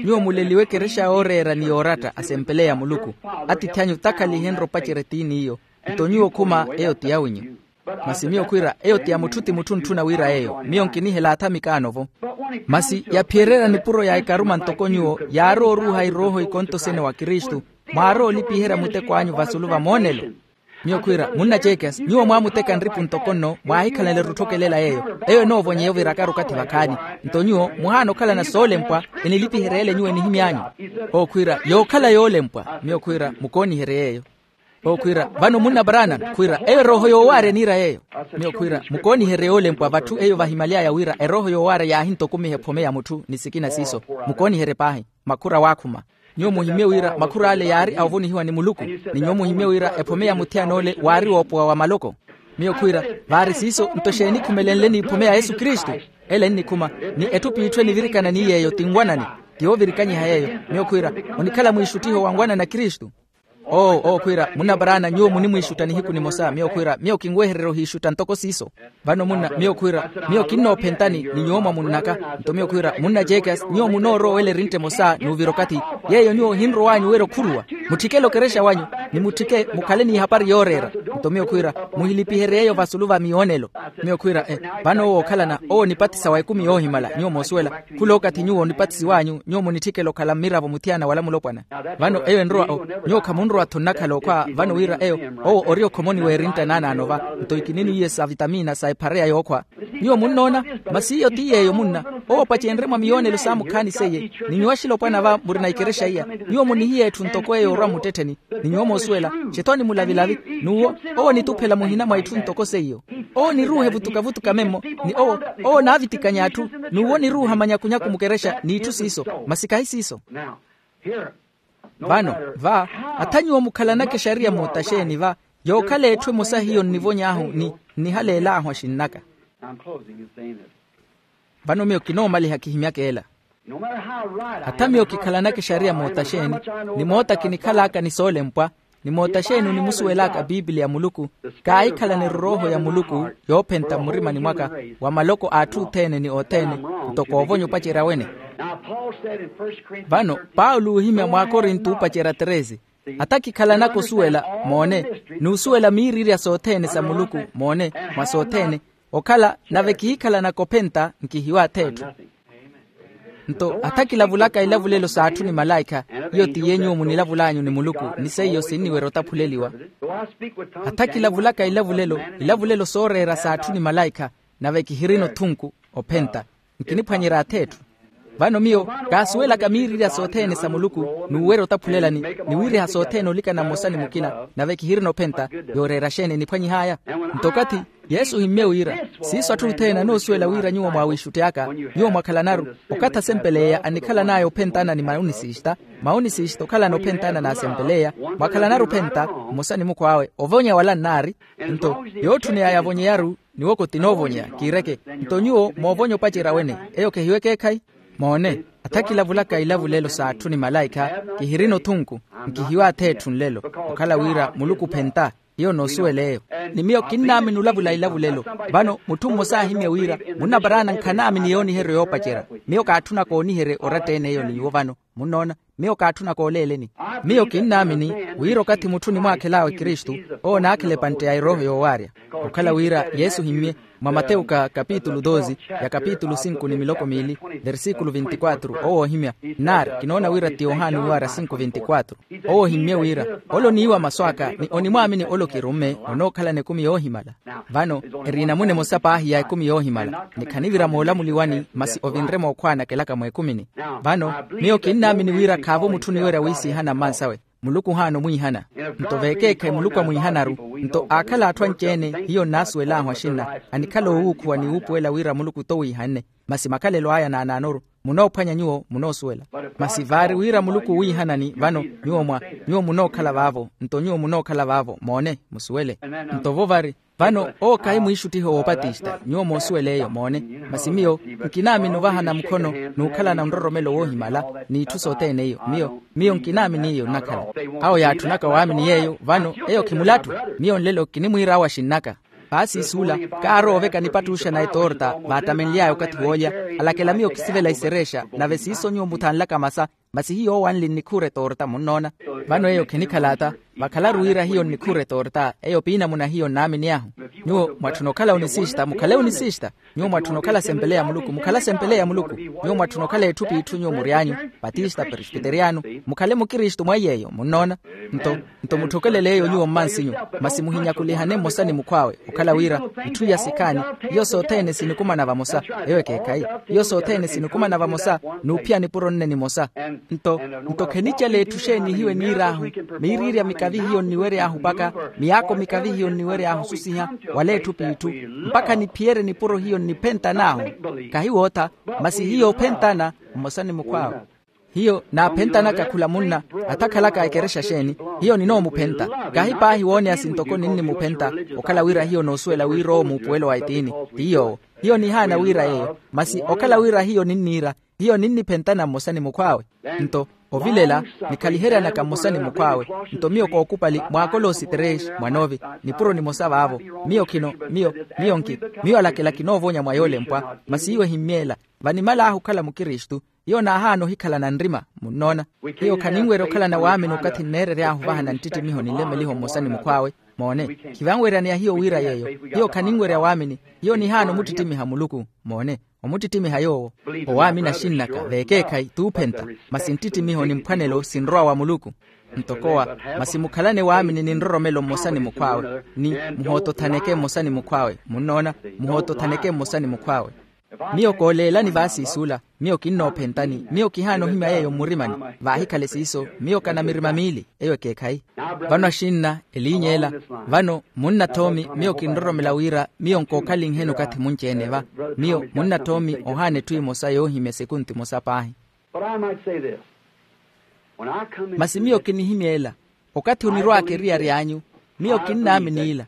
Nyuwo muleliwe ekerexa yooreera ni yooratta asempeleya muluku. Atiithi anyu takhalihenrye opacerya etiini iyo. Nto nyuwo khuma eyo ti yawinyu. Masi miyo khwiira eyo ti ya mutthu ti mutthu ntthuna wira eyo miyo nkinihela athamikaano-vo. Masi yaphiyererya nipuro ya ekaruma ntoko nyuwo yaarowa oruuha irooho ikontosene wa kristu, mwaarowa olipiherya muteko anyu vasulu va moonelo. Miyo khwiira munna jekas nyuwo mwaamuteka nripu ntoko nno mwaahikhalana erutthokelela yeeyo. Eyo enoovonyeya ovirakaru okathi vakhaani. Nto nyuwo muhaana okhalana soolempwa, enilipiherya ele nyuwo enihimy'anyu. Owo khwiira yookhala yoolempwa miyo khwiira mukooniherye yeeyo. Owo khwiira vano munna paraana khwiira eyo erooho yoowaarya eniira yeeyo. Miyo khwiira mukooniherye yoolempwa vatthu eyo vahimaly'aya wira erooho yoowaarya yaahintokumiha ephome ya mutthu ni sikina siiso. Mukooniherye paahi. Makhura waakhuma. Nyuwo muhimmye wira makhura ale yaari a ovonihiwa ni muluku. Ni nyuwo muhimmye wira ephome ya muthiyan'ole waari woopowa wa maloko. Miyo khwiira vaari siiso nto exeeni ekhumelenle n'iphome ya yesu kristu? Ele ennikhuma. Ni etthu p'itthu enivirikana ni yeeyo tinwanani. Ti yoovirikanyiha yeeyo. Miyo khwiira onikhala mwiixuttiho wa nwanani a kristu. Owo owo khwiira munna paraana nyuwo munimwiixutta nihiku nimosa miyo khwiira miyo kinwehererya ohiixutta ntoko siiso. Vano munna miyo khwiira miyo kinnoophentani ni nyuwo mwamunnaka. Nto miyo khwiira munna jekas nyuwo munoorowa owela erintta emosa n'uvira okathi. Yeeyo nyuwo ohinrow'anyu wira okhuruwa. Mutthikele okerexa wanyu ni mutthike mukhale n'ihapari yooreera. Nto miyo khwiira muhilipiherye yeeyo vasulu va miyoonelo. Miyo khwiira e vano owo ookhalana owo onipatisa wa ekumi yoohimala nyuwo moosuwela. Khula okathi nyuwo onipatisiw'anyu nyuwo munitthikela okhala mmiravo muthiana wala mulopwana. Vano eyo enrowa o nyuwo khamunrowa-tho nnakhala okhwa vano wira eyo owo ori okhomoni w'erintta naanaano va. Nto ikininiiye sa vitamiina sa ephareya yookhwa. Nyuwo munnoona masi iyo ti yeeyo munna owo opacenrye mwa miyoonelo saamukhaani seiye. Ni nyuwo axilopwana va murina ikerexa iya nyuwo munihiya etthu ntoko eyo orwa mmuttettheni. Ni nyuwo moosuwela xetho onimulavilavi n'uwo owo onituphela muhina mwa itthu ntoko seiyo. Owo oniruuha evutukavutuka memmo ni owo owo onaavitikanya atthu n'uwo oniruuha manyakunyaku mukerexa n'itthu siiso. Masi kahi siiso. Vano va atha nyuwo mukhalanaka exariya moota xeeni va yookhala etthu emosa hiyo nnivony'ahu ni nnihaleel'ahu axinn'aka. Vano miyo kinoomaliha kihimyaka ela. Atha miyo kikhalanaka exariya moota xeeni ni moota kinikhal'aka ni soolempwa ni moota xeeni onimusuwel'aka piipili ya muluku kaahikhalana erorooho ya muluku yoophenta mmurimani mwaka wa maloko a atthu othene ni othene ntoko oovonya opacerya wene. Vano paulo oohimya mwaakorinto oopacerya treze. Atha kikhalanaka osuwela moone n'usuwela miiriirya sothene sa muluku moone mwa sothene okhala nave kiikhalanaka ophenta nkihiwa ath'etthu. Nto atha kilavulaka ilavulelo s'atthu ni malaikha iyo ti yenyuwo munilavul'anyu ni muluku ni seiyo sinniwerya otaphuleliwa. Atha kilavulaka ilavulelo ilavulelo sooreera s'atthu ni malaikha nave kihirina othunku ophenta nkiniphwanyerya ath'etthu. Vano miyo kaasuwelaka miiriirya sothene sa muluku n'uwerya otaphulelani ni wiiriha sothene olikana mmosa ni mukina nave kihirina ophenta yooreera xeeni eniphwanyih'aya. Nto okathi yesu ohimmye wira siiso atthu othene anoosuwela wira nyuwo mwaawiixutty'aka nyuwo mwakhalanaru okathi asempeleya anikhalan'aya ophentana ni maunisiista maunisiista okhalana ophentana n'asempeleya mwakhalanaru ophenta mmosa ni mukhw'awe ovonya wala nnaari. Nto yootthuney'aya avonyeyaru niwoko tinoovonyeya kiireke. Nto nyuwo moovonya opacerya wene eyo kehiwe ekeekhayi. Moone atha kilavulaka ilavulelo s'atthu ni malaikha kihirina othunku nkihiwa ath'etthu nlelo okhala wira muluku ophenta iyo noosuwela eyo. Ni miyo kinnaamini olavula ilavulelo. Vano mutthu mmosa aahimya wira munnaparaana nkanaamini yooniheryo yoopacerya. Miyo kaatthunaka ooniherye oratta-ene eyo ni nyuwo vano munnoona miyo kaatthunaka oleeleni. Miyo kinnaamini wira okathi mutthu onimwaakhel'awe kristu owo onaakhela epantte ya erooho yoowaarya. Okhala wira yesu ohimmye mwa mateuka kapitulu doze ya kapitulu sinku ni miloko miili versikulu vinti-kwatru owo oohimya nnaari kinoona wira ti yohani owaarya sinku vinti-kwatru. Owo ohimmye wira ole oniiwa masu aka ni onimwaamini ole okirumme onookhalana ekumi yoohimala. Vano eri enamuna emosa paahi ya ekumi yoohimala ni khanivira moolamuliwani masi ovinre mookhwaanakelaka mweekumini. Vano miyo kinnaamini wira khaavo mutthu oniwerya wiisiihana mmansawe. Muluku ohaana omwiihana. Nto veekeekhayi muluku amwiihanaru nto aakhala atthu anci-ene hiyo nnaasuwel'ahu axinna anikhala oowuukhuwa ni wuupuwela wira muluku t'owiihanne. Masi makhalelo aya naanaanoru munoophwanya nyuwo munoosuwela. Masi vaari wira muluku owiihanani vano, nyuwo mwa nyuwo munookhala vaavo. Nto nyuwo munookhala vaavo moone, musuwele. Nto vo vari, vano owo kahi mwiixuttiho woopatista nyuwo moosuwela eyo moone. Masi miyo nkinaamini ovahana mukhono n'ukhalana nroromelo woohimala, n'itthu sothene iyo miyo miyo nkinaamini iyo nnakhala. Awo yaatthunaka waamini yeeyo vano, eyo khimulattu. Miyo nlelo kinimwiira awo axinnaka. Paasi suula, kaarowa oveka nipattuuxana etoorta vaattamenly'aya okathi woolya, alakela miyo khisivela isereexa. Nave siiso nyuwo muthanlaka masa, masi hiyo owanli nnikhuura etoorta munnoona. Vano eyo khenikhala ata, vakhalaru wira hiyo nnikhuura etoorta eyo piinamuna hiyo nnaaminiy'ahu. Nyuwo mwatthuna okhala onisista mukhale onisista. Nyuwo mwatthuna okhala asempeleya a muluku mukhale asempeleya a muluku. Nyuwo mwatthuna okhala etthu p'itthu nyuwo muryanyu, patista presbiteriyano, mukhale mukristu mwa iy'eyo munnoona. Nto nto mutthokelele eyo nyuwo mmansinyu, masi muhinyakulihane mmosa ni mukhw'awe. Okhala wira itthu iya sikhaani, iyo sothene sinikumana vamosa. Eyo ekeekhayi. Iyo sothene sinikumana vamosa, n'uphiya nipuro nne nimosa. Nto nto khenicela etthu xeeni hiyo eniir'ahu, miiriirya mikavi hiyo nniwery'ahu mpakha, miyaako mikavi hiyo nniwery'ahu osusiha wala etthu p'itthu, mpakha niphiyerye nipuro hiyo nniphentan'ahu. Kahi wootha, masi hiyo ophentana mmosa ni mukhw'awe. Hiyo naaphentanaka khula munna, atakhalaka ekerexa xeeni, hiyo ninoomuphenta. Kahi paahi wooneya sintoko ninnimuphenta, okhala wira hiyo noosuwela wira owo muupuwelo wa etiini, ti yoowo. Hiyo nihaana wira yeeyo, masi okhala wira hiyo ninniira, hiyo ninniphentana mmosa ni mukhw'awe. Nto ovilela, nikhaliheryanaka mmosa ni mukhw'awe. Nto miyo kookupali mwa koloosi tres mwa nove, nipuro nimosa vaavo. Miyo khino miyo miyo nki miyo alakela kinoovonya mwa yoolempwa. Masi iwe himmyeela, vanimal'ahu okhala mukristu, hiyo naahaana ohikhalana nrima. Munnoona, hiyo khaninwerya okhalana waamini okathi nneerery'ahu ovahana nttittimiho ni nlemeliho mmosa ni mukhw'awe. Moone, khivanweryaneya hiyo wira yeeyo. Hiyo khaninwerya waamini, hiyo nihaana omuttittimiha muluku. Moone, omuttittimiha yoowo. Owaamini axinn'aka veekeekhayi t'uphenta, masi nttittimiho ni mphwanelo sinrowa wa muluku. Ntokowa, masi mukhalane waamini ni nroromelo mmosa ni mukhw'awe, ni muhootothaneke mmosa ni mukhw'awe. Munnoona, muhootothaneke mmosa ni mukhw'awe. Miyo kooleelani vaasiisuula, miyo kinnoophentani, miyo kihaana ohimya yeeyo mmurimani. Vaahikhale siiso, miyo kana mirima miili. Eyo ekeekhayi. Vano axinna, eliiny'ela, vano munnathoomi miyo kinroromela wira miyo nkookhalinheni okathi munci-ene va. Miyo munnathoomi ohaana etthu emosa yoohimya esekunti emosa paahi. Masi miyo kinihimyeela, okathi onirwaaka eriyari anyu, miyo kinnaamini ila.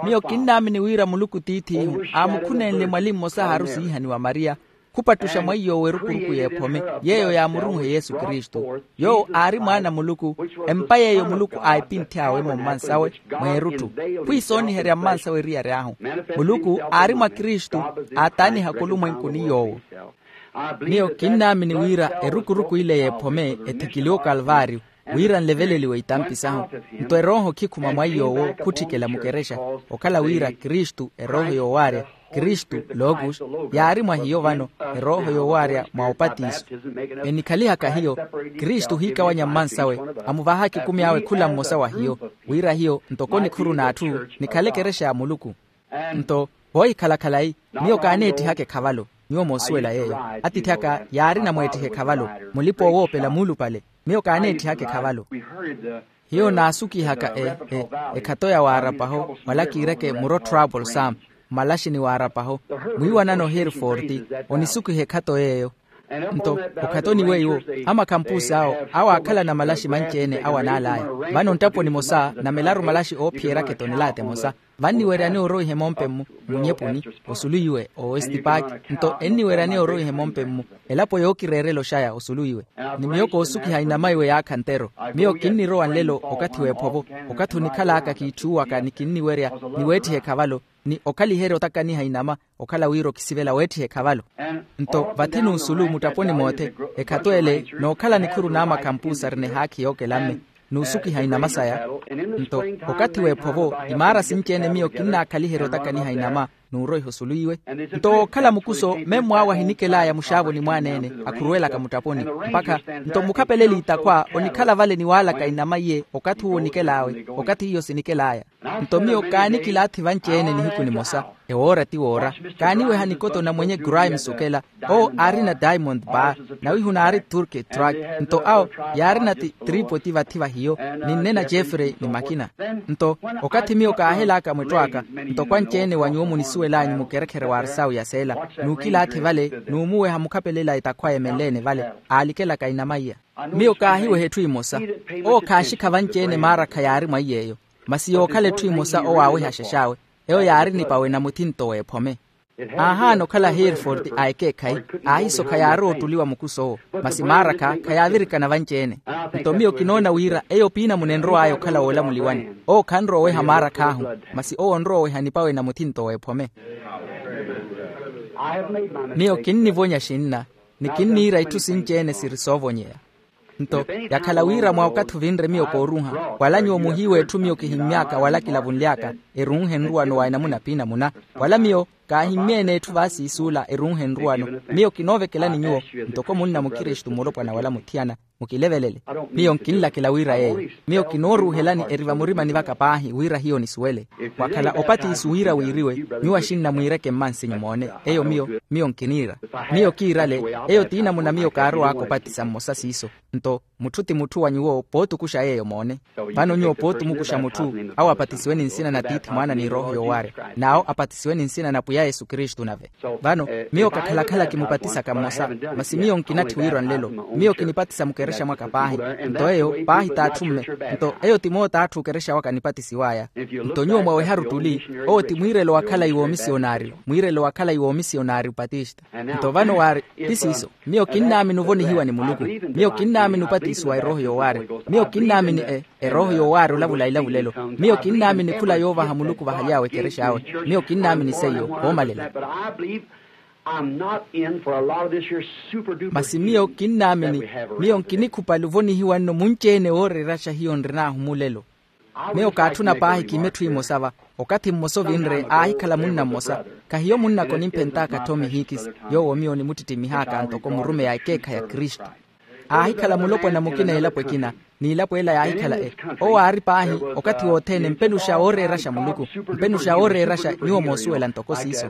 Miyo kinnaamini wira muluku tiith'ihu aamukhunenle mwali mmosa haaru siihaniwa mariya, khupattuxa mwa iy'owo erukuruku y'ephome, yeeyo yaamurunhe yesu kristu. Yoowo aari mwaana a muluku, empa yeeyo muluku aahipinthy'awe-mo mmansawe, mweerutthu. Khwiisooniherya mmansawe eriyari ahu. Muluku aari mwa kristu, aataaniha khulumwenkuni yoowo. Miyo kinnaamini wira erukuruku ile y'ephome ethikiliwe okalvaariyo, wira nleveleliwe itampi sahu. Nto erooho khikhuma mwa iy'owo khutthikela mukerexa, okhala wira kristu erooho yoowaarya, kristu logos, yaari mwa hiyo vano, erooho yoowaarya mwa opatiso. Enikhalihaka hiyo, kristu ohiikawanya mmansawe, amuvahaka ekumi awe khula mmosa wa hiyo, wira hiyo ntoko nikhuru n'atthu, nikhale ekerexa ya muluku. Nto voohikhala khalayi, miyo kaaneettihaka ekhavalo. Nyuwo moosuwela yeeyo. Atiithi aka yaari namweettiha ekhavalo, mulipa owoopela muulupale. Miyo kaaneettihaka ekhavalo. Hiyo naasukihaka e e ekhato ya waarapaho wala kiireke muro trouble sam, mmalaxini waarapaho, mwiiwanano hereford, onisukiha ekhato yeeyo. Nto okhatoni weiwo, amakhampuusi awo awo aakhalana malaxi manci-ene awo anaal'aya. Vano nttapo nimosa namelaru malaxi oophiyerya akhetoni laata emosa. Vanniweryaneya oroiha emompe-mmu, munyepuni, osuluiwe oestipaaki. Nto enniweryaneya oroiha emompe-mmu, elapo yookireerela oxaya osuluiwe. Ni miyo koosukiha inama iwe yaakha ntero. Miyo kinnirowa nlelo okathi w'ephovo, okathi onikhalaaka kiitthuuwaka ni kinniwerya, ni weettiha ekhavalo, ni okhaliherya otakaniha inama, okhala wira okisivela weettiha ekhavalo. Nto vathi n'usulu mutthaponi moothe, ekhato ele nookhala nikhuru n'amakhampuusi arinehaakhi yookelamme, n'usukiha inama saya. Nto okathi w'ephovo, imaara sinci-ene miyo kinnaakhaliherya otakaniha inama, n'uroiha osulu iwe. Nto wookhala mukuso memmo awo ahinikel'aya muxaavoni mwaaneene, akhuruwelaka mutthaponi, mpakha nto mukhapeleli itakhwa onikhala vale niwaalaka inama iye okathi uwo onikel'awe, okathi iyo sinikel'aya. Nto miyo kaanikilaathi vanci-ene nihiku nimosa, ewoora ti woora, kaaniweha nikoto na mwenye grimes okela. Owo aarina diamond bar, nawihu naari turkey truck. Nto awo yaarina ti tripoti vathi va hiyo, ni nnena jeffrey ni makina. Nto okathi miyo kaahelaaka mwetto aka, nto kwanci-ene wa nyuwo munisuwel'anyu mukerekhere wa arsawu ya seela, n'ukilaathi vale n'umuweha mukhapelela etakhwaya emenle-ene vale, aalikelaka inama iya. Miyo kaahiweha etthu emosa. Owo khaaxikha vanci-ene maara khayaari mwa iy'eyo, masi yookhala etthu emosa owo aaweha axax'awe. Eyo yaari nipawe na muthinto w'ephome. Aahaana okhala hereford a ekeekhayi, aahisokha yaari oottuliwa mukus'owo, masi maara-kha khayaavirikana vanci-ene. Nto miyo kinoona wira eyo piinamuna enrow'aya okhala woolamuliwani. Owo khanrowa oweha maara-kh'ahu, masi owo onrowa oweha nipawe na muthinto w'ephome. Miyo kinnivonya xinna, ni kinniira itthu sinci-ene siri soovonyeya. Nto yakhala wira mwa okathi ovinre miyo kooruuha, wala nyuwo muhiiwa etthu miyo kihimmy'aka wala kilavunly'aka, eruuhe nruwano wa enamuna piinamuna. Wala miyo kaahimmye-ene etthu vaasiisuula eruuhe nruwano. Miyo kinoovekelani nyuwo, ntoko munna mukristu mulopwana wala muthiyana, mukilevelele. Miyo nkinlakela wira yeeyo. Miyo kinooruuhelani eri vamurimani vaka paahi wira hiyo nisuwele. Wakhala opatiso wira wiiriwe, nyuwo axinna mwiireke mmansinyu moone. Eyo miyo, miyo nkiniira. Miyo kiirale. Eyo ti namuna miyo kaarow'aka opatisa mmosa siiso. Nto mutthu ti mutthu wa nyuwo pootukuxa yeeyo moone. Vano nyuwo pootumukuxa mutthu, awo apatisiwe ni nsina na tiithi mwaana ni erooho yoowaarya, n'awo apatisiwe ni nsina na pwiya yesu kristu nave. Vano miyo kakhala-khala kimupatisaka mmosa, masi miyo nkinatthi wiirwa nlelo. Miyo kinipatisa mukerexa mwaka paahi. Nto eyo paahi t'atthu mme. Nto eyo ti moota atthu okerexa waka nipatisiw'aya. Nto nyuwo mwaweharu tuli, owo ti mwiirelo wa khalayi w'omisionaaryu. Mwiirelo wa khalayi w'omisionaaryu patista. Nto vano waari, ti siiso. Miyo kinnaamini ovonihiwa ni muluku. Miyo kinnaamini opatiso wa erooho yoowaarya. Miyo kinnaamini e erooho yoowaarya olavula ilavulelo. Miyo kinnaamini khula yoovaha muluku vahaly'awe ekerex'awe. Miyo kinnaamini seiyo. Woomalela. Masi miyo kinnaamini, miyo nkinikhupali ovonihiwa nno munci-ene wooreeraxa hiyo nrin'ahu mulelo. Miyo kaatthuna paahi kiime etthu emosa va. Okathi mmosa ovinre aahikhala munna mmosa. Khahiyo munnaka onimphent'aka thomi hikisi, yoowo miyo onimuttittimih'aka ntoko murumeyi a ekeekhayi a kristu. Aahikhala mulopwana mukina elapo ekina, n'ilapo ela yaahikhala e. Owo aari paahi okathi wothene mpenuxa wooreeraxa muluku. Mpenuxa wooreeraxa nyuwo moosuwela ntoko siiso.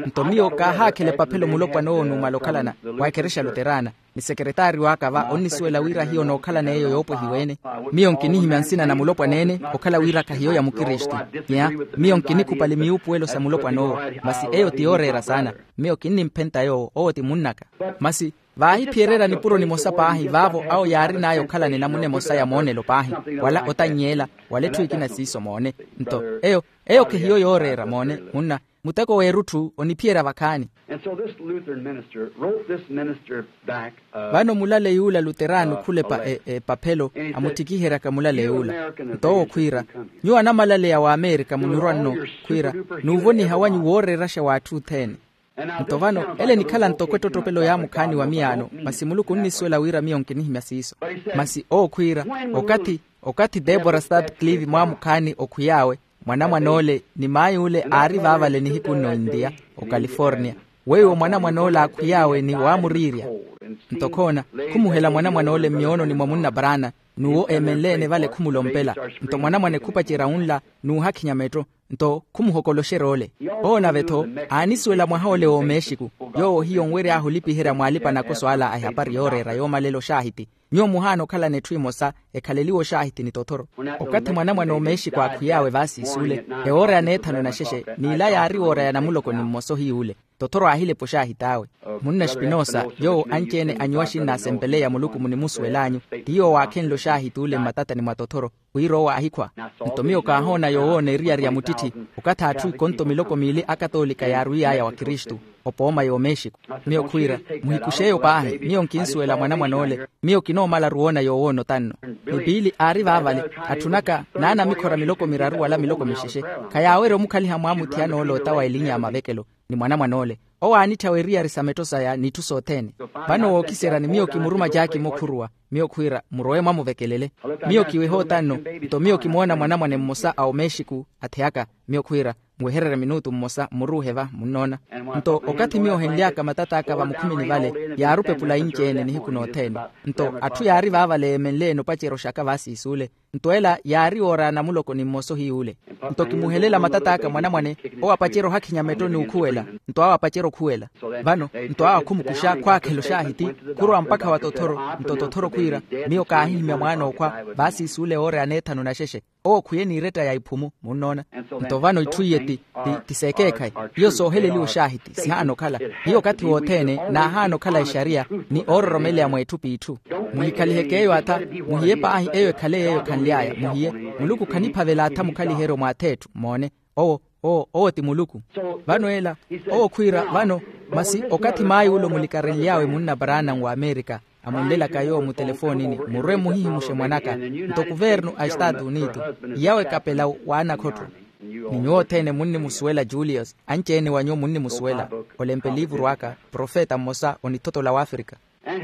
Nto miyo kaahaakhela epaphelo mulopwana owo numala okhalana, wa ekerexa luterana. Ni sekeretaari w'aka va onnisuwela wira hiyo nookhalana eyo yoopwehiwa-ene. Miyo nkinihimya nsina na mulopwana-ene okhala wira khahiyo ya mukristu. Nyenya miyo nkinikhupali miyuupuwelo sa mulopwana owo. Masi eyo ti yooreera saana. Miyo kinnimphenta yoowo owo ti munnaka. Masi vaahiphiyererya nipuro nimosa paahi vaavo awo yaarin'aya okhalana enamuna emosa ya moonelo paahi, wala otanny'ela, wala etthu ekina siiso moone. Nto eyo, eyo khehiyo yooreera moone. Munna, muteko w'erutthu oniphiyerya vakhaani. Vano mulale yuula luterano khulepa epaphelo, amuttikiheryaka mulale yuula. Nto owo khwiira, nyuwo anamalaleya w'amerika munirwa nno, khwiira, n'uvoniha wanyu wooreeraxa w'atthu othene. Nto vano ele enikhala ntoko ettottopelo ya mukhaani wa miyaano. Masi muluku onnisuwela wira miyo nkinihimya siiso. Masi owo khwiira, okathi, okathi debora stadclive mwaamukhaani okhwiy'awe, mwanamwan'ole ni maay'ule aari vaavale nihiku nno india, ocalifornia. Weiwo mwanamwan'ole aakhwiy'awe ni waamuriirya. Nto khoona, khumuhela mwanamwan'ole mmiyoononi mwa munna brana, n'uwo eemenle-ene vale khumulompela. Nto mwanamwane khupacerya wunla, n'uhakhinya metto. Nto khumuhokoloxerya ole. Owo nave-tho, aanisuwela mwaha ole w'omexico. Yoowo hiyo nwery'ahu olipiherya mw'alipa-nakoso ala a ehapari yooreera yoomalela oxaahiti. Nyuwo muhaana okhalana etthu emosa, ekhaleliwe oxaahiti ni tothoro. Okathi mwanamwane omexico aakhwiy'awe vaasiis'ule, ewoora ya neethanu naxexe n'ila yaari woora ya namuloko ni mmosa ohiy'ule. Tothoro aahilepa oxaahit'awe. Munna espinosa, yoowo anci-ene anyuwa axinna asempeleya muluku munimusuwel'anyu, ti yoowo aakhenle oxaahit'ule mmatatani mwa tothoro, wira owo aahikhwa. Nto miyo kaahoona yoowoona eriyari ya muttitthi, okathi atthu ikonto miloko miili akatoolika yaarwiy'aya wa kristu, opooma y'omexico. Miyo khwiira, muhikux'eyo paahi miyo nkinsuwela mwanamwan'ole. Miyo kinoomalaru woona yoowoona otanno. Ni piili aari vaavale, atthunaka naanamikhora miloko miraru wala miloko mixexe. Khayaawerya omukhaliha mwaamuthiyana ole ota wa elinya ya mavekelo, ni mwanamwan'ole. Owo aanitthawa eriyari sa metto saya n'itthu sothene. Vano wookiseryani miyo kimuruma jaaki mukhuruwa, miyo khwiira murowe mwamuvekelele. Miyo kiweha otanno. Nto miyo kimoona mwanamwane mmosa a omexiku atheyaka. Miyo khwiira muwehererye minutu mmosa mmuruuhe va munnoona. Nto okathi miyo ohenly'aka matat'aka vamukhumini vale, yaari opepula inci-ene nihiku nothene. Nto atthu yaari vaavale yeemenle-ene opacerya oxaka vaasiis'ule. Nto ela yaari yoora ya namuloko ni mmosa ohiy'ule. Nto kimuhelela matat'aka mwanamwane, owo apacerya ohakhinya metto n'ukhuwela. Nto awo apacerya okhuwela. Vano nto awo akhumukuxa khwaakhela oxaahiti, khurowa mpakha wa tothoro. Nto tothoro khwiira, miyo kaahihimya mwaana okhwa, vaasiis'ule woora ya neethanu naxexe. Owo khuye n'iretta ya iphumu munnoona. Nto vano itthu iye ti ti seekeekhayi. Hiyo sooheleliwa oxaahiti sihaana okhala. Hiyo okathi wothene naahaana okhala exariya, ni oororomeleya mweetthu p'itthu. Muhikhaliheke eyo atha. Muhiye paahi eyo ekhale yeeyo khanly'aya muhiye. Muluku khaniphavela atha mukhaliheryo mw'ath'etthu moone. Owo owo owo ti muluku. Vano ela owo khwiira vano, masi okathi maay'ule omulikarelly'awe munna paraana w'amerika, amunlelaka yoowo mutelefoonini, murwe muhihimuxe mwan'aka. Nto kuvernu a estaatu unitu, iyawe kapela w'anakhotto. Ni nyuwo othene munnimusuwela juliyasi, anci-ene wa nyuwo munnimusuwela. Olempe liivuru aka profeta mmosa onithotola w'afrika.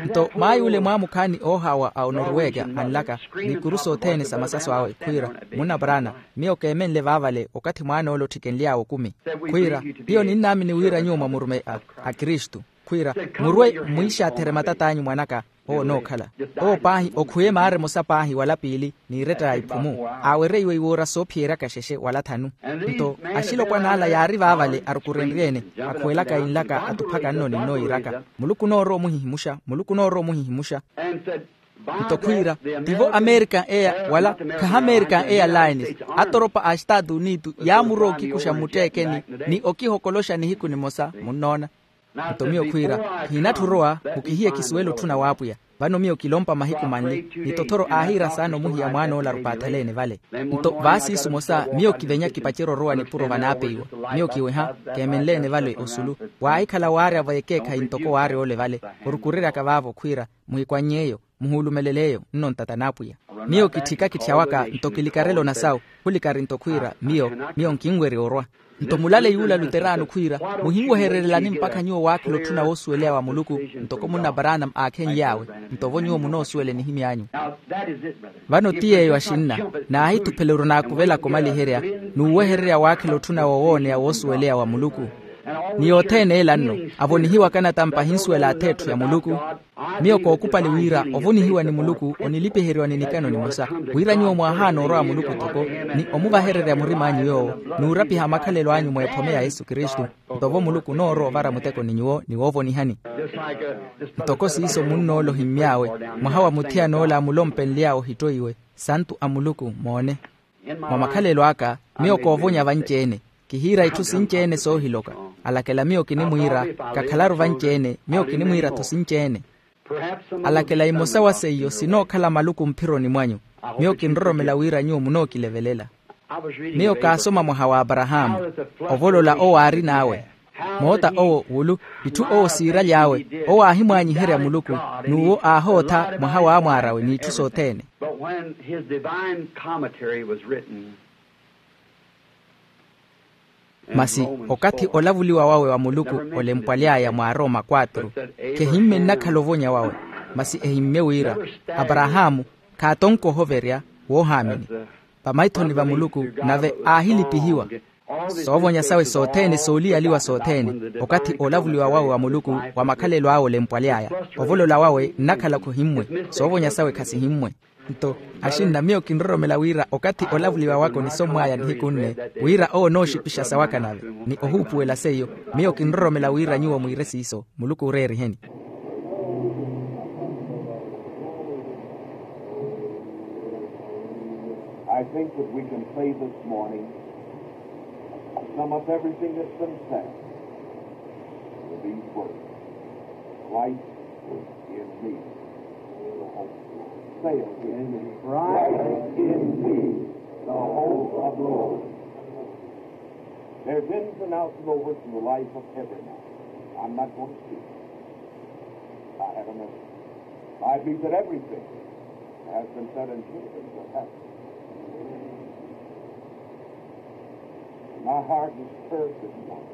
Nto maay'ule mwaamukhaani oohaawa a onoruweka anlaka, n'ikuru sothene sa masaso awe khwiira, munna paraana, miyo keemenle vaavale okathi mwaan'ole otthikenly'awe okumi. Khwiira, hiyo ninnaamini wira nyuwo mwa murumeyi a akristu. Khwiira, murwe mwiixaatherye matat'anyu mwan'aka. Owo onookhala. Owo paahi okhuye maara emosa paahi wala piili, n'iretta ya iphumu. Aawereiwe iwoora soophiyeryaka xexe wala thanu. Nto axilopwan'ala yaari vaavale arukurenrye-ene, akhuwelaka inlaka atuphaka nno ninno yiiraka, muluku onoorowa omuhihimuxa muluku onoorowa omuhihimuxa. Nto khwiira, tivo american eya wala khaha american eya lines, atoropa a estaatu unitu yaamurowa okikuxa mmutteekeni, ni okihokoloxa nihiku nimosa munnoona. Nto miyo khwiira, kihinatthi orowa, mukihiye kisuwela otthuna w'apwiya. Vano miyo kilompa mahiku manli ni tothoro aahiira saana omuhiya mwaan'ola arupaathalene vale. Nto vaasiisu mosa miyo kivenya kipacerya orowa nipuro vanaapeiwa. Miyo kiweha, keemenleene vale osulu. Waahikhala waarya-vo ekeekhayi ntoko waarya ole vale, orukureryaka vaavo khwiira, muhikwannyeeyo, muhuulumeleleeyo nno ntata n'apwiya. Miyo kitthika kitthya waka nto kilikarela onasawu, khulikari nto khwiira miyo, miyo nkinwerya orwa. Nto mulale yuula luteraano khwiira, muhinwehererelani mpakha nyuwo waakhela otthuna woosuweleya wa muluku, ntoko munna branam aakhenly'awe. Nto-vo nyuwo munoosuwela enihimy'anyu. Vano ti yeeyo axinna, naahithuphela orunaakuvelaku omaliherya, n'uwehererya waakhela otthuna wowooneya woosuweleya wa muluku. Ni yothene ela nno, avonihiwaka natampa ahinsuwela ath'etthu ya muluku. Miyo kookupali wira ovonihiwa ni muluku onilipiheriwa ni nikano nimosa, wira nyuwo mwaahaana orowa muluku toko, ni omuvahererya murim'anyu yoowo, n'urapiha makhalelo anyu mweephome ya yesu kristu. Nto-vo muluku onoorowa ovara muteko ni nyuwo ni woovonihani. Ntoko siiso munn'ola ohimmy'awe, mwaha wa muthiyan'ola amulompenly'awe ohittoiwe, santu a muluku moone. Mwa makhalelo aka, miyo koovonya vanci-ene. Kihiira itthu sinci-ene soohiloka. Alakela miyo kinimwiira, kakhalaru vanci-ene miyo kinimwiira-tho sinci-ene. Alakela imosa wa seiyo sinookhala maluku mphironi mwanyu. Miyo kinroromela wira nyuwo munookilevelela. Miyo kaasoma mwaha wa aparahaamu, ovolola owo aarin'awe. Moota owo wulu, itthu owo siiraly'awe, owo aahimwaanyiherya muluku, n'uwo aahootha mwaha w'amwaar'awe n'itthu sothene. But when his divine commentary was written, masi okathi olavuliwa wawe wa muluku olempwaly'aya mwa aroma quatro, khehimmye nnakhala ovonya wawe, masi ehimmye wira aparahaamu khaatonka ohoverya woohaamini vamaithoni va muluku, nave aahilipihiwa. Soovonya sawe sothene sooliyaliwa sothene, okathi olavuliwa wawe wa muluku wa makhalelo awe olempwaly'aya, ovolola wawe nnakhala khohimmwe. Soovonya sawe khasihimmwe. Nto axinna, miyo kinroromela wira okathi olavuliwa waka onisommw'aya nihiku nne, wira owo onooxipixa sawaka nave, ni ohuupuwela seiyo. Miyo kinroromela wira nyuwo mwiire siiso, muluku ooreeriheni. I think that we can say this morning, to sum up everything that's been said, with these words: Christ in me, the hope of glory. Say it with me. Christ in me, the hope of glory. There's ins and outs and overs in the life of every man. I'm not going to speak. I have a message. I believe that everything has been said and should have been said. My heart is stirred this morning.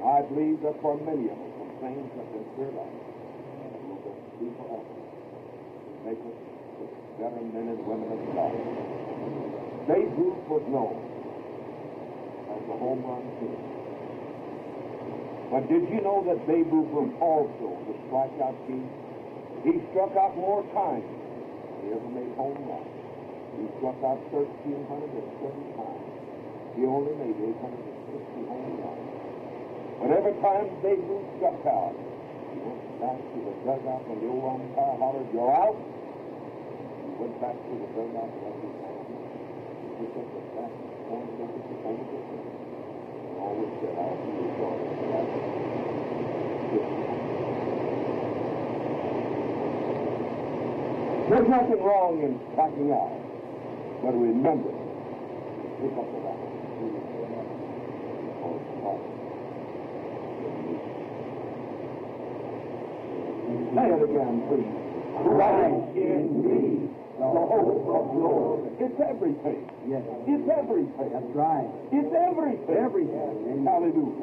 I believe that for many of us, some things have been cleared up that will be forever. Make us better men and women of God. Babe Ruth was known as a home run king. But did you know that Babe Ruth was also the strikeout king? He struck out more times than he ever made home runs. He struck out thirteen hundred and seven times. He only made eight hundred and sixty home runs. But every time Babe Ruth struck out, he went back to the dugout when the old umpire hollered, "You're out." He went back to the dugout and let his hand. He took up the bat and pointed over the, over the fence. And always said, "I'll see you shortly." There's nothing wrong in striking out, but remember, pick up the bat. Say it again, please. Christ in me, the hope of glory. It's everything. Yes. It's everything. That's right. It's everything. Everything. Amen. Hallelujah.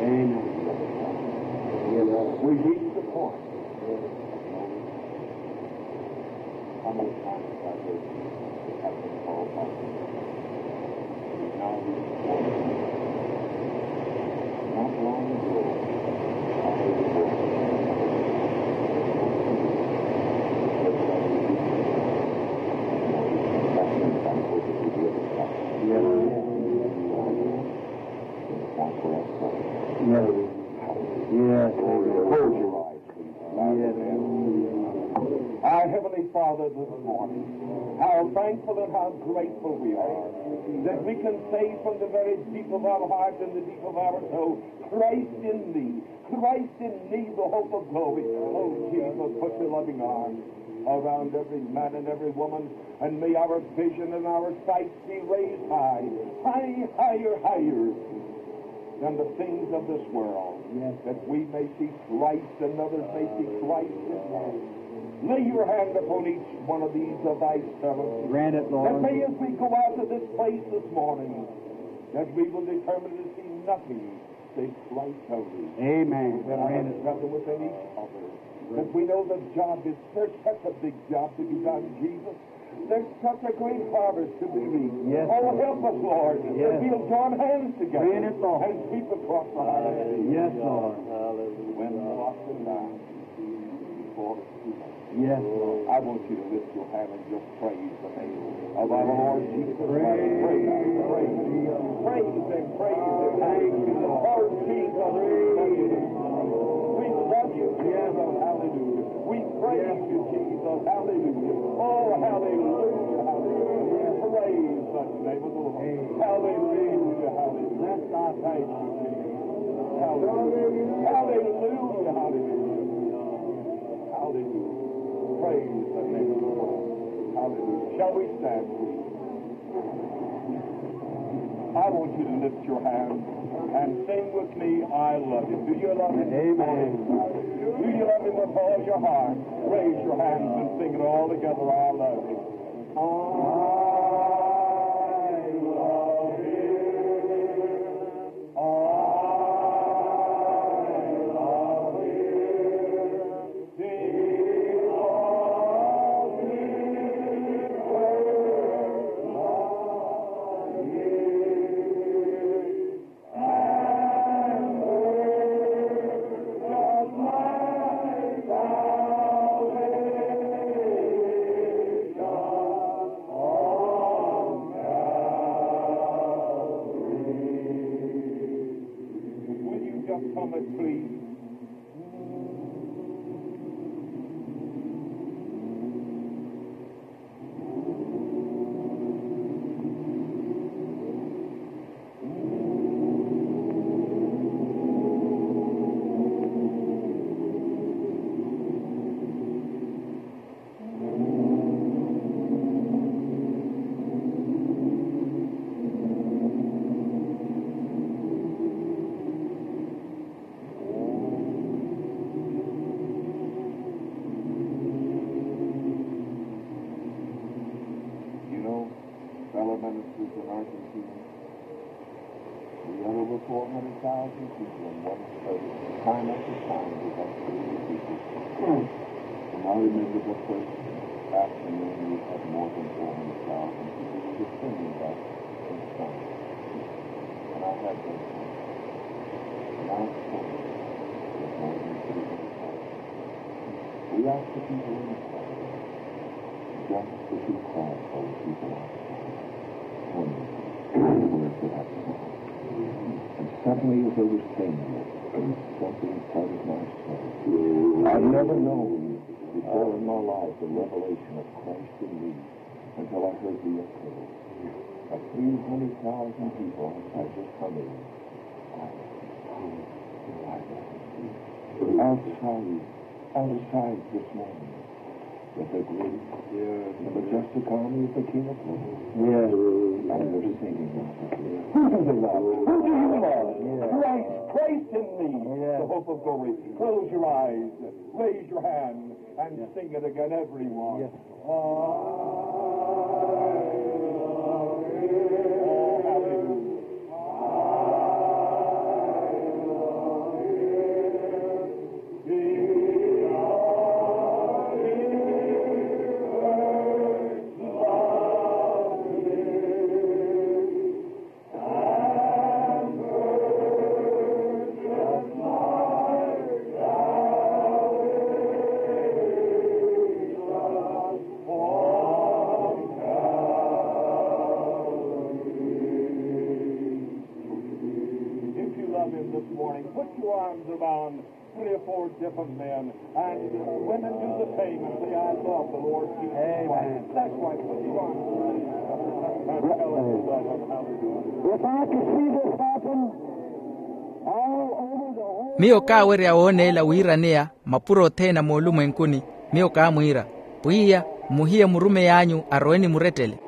Amen. We reach the point. How many times have they, have been called by the Lord? Now we, not long ago, I heard the voice of the Lord. Yes. Yes. Close your eyes. Yes. Our Heavenly Father, this morning, how thankful and how grateful we are that we can say from the very deep of our heart and the deep of our soul, "Christ in me, Christ in me, the hope of glory." Oh, Jesus, put your loving arms around every man and every woman, and may our vision and our sight be raised high, high, higher, higher than the things of this world, yes, that we may see Christ and others may see Christ in us. Lay your hand upon each one of these of thy servants. Grant it, Lord. That may, as we go out of this place this morning, that we will determine to see nothing save Christ only. Amen. Grant it. That we know the job is, there's such a big job to be done, Jesus. There's such a great harvest to be reaped. Yes, Lord. Oh, help us, Lord, that we'll join hands together and sweep across the highway. Yes, Lord. When the lost and dying before the King. Yes, Lord. I want you to lift your hand and just praise the name of our Lord Jesus Christ. Praise, praise, praise Him, praise Him. Thank you, Lord. Oh, Jesus, we love you. We love you, Jesus. Hallelujah. We praise you, Jesus. Hallelujah. Oh, hallelujah, hallelujah. Praise the name of the Lord. Hallelujah, hallelujah. Thank you, Jesus. Hallelujah. Hallelujah, hallelujah. Hallelujah. Praise the name of the Lord. Hallelujah. Shall we stand, please? I want you to lift your hand and sing with me, "I love him." Do you love him? Amen. Do you love him with all your heart? Raise your hands and sing it all together, "I love him." I love him. I love him. Will you just come and please? Ministers in Argentina. We had over four hundred thousand people in one place, time after time, with that community. And I remember the first afternoon we had more than four hundred thousand people. We were singing that in tongues. And I had that song. And I was told there were more than three hundred thousand. We asked the people inside, just the two cries for the people outside. One word that I saw. And suddenly, as I was saying it, something started my soul. I've never known before in my life the revelation of Christ in me until I heard the echo of three hundred thousand people outside just humming. Outside, outside this morning, with the great, the majestic army of the King of Glory. Yes. And we're singing now. Who do they love? Who do you love? Yes. Christ, Christ in me, yes, the hope of glory. Close your eyes, raise your hand, and sing it again, everyone. Yes. If you love him this morning, put your arms around three or four different men, and women, do the same and say, "I love the Lord Jesus Christ." Amen. That's right. Put your arms around him. And tell him you love him. Hallelujah. If I could see this happen all over the whole. Miyo kaawerya wooneela wiiraneya mapuro othene a moolumwenkuni. Miyo kaamwiira, pwiya, muhiye murumeyi anyu arowe ni murettele.